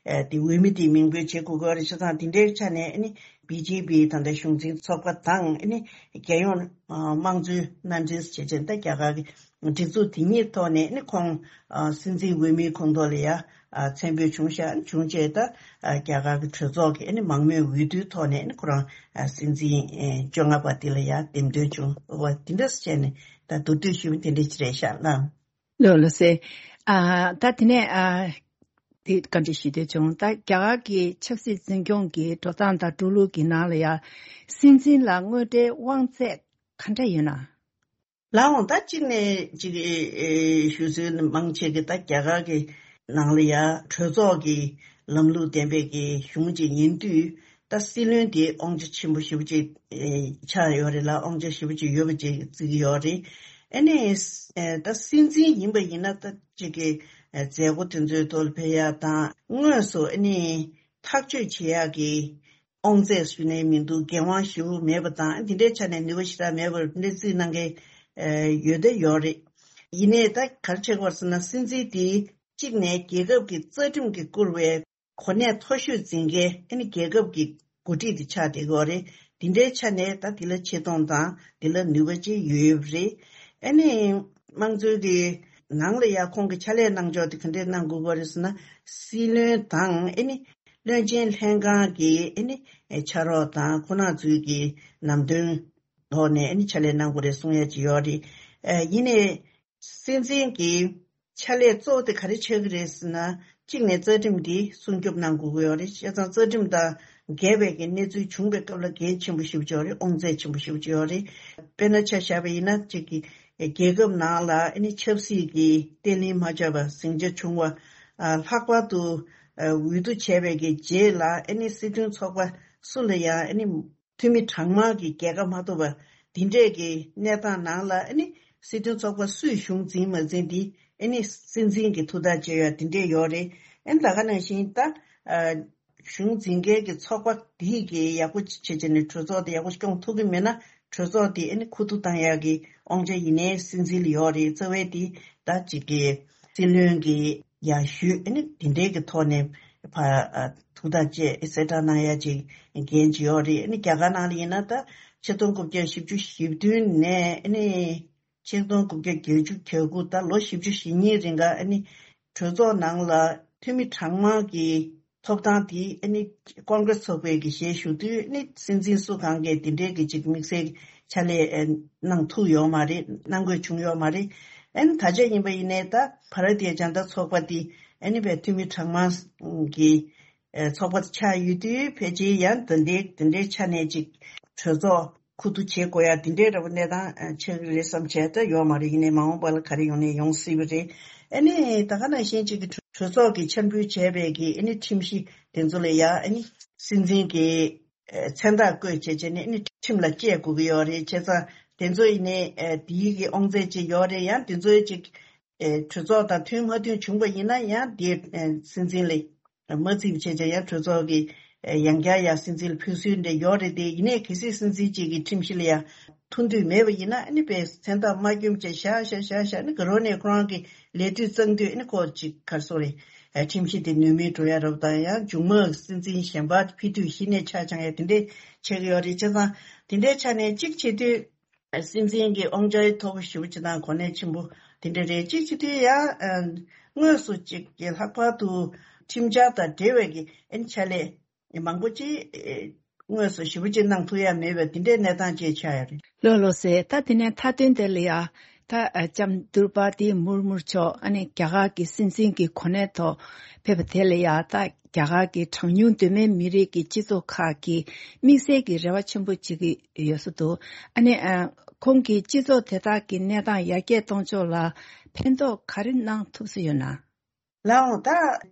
དེ་འོས་མི་དེ་མིང་འབོད་བྱེད་དགོས་ཀྱི་ཡོད་རེད། བྱས་ཙང་དེ་འདྲའི་ཆ་ནས་ཨ་ནི་བི་ཇེ་པི་ད་ལྟ་གཞུང་འཛིན་ཚོགས་པ་དང་ཨ་ནི་རྒྱལ་ཡོངས་དམངས་གཙོའི་མནའ་འབྲེལ་བྱེད་བྱེད་ད་རྒྱ་གར་གྱི་སྒྲིག་འཛུགས་དེ་གཉིས་ཐོག་ནས་ཨ་ནི་ཁོང་སྲིད་འཛིན་འོས་མིའི་ཁོངས་གཏོགས་ལ་ཡ་མཚན་འབོད་བྱུང་ཤག་བྱུང་རྗེས་ད་རྒྱ་གར་གྱི་གྲོས་ཚོགས་ཀྱི་ཨ་ནི་མང་མོས་འོས་བསྡུའི་ཐོག་ནས་ཨ་ནི་ཁོ་རང་སྲིད་འཛིན་བཅོ་ལྔ་པ་དེ་ལ་ཡ་འདེམས་ཐོན་བྱུང་བ་དེ་འདྲ་བྱས་ནས་ད་མདོར་བསྡུས་ཞུས་པ་དེ་འདྲ་ཅིག་རེད་ཤག་ལགས། ལགས་ལགས་སེ། ཨ་ད་དེ་ནས་ཨ་དེ་བཀའ་འདྲི་ཞུ་འདོད་བྱུང་། ད་རྒྱ་གར་གྱི་ཆབ་སྲིད་འཛིན་སྐྱོང་གི་འགྲོ་སྟངས་དང་འགྲོ་ལུགས་ཀྱི་ནང་ལ་ཡང་སྲིད་འཛིན་ལ་དངོས་འབྲེལ་དབང་ཚད་ག་འདྲ་ཡོད་ན། ལགས་འོང་། ད་གཅིག་ནས་གཅིག་ཨེ་ཞུ་ཚུལ་མང་ཆེ་གི་ད་རྒྱ་གར་གྱི་ནང་ལ་ཡང་གྲོས་ཚོགས་ཀྱི་ལམ་ལུགས་ལྡན་པའི་གི་གཞུང་ཅིག་ཡིན་དུས། ད་སྲིད་བློན་དེ་དབང་ཆ་ཆེན་པོ་ཞེ་པོ་ཅིག་ཨེ་ཆགས་ཡོད་རེད་ལ། དབང་ཆ་ཞེ་པོ་ཅིག་ཡོད་པ་ཅིག་བརྩི་གི་ཡོད་རེད། ཨ་ནི་ཨེ་ད་སྲིད་འཛིན་ཡིན་པ་ཡིན་ན་ད་ཅིག་གི་ཨེ་མཛད་སྒོ་དེ་ཚོའི་ཐོག་ལ་ཕེབས་ཡག་དང་། དངོས་སུ་ཨ་ནི་ཐག་གཅོད་བྱེད་ཡག་གི་དབང་ཚད་ཞུ་ནས་མི་འདུག་འགན་དབང་ཞེ་པོ་མེད་པ་དང་། ཨ་འདི་འདྲའི་ཆ་ནས་ནུས་པ་ཞེ་དྲག་མེད་པར་འདི་འདྲའི་རྩིས་གནང་མཁན་ཨེ་ཡོད་དེ་ཡོད་རེད། ཡིན་ནའི་ད་ག་རེ་བྱེད་དགོས་ཟེར་ན། སྲིད་འཛིན་དེ་གཅིག་ནས་རྒྱལ་ཁབ་ཀྱི་རྩ་ཁྲིམས་ཀྱིས་བསྐུར་བའི་ གོ་གནས་མཐོ་ཤོས་འཛིན་མཁན་ཨ་ནི་རྒྱལ་ཁབ་ཀྱི་འགོ་ཁྲིད་དེ་ཆགས་བསྡད་ཀྱི་ཡོད་རེད། དེ་འདྲའི་ཆ་ནས་ད་དེ་ལ་ཆེ་མཐོང་དང་དེ་ལ་ནུས་པ་ཅིག་ཡོད་ཡོད་རེད། ཨ་ནི་དམངས་གཙོའི་གི་ནང་ལ་ཡ་ཁོང་གི་ཕྱག་ལས་གནང་ཕྱོགས་དེ་ག་འདྲས་གནང་དགོས་ཀྱི་རེད་ཟེར་ན། སྲིད་བློན་དང་ཨ་ནི་བློན་ཆེན་ལྷན་ཁང་གི་ཨ་ནི་ཕྱག་རོགས་དང་ཁོ་ན་ཚོའི་གི་ལམ་སྟོན་ཐོག་ནས་ཨ་ནི་ཕྱག་ལས་གནང་དགོས་རེད་གསུང་ཡ་ཅིག་ཡོད་རེད། ཨ་ཡིན་ནའི། སྲིད་འཛིན་གྱི་ཕྱག་ལས་གཙོ་བོ་དེ་ག་རེ་ཆགས་ཀྱི་རེད་ཟེར་ན། གཅིག་ནས་རྩ་ཁྲིམས་འདི་སྲུང་སྐྱོབ་གནང་དགོས་ཀྱི་ཡོད་རེད། བྱས་ཙང་རྩ་ཁྲིམས་དང་འགལ་བའི་གི་གནས་ཚུལ་བྱུང་བའི་སྐབས་ལ་འགན་ཆེན་པོ་ཞེ་པོ་ཅིག་ཡོད་རེད། དབང་ཚད་ཆེན་པོ་ཞེ་པོ་ཅིག་ཡོད་རེད། དཔེར་ན་ཆ་བཞག་པ་ཡིན་ན་གཅིག་གི་རྒྱལ་ཁབ་ནང་ལ་ཨ་ནི་ཆབ་སྲིད་ཀྱི་བརྟན་ལྷིང་མ་ཆགས་པ་ཟིང་ཆ་བྱུང་བ། ཨ་ལྷག་པར་དུ་ཨ་འོས་བསྡུ་བྱས་པའི་གི་རྗེས་ལ་ཨ་ནི་སྲིད་དོན་ཚོགས་པ་སུ་ལ་ཡང་ཨ་ནི་འཐུས་མི་གྲངས་མང་གི་རྒྱལ་ཁ་མ་ཐོབ་པ་འདི་འདྲས་ཀྱི་གནས་སྟངས་ནང་ལ་ཨ་ནི་སྲིད་དོན་ཚོགས་པ་སུས་གཞུང་འཛིན་མ་འཛིན་འདི་ཨ་ནི་སྲིད་འཛིན་གྱི་ཐུགས་ཐག་བཅད་ཡ་འདི་འདྲས་ཡོད་རེད། ཨ་ནི་ད་ག་ནང་བཞིན་ད་ཨ་གཞུང་འཛིན་མཁན་གྱི་ཚོགས་པ་འདི་གི་ཡག་པོ་བྱེད་བྱས་ནས་གྲོས་ཚོགས་དེ་ཡག་པོ་སྐྱོང་ཐུབ་ཀྱི་མེད་ན་གྲོས་ཚོགས་དེ་ཨ་ནི་ཁུ་བསྡུ་བཏང་ཡ་གི་དབང་ཆ་ཡིན་ནའི་སྲིད་འཛིན་ལ་ཡོད་རེད། རྩ་བའི་དེ་ད་ཅིག་གི་སྲིད་བློན་གྱི་ཡང་ཞུས་ཨ་ནི་དེ་འདྲའི་གི་ཐོག་ནས་ཕ་ཨ་ཐུགས་ཐག་བཅད་གསལ་བསྒྲགས་གནང་ཡ་ཅིག་འགན་ཅིག་ཡོད་རེད། ཨ་ནི་རྒྱ་གར་ནང་ལ་ཡིན་ན་ད་ཆིག་སྟོང་དགུ་བརྒྱ་བཞི་བཅུ་ཞེ་བདུན་ནས་ཨ་ནི་ཆིག་སྟོང་དགུ་བརྒྱ་བརྒྱད་ཅུ་གྱ་དགུ་ད་ལོ་བཞི་བཅུ་ཞེ་གཉིས་རིང་ག་ཨ་ནི་གྲོས་ཚོགས་ནང་ལ་འཐུས་མི་གྲངས་མང་གི་ཐོབ་ཐང་དེ་ཨ་ནི་ཀོང་ཀྲེས་ཚོགས་པའི་གི་ཞལ་ཞུ་དུས་ཨ་ནི་སྲིད་འཛིན་སུ་གང་གིས་དེ་འདྲའི་གི་ཅིག་དམིགས་བསལ་ཕྱག་ལས་ཨ་གནང་ཐུབ་ཡོད་མ་རེད། གནང་དགོས་བྱུང་ཡོད་མ་རེད། ཨ་ནི་ད་ཆ་ཡིན་པ་ཡིན་ནའི་ད་བྷ་ར་ཏི་ཡ་ཇན་ད་ཚོགས་པ་དེ་ཨ་ནི་བའི་འཐུས་མི་གྲངས་མང་གི་ཨ་ཚོགས་པ་དེ་ཆགས་ཡོད་དུས་ཕལ་ཆེར་ཡང་དེ་འདྲའི་དེ་འདྲའི་ཆ་ནས་ཅིག་གྲོས་ཚོགས་ཁུ་བསྡུ་བྱེད་དགོས་ཡ་དེ་འདྲའི་འདྲ་པོ་གནས་སྟངས་ཨ་ཆགས་ཀྱི་རེད་བསམ་བྱས་ད་ཡོད་མ་རེད། ཡིན་ནའི་མ་འོངས་པ་ལ་ག་རེ་ཡོང་ནའི་ཡོང་སྲིད་པ་རེད། ཨ་ནི་ད་ག་ནང་བཞིན་ཅིག་གི་གྲོས་ཚོགས་ཀྱིས་འཆར་འབུལ་བྱས་པའི་གི་ཨ་ནི་ཁྲིམས་གཞི་དེ་ཚོ་ལ་ཡ་ཨ་ནི་སྲིད་འཛིན་གྱི་ཨ་མཚན་རྟགས་བཀོད་བྱས་བྱས་ནས་ཨ་ནི་ཁྲིམས་ལ་བཅད་དགོས་ཀྱི་ཡོད་རེད། བྱས་ཙང་དེ་ཚོ་ཡིན་ནའི་ཨ་དེའི་གི་དབང་ཚད་ཅིག་ཡོད་རེད། ཡང་དེ་ཚོའི་ཅིག་ཨ་གྲོས་ཚོགས་དང་མཐུན་མ་མཐུན་བྱུང་པ་ཡིན་ན་ཡང་དེ་ཨ་སྲིད་འཛིན་ལ་མ་བརྩིས་པ་བྱས་བྱས་ཡང་གྲོས་ཚོགས་ཀྱི་ཨ་ཡང་བསྐྱར་ཡང་སྲིད་འཛིན་ལ་ཕུལ་སྲོལ་འདྲ་ཡོད་རེད་དེ། ཡིན་ནའི་གལ་སྲིད་སྲིད་འཛིན་གཅིག་གི་ཁྲིམས་གཞི་ལ་ཡང་མཐུན་འདོད་མེད་པ་ཡིན་ན་ཨ་ནི་པའི་མཚན་རྟགས་མ་བསྐྱོན་བྱས་བཞག་བཞག་བཞག་བཞག་ནི་ག་རོ་ནས་ཁོ་རང་གི་ལས་དུས་གཙང་དུས་ཨ་ནི་ཁོ་ཅིག་གར་སོང་རེད། ཨ་ཁྲིམས་གཞི་དེ་ནུས་མེད་འགྲོ་ཡ་རབས་དང་ཡང་མཇུག་མ་སྲིད་འཛིན་གཞན་པ་ཕི་དུས་གཞི་ནས་ཆ་ཆང་ཡ་དེ་འདྲས་བྱེད་ཀྱི་ཡོད་རེད། བྱས་ཙང་དེ་འདྲའི་ཆ་ནས་གཅིག་བྱེད་དུས་སྲིད་འཛིན་གྱི་དབང་ཆ་མཐོ་པོ་ཞེ་པོ་ཅིག་དང་གོ་གནས་ཆེན་པོ་དེ་འདྲ་རེད། གཅིག་བྱེད་དུས་ཡང་དངོས་སུ་ཅིག་གི་ལྷག་པར་དུ་ཁྲིམས་འཆར་དང་འབྲེལ་བའི་གི་ཨ་ནི་ཕྱག་ལས་མང་པོ་ཅིག་དངོས་སུ་ཞེ་པོ་ཅིག་གནང་ཐུབ་ཡ་མེད་པའི་དེ་འདྲའི་གནས་སྟངས་ཅིག་ཆགས་ཡོད་རེད། ལགས་ལགས་སེ། ད་དེ་ནས་མཐའ་དོན་དེ་ལ་ཡ་ད་ལྕམ་དྲུ་པ་དི་མུར་མུར་མཆོག་ཨ་ནི་རྒྱ་གར་གྱི་སྲིད་འཛིན་གྱི་གོ་གནས་ཐོག་ཕེབས་པ་དེ་ལ་ཡ་ད་རྒྱ་གར་གྱི་གྲངས་ཉུང་གདོད་མའི་མི་རིགས་ཀྱི་སྤྱི་ཚོགས་ཁག་གིས་དམིགས་བསལ་གྱི་རེ་བ་ཆེན་པོ་བྱེད་ཀྱི་ཡོད་ས་འདུག་ཨ་ནི་ཨ་ཁོང་གིས་སྤྱི་ཚོགས་དེ་དག་གི་གནས་སྟངས་ཡར་རྒྱས་གཏོང་ཕྱོགས་ལ་ཕན་ཐོགས་ག་རེ་གནང་ཐུབ་ས་ཡོད་ན། ལགས་འོང་། ད་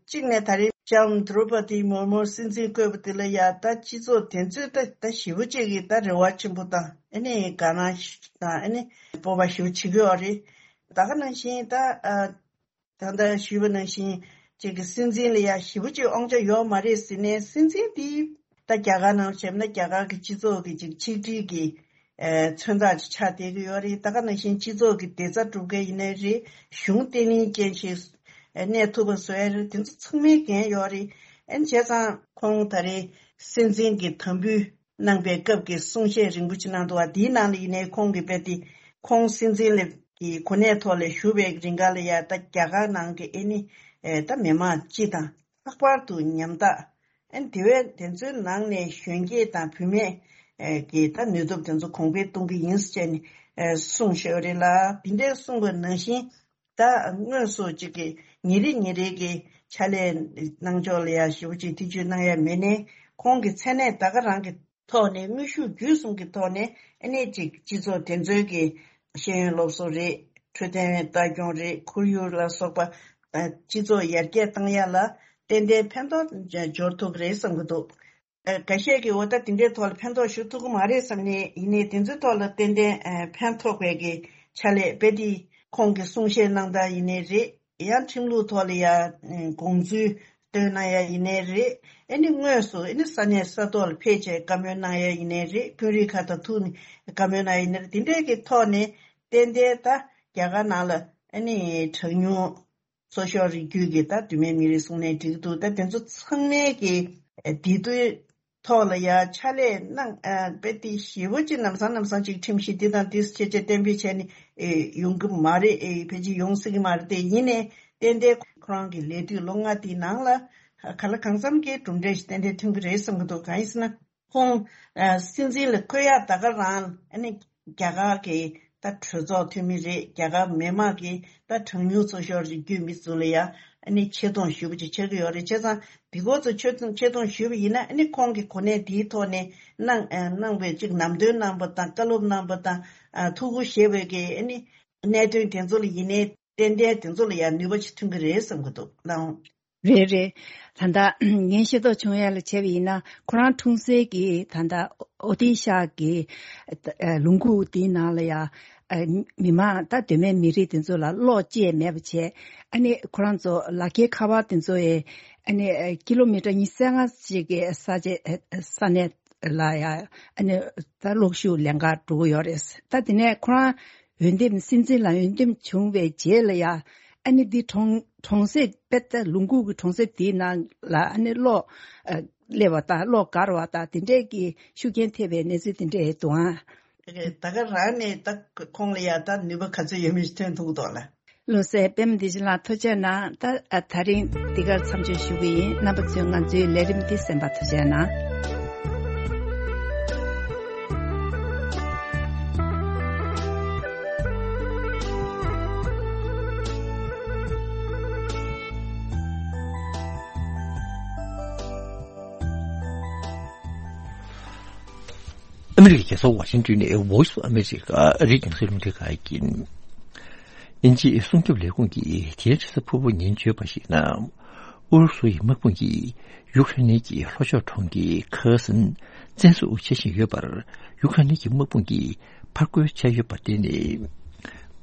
གཅིག་ནས་ད་རེས་ལྕམ་དྲུ་པ་དི་མུར་མུར་སྲིད་འཛིན་བསྐོས་པ་དེ་ལ་ཡ་ད་སྤྱི་ཚོགས་དེ་ཚོས་ད་ད་ཞེ་པོ་ཅིག་གིས་ད་རེ་བ་ཆེན་པོ་དང་ཨ་ནི་དགའ་སྣང་དང་ཨ་ནི་སྤོབས་པ་ཞེ་པོ་བྱེད་ཀྱི་ཡོད་རེད། ད་ག་ནང་བཞིན་ད་ཨ་ད་ལྟ་ཞུས་པ་ནང་བཞིན་ཅིག་གི་སྲིད་འཛིན་ལ་ཡ་ཞེ་པོ་ཅིག་དབང་ཆ་ཡོད་མ་རེད་ཟེར་ནས། སྲིད་འཛིན་དེ་ད་རྒྱ་གར་ནང་བྱས་ན་རྒྱ་གར་གྱི་སྤྱི་ཚོགས་ཀྱི་ཅིག་ཆིག་སྒྲིལ་གྱི་ཨ་མཚོན་རྟགས་ཅིག་ཆགས་བསྡད་ཀྱི་ཡོད་རེད། ད་ག་ནང་བཞིན་སྤྱི་ཚོགས་ཀྱི་བདེ་རྩ་སྒྲུབ་མཁན་ཡིན་ནའི་རེད། གཞུང་བརྟན་ལྷིང་ཅན་ཞིག་གནས་ཐུབ་པ་བཟོ་ཡ་རེད། དེ་ཚོ་ཚང་མའི་འགན་ཡོད་རེད། ཨ་ནི་བྱས་ཙང་ཁོང་ད་རེས་སྲིད་འཛིན་གྱི་དམ་འབུལ་གནང་པའི་སྐབས་ཀྱི་གསུང་བཤད་རིང་པོ་ཅིག་གནང་འདུག་བ། དེའི་ནང་ལ་ཡིན་ནའི་ཁོང་གིས་རྦད་དེ་ཁོང་སྲིད་འཛིན་ལ་གི་གོ་གནས་ཐོག་ལ་བཞུགས་པའི་རིང་ག་ལ་ཡ་ད་རྒྱ་གར་ནང་གི་ཨ་ནི་ཨེ་ད་མི་མང་སྤྱི་དང་ལྷག་པར་དུ་ཉམ་ཐག་ཨ་ནི་དེ་བས་དེ་ཚོའི་ནང་ནས་གཞོན་སྐྱེས་དང་བུད་མེད་ཨེ་གི་ད་ནུས་སྟོབས་དེ་ཚོ་གོང་འཕེལ་གཏོང་གི་ཡིན་ཟེར་ནས་ཨེ་གསུངས་བཞག་རེད་ལ། དེ་འདྲའི་གསུངས་པ་ནང་བཞིན། ད་དངོས་སུ་གཅིག་གི་ཉིན་རེ་ཉིན་རེ་གི་ཕྱག་ལས་གནང་ཕྱོགས་ལ་ཡ་ཞེ་པོ་ཅིག་ཐེ་བྱུས་གནང་ཡ་མེད་ནའི། ཁོང་གི་མཚན་གནས་ད་ག་རང་གི་ཐོག་ནས་དངོས་ཤུགས་བརྒྱུད་གསུམ་གྱི་ཐོག་ནས་ཨ་ནི་གཅིག་སྤྱི་ཚོགས་དེ་ཚོའི་གི་ཤེས་ཡོན་སློབ་གསོ་རེད། འཕྲོད་བསྟེན་ལྟ་སྐྱོང་རེད། ཁོར་ཡུག་ལ་སོགས་པ་ཨ་སྤྱི་ཚོགས་ཡར་རྒྱས་གཏང་ཡ་ལ་ཏན་ཏན་ཕན་ཐོགས་འབྱོར་ཐུབ་ཀྱི་རེད་བསམ་གྱི་འདུག་ཨ་འགའ་ཤས་ཀྱིས་འོ་ད་དེ་འདྲའི་ཐོག་ལ་ཕན་ཐོགས་ཞུ་ཐུབ་ཀྱི་མ་རེད་བསམ་ནས། ཡིན་ནའི་དེ་ཚོའི་ཐོག་ལ་ཏན་ཏན་ཨ་ཕན་ཐོགས་པའི་གི་ཕྱག་ལས་རྦད་དེ་ཁོང་གིས་གསུང་བཤད་གནང་སྟངས་ཡིན་ནའི་རེད། ཡང་ཁྲིམས་ལུགས་ཐོག་ལ་ཡ་དགོངས་ཚུལ་བཏོན་གནང་ཡ་ཡིན་ནའི་རེད། ཨ་ནི་དངོས་སུ་ཨ་ནི་ས་གནས་ས་ཐོག་ལ་ཕེབས་བྱས་བཀའ་མོལ་གནང་ཡ་ཡིན་ནའི་རེད། དཔོན་རིགས་ཁག་དང་ཐུག་ནས་བཀའ་མོལ་གནང་ཡ་ཡིན་ནའི་རེད། དེ་འདྲའི་གི་ཐོག་ནས་ཏན་ཏན་ད་རྒྱ་གར་ནང་ལ་ཨ་ནི་གྲངས་ཉུང་ ཚོ་ཤོག་རིགས་རྒྱུད་ཀྱི་ད་བུད་མེད་མི་རིགས་གསུང་ནའི་འགྲིག་འདུག་ད་དེ་ཚོ་ཚང་མས་ཀྱི་ཨ་འདི་དུས་ཐོག་ལ་ཡ་ཕྱག་ལས་གནང་ཨ་དཔེ་དེ་ཞེ་པོ་ཅིག་ལམ་སང་ལམ་སང་ཅིག་ཁྲིམས་གཞི་འདི་དང་འདི་ཞེས་བྱས་གཏན་འབེབས་བྱས་ནས་ཨེ་ཡོང་གི་མ་རེད། ཨེ་ཕལ་ཆེར་ཡོང་སྲིད་ཀྱི་མ་རེད། དེ་ཡིན་ནའི་ཏན་ཏན་ཁོ་རང་གི་ལས་དུས་ལོ་ལྔ་དེའི་ནང་ལ་ག་ལ་གང་འཚམ་གྱི་གྲུབ་འབྲས་ཞིག་ཏན་ཏན་ཐོན་གྱི་རེད་བསམ་གྱི་འདུག་གང་ཡིན་ཟེར་ན། ཁོང་ཨ་སྲིད་འཛིན་ལ་འཁོད་ཡག་ད་ག་རང་ཨ་ནི་རྒྱ་གར་གྱི་ད་གྲོས་ཚོགས་འཐུས་མི་རེད། རྒྱ་གར་མི་མང་གི་ད་གྲངས་ཉུང་ཚོ་ཤོག་རིགས་རྒྱུད་མི་ཚོ་ལ་ཡ་ཨ་ནི་ཆེ་མཐོང་ཞུ་བ་ཅིག་ཆགས་ཀྱི་ཡོད་རེད། བྱས་ཙང་འདི་སྐོར་ཚོ་ཆེ་མཐོང་ཆེ་མཐོང་ཞུས་པ་ཡིན་ན་ཨ་ནི་ཁོང་གི་གོ་གནས་འདིའི་ཐོག་ནས་གནང་ཨ་གནང་བའི་ཅིག་ལམ་སྟོན་གནང་པ་དང་བཀའ་སློབ་གནང་པ་དང་ཨ་ཐུགས་ཁུར་བཞེས་པའི་གི་ཨ་ནི་གནད་དོན་དེ་ཚོ་ལ་ཡིན་ནའི་ཏན་ཏན་དེ་ཚོ་ལ་ཡང་ནུས་པ་ཅིག་ཐོན་གྱི་རེད་བསམ་གྱི་འདུག་ལགས། རེད་རེད། ད་ལྟ་ངས་ཤེས་རྟོགས་བྱུང་ཡ་ལ་བྱས་པ་ཡིན་ན་ཁོ་རང་འཁྲུངས་སའི་གི་ད་ལྟ་ཨོ་ཏི་ཤ་གི་ལུང་ཁུག་དེའི་ནང་ལ་ཡ་མི་མང་ད་གདོད་མའི་མི་རིགས་དེ་ཚོ་ལ་གློག་བཅད་མེད་པ་བྱས། ཨ་ནི་ཁོ་རང་ཚོ་ལག་ཁྱེར་ཁ་པར་དེ་ཚོ་ཡི་ཨ་ནི་ཀི་ལོ་མི་ཊར་ཉི་ཤུ་རྩ་ལྔ་ཅིག་གི་ས་ཆ་ས་གནས་ལ་ཡ་ཨ་ནི་ད་གློག་ཤུགས་ལེན་གར་འགྲོ་གི་ཡོད་རེད། ད་དེ་ནས་ཁོ་རང་འོས་འདེམས་སྲིད་འཛིན་ལ་འོས་འདེམས་བྱུང་བའི་རྗེས་ལ་ཡ་ཨ་ནི་འདི་གྲོང་གྲོང་གསེབ་དཔེ་ད་ལུང་ཁུག་གི་གྲོང་གསེབ་དེའི་ནང་ལ་ཨ་ནི་གློག་ཨ་སླེབས་པ་དང་གློག་འགག་པ་དང་དེ་འདྲས་ཀྱི་ཤུགས་རྐྱེན་ཐེབས་པའི་གནས་ཚུལ་དེ་འདྲས་འདུག་ཨང་། ད་ག་རང་ནས་ད་ཁོང་ལ་ཡ་ད་ནུས་པ་ག་ཚོད་ཡོད་མེད་ཐོན་ཐུབ་ཀྱི་འདུག་ལ། བློ་གསལ་པད་མ་བདེ་ཆེན་ལགས་ཐུགས་རྗེ་གནང་། ད་ཨ་ད་རིང་འདི་གར་མཚམས་གཅོད་ཞུ་གི་ཡིན། རྣམ་པ་ཚོས་ང་ཚོའི་ལས་རིམ་འདི་གསན་པར་ཐུགས་རྗེ་གནང་། ཨ་མི་རི་ཀའི་རྒྱལ་ས་ཝ་ཤིང་ཏོན་ནས་Voice of America ཨ་རིའི་རྒྱང་སྲིང་རླུང་འཕྲིན་ཁང་ཡིན། དབྱིན་ཇིའི་སྲུང་སྐྱོབ་ལས་ཁུངས་ཀྱིས་དེའི་རེས་གཟའ་ཕུར་བུ་ཉིན་བརྗོད་པར་གཞིགས་ན། ཨུ་རུ་སུ་ཡི་དམག་དཔུང་གིས་ཡུཀ་རེན་གྱི་ལྷོ་ཕྱོགས་གྲོང་ཁྱེར་ཁེར་སོན་བཙན་བཟུང་བྱེད་བཞིན་ཡོད་པར། ཡུཀ་རེན་གྱི་དམག་དཔུང་གིས་ཕར་རྒོལ་བྱས་ཡོད་པར་བརྟེན་ནས།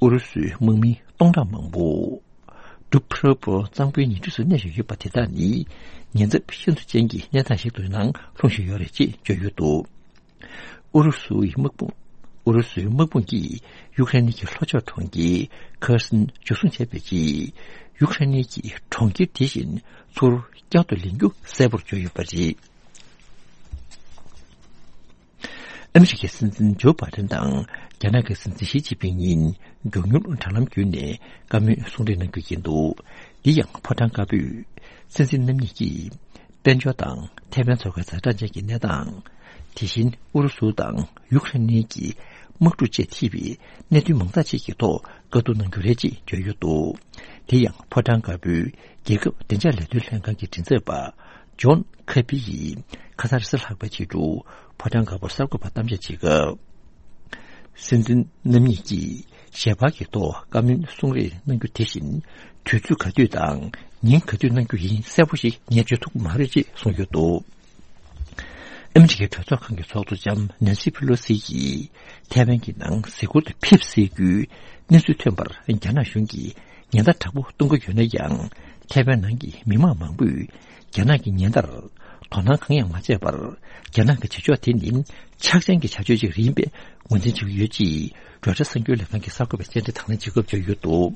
ཨུ་རུ་སུའི་དམག་མི་སྟོང་ཕྲག་མང་པོ། འབྲུག་ཕུར་བུ་གཙང་པོའི་ཉེ་འཁྲིས་སུ་གནས་བཞིན་ཡོད་པ་དེ་དག་ནི་ཉེན་ཚབས་ཤིན་ཏུ་ཅན་གྱི་གནས་སྟངས་ཤིག་ཏུ་ནང་ལྷུང་བཞིན་ཡོད་རེད་ཅེས་བརྗོད་ཡོད་འདུག་ཨུ་རུ་སུའི་དམག་དཔུང་། ཨུ་རུ་སུའི་དམག་དཔུང་གིས་ཡུཀ་རེན་གྱི་ལྷོ་ཕྱོགས་གྲོང་ཁྱེར་ཁེར་སོན་འཇུ་བཟུང་བྱས་པའི་རྗེས། ཡུཀ་རེན་གྱི་གྲོང་ཁྱེར་དེ་བཞིན་ཚུར་བསྐྱར་དུ་ལེན་རྒྱུ་གསལ་པོར་གྱུར་ཡོད་པ་རེད། ཨ་མི་རི་ཀའི་སྲིད་འཛིན་ཇོ་བྷའི་ཌེན་དང་རྒྱ་ནག་གི་སྲིད་འཛིན་ཞི་ཅིན་ཕིང་གཉིས་མགྱོགས་མྱུར་དྲ་ལམ་བརྒྱུད་ནས་བཀའ་མོལ་གསུང་གྲོས་གནང་རྒྱུ་ཡིན་འདུག་འདི་ཡང་ཕོ་བྲང་དཀར་པོས་སྲིད་འཛིན་རྣམ་གཉིས་ཀྱིས་དཔལ་འབྱོར་དང་ཐའེ་ཝན་མཚོ་ཁའི་ཛ་དྲག་ཅན་གྱི་གནས་སྟངས། དེ་བཞིན་ཨུ་རུ་སུ་དང་ཡུཀ་རེན་གཉིས་ཀྱི་དམག་འཁྲུག་བཅས་ཐེ་བའི་གནད་དོན་མང་དག་ཅིག་གི་ཐོག་བཀའ་བསྡུར་གནང་རྒྱུ་རེད་ཅེས་བརྗོད་ཡོད་འདུག་དེ་ཡང་ཕོ་བྲང་དཀར་པོའི་རྒྱལ་ཁབ་བདེ་འཇགས་ལས་དོན་ལྷན་ཁང་གི་མགྲིན་ཚབ་པ། ཇོན་ཁེ་པི་ཡིས་ཁ་སང་རེས་གཟའ་ལྷག་པའི་ཕྱི་དྲོ་ཕོ་བྲང་དཀར་པོར་གསར་འགོད་པར་གཏམ་བཤད་བྱེད་སྐབས། སྲིད་འཛིན་རྣམ་གཉིས་ཀྱིས་ཞལ་པར་གྱི་ཐོག་བཀའ་མོལ་གསུང་རེས་གནང་རྒྱུ་དེ་བཞིན་དུས་ཚོད་ག་དུས་དང་ཉིན་ག་དུས་གནང་རྒྱུ་ཡིན་གསལ་པོ་ཞིག་ངས་བརྗོད་ཐུབ་ཀྱི་མ་རེད་ཅེས་གསུངས་ཡོད་འདུག་ཨ་མི་རི་ཀའི་གྲོས་ཚོགས་ཁང་གི་ཚོགས་གཙོ་ལྕམ་ནན་སི་ཕེ་ལོ་སི་ཡིས་ཐའེ་ཝན་གྱི་ནང་གཟིགས་སྐོར་དུ་ཕེབས་སྲིད་རྒྱུའི་གནས་ཚུལ་ཐོན་པར་རྒྱ་ནག་གཞུང་གིས་ཉེན་བརྡ་དྲག་པོ་གཏོང་གི་ཡོད་ན་ཡང་། ཐའེ་ཝན་ནང་གི་མི་མང་མང་པོས་རྒྱ་ནག་གི་ཉེན་བརྡར་དོ་སྣང་གང་ཡང་མ་བྱས་པར། རྒྱ་ནག་གི་བྱ་ཕྱོགས་དེ་ནི་ཆག་ཅན་གྱི་བྱ་སྤྱོད་ཅིག་ཡིན་པའི་ངོས་འཛིན་བྱེད་ཀྱི་ཡོད་ཅེས་རོའི་ཊར་གསར་འགྱུར་ལས་ཁང་གི་གསར་འགོད་པས་བཅར་འདྲི་དང་ལེན་བྱེད་སྐབས་བརྗོད་ཡོད་འདུག་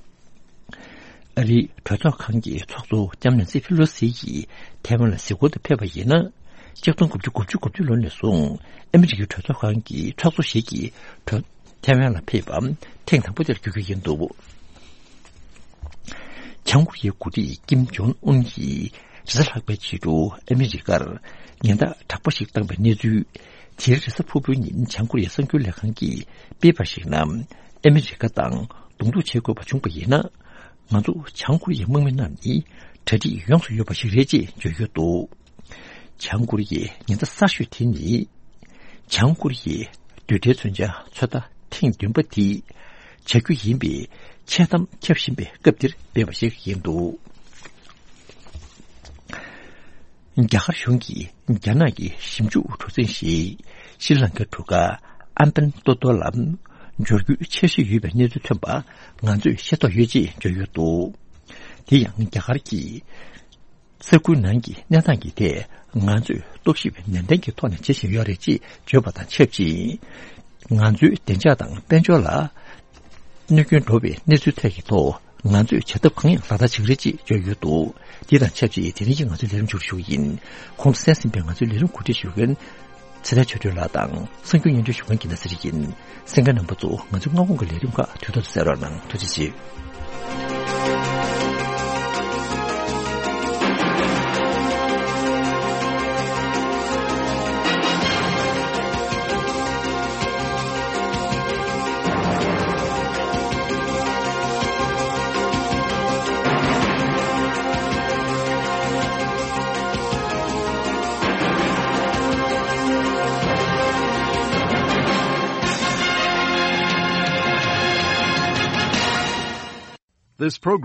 ཨ་རིའི་གྲོས་ཚོགས་ཁང་གི་ཚོགས་གཙོ་ལྕམ་ནན་སི་ཕེ་ལོ་སི་ཡིས་ཐའེ་ཝན་ལ་གཟིགས་སྐོར་དུ་ཕེབས་པ་ཡིན་ན། ཆིག་སྟོང་དགུ་བརྒྱ་དགུ་བཅུ་གོ་གཅིག་ལོ་ནས་བཟུང་ཨ་མི་རི་ཀའི་གྲོས་ཚོགས་ཁང་གི་ཚོགས་གཙོ་ཞིག་གིས་གྲོས་ཐའེ་ཝན་ལ་ཕེབས་པ་ཐེངས་དང་པོ་དེར་གྱུར་རྒྱུ་ཡིན་འདུག་བྱང་ཀོ་རི་ཡའི་འགོ་ཁྲིད་ཀིམ་ཇོང་ཨུན་གྱིས་རེས་གཟའ་ལྷག་པའི་ཕྱི་དྲོ་ཨ་མི་རི་ཀར་ཉེན་བརྡ་དྲག་པོ་ཞིག་བཏང་པའི་གནས་ཚུལ། དེ་རིང་རེས་གཟའ་ཕུར་བུའི་ཉིན་བྱང་ཀོ་རི་ཡའི་གསར་འགྱུར་ལས་ཁང་གིས་སྤེལ་བར་གཞིགས་ན། ཨ་མི་རི་ཀ་དང་གདོང་ཐུག་བྱེད་དགོས་པ་བྱུང་པ་ཡིན་ན། ང་ཚོ་བྱང་ཀོ་རི་ཡའི་དམག་མི་རྣམས་ནི་གྲ་སྒྲིག་ཡོངས་སུ་ཡོད་པ་ཞིག་རེད་ཅེས་བརྗོད་ཡོད་འདུག་བྱང་ཀོ་རི་ཡའི་ཉེན་བརྡ་གསར་ཤོས་དེ་ནི། བྱང་ཀོ་རི་ཡའི་རྡུལ་ཕྲན་མཚོན་ཆ་ཚོད་ལྟ་ཐེངས་བདུན་པ་དེ་བྱ་རྒྱུ་ཡིན་པའི་འཆལ་གཏམ་ཁྱབ་བཞིན་པའི་སྐབས་འདིར་སྤེལ་བ་ཞིག་ཡིན་འདུག་རྒྱ་གར་གཞུང་གིས་རྒྱ་ནག་གི་ཞིབ་འཇུག་གྲུ་གཟིངས་ཤིག་ཤྲི་ལངྐའི་གྲུ་ཁ་ཨམ་པན་ཏོ་ཏོ་ལ་འབྱོར་རྒྱུའི་འཆར་གཞི་ཡོད་པའི་གནས་ཚུལ་ཐོན་པ་ང་ཚོས་ཤེས་རྟོགས་ཡོད་ཅེས་བརྗོད་ཡོད་འདུག་དེ་ཡང་རྒྱ་གར་གྱི་ས་ཁུལ་ནང་གི་གནས་སྟངས་ཀྱི་ཐད་ང་ཚོས་རྟོག་ཞིབ་ནན་ཏན་གྱི་ཐོག་ནས་བྱེད་བཞིན་ཡོད་རེད་ཅེས་བརྗོད་པ་དང་ཆབས་ཅིག་ང་ཚོའི་བདེ་འཇགས་དང་དཔལ་འབྱོར་ལ་གནོད་སྐྱོན་འགྲོ་བའི་གནས་ཚུལ་ཐད་ཀྱི་ཐོག་ ང་ཚོས་བྱ་ཐབས་གང་ཡང་ལག་བསྟར་བྱེད་ཀྱི་རེད་ཅེས་བརྗོད་ཡོད་འདུག། འདི་དང་ཆབས་ཅིག་དེ་རིང་གི་ང་ཚོའི་ལས་རིམ་མཇུག་སྒྲིལ་ཞུ་གི་ཡིན། གོང་དུ་གསན་ཟིན་པའི་ང་ཚོའི་ལས་རིམ་གོ་སྒྲིག་ཞུ་མཁན་ཚེ་བརྟན་ཆོས་སྒྲོན་ལགས་དང་གསར་འགྱུར་སྙན་སྒྲོན་ཞུ་མཁན་གྱི་ན་ཚེ་རིང་ཡིན། གསན་མཁན་རྣམ་པ་ཚོ་ང་ཚོའི་སྔ་དགོང་གི་ལས་རིམ་ཁག་དུས་ཐོག་ཏུ་གསན་རོགས་གནང་། ཐུགས་རྗེ་ཆེ། This program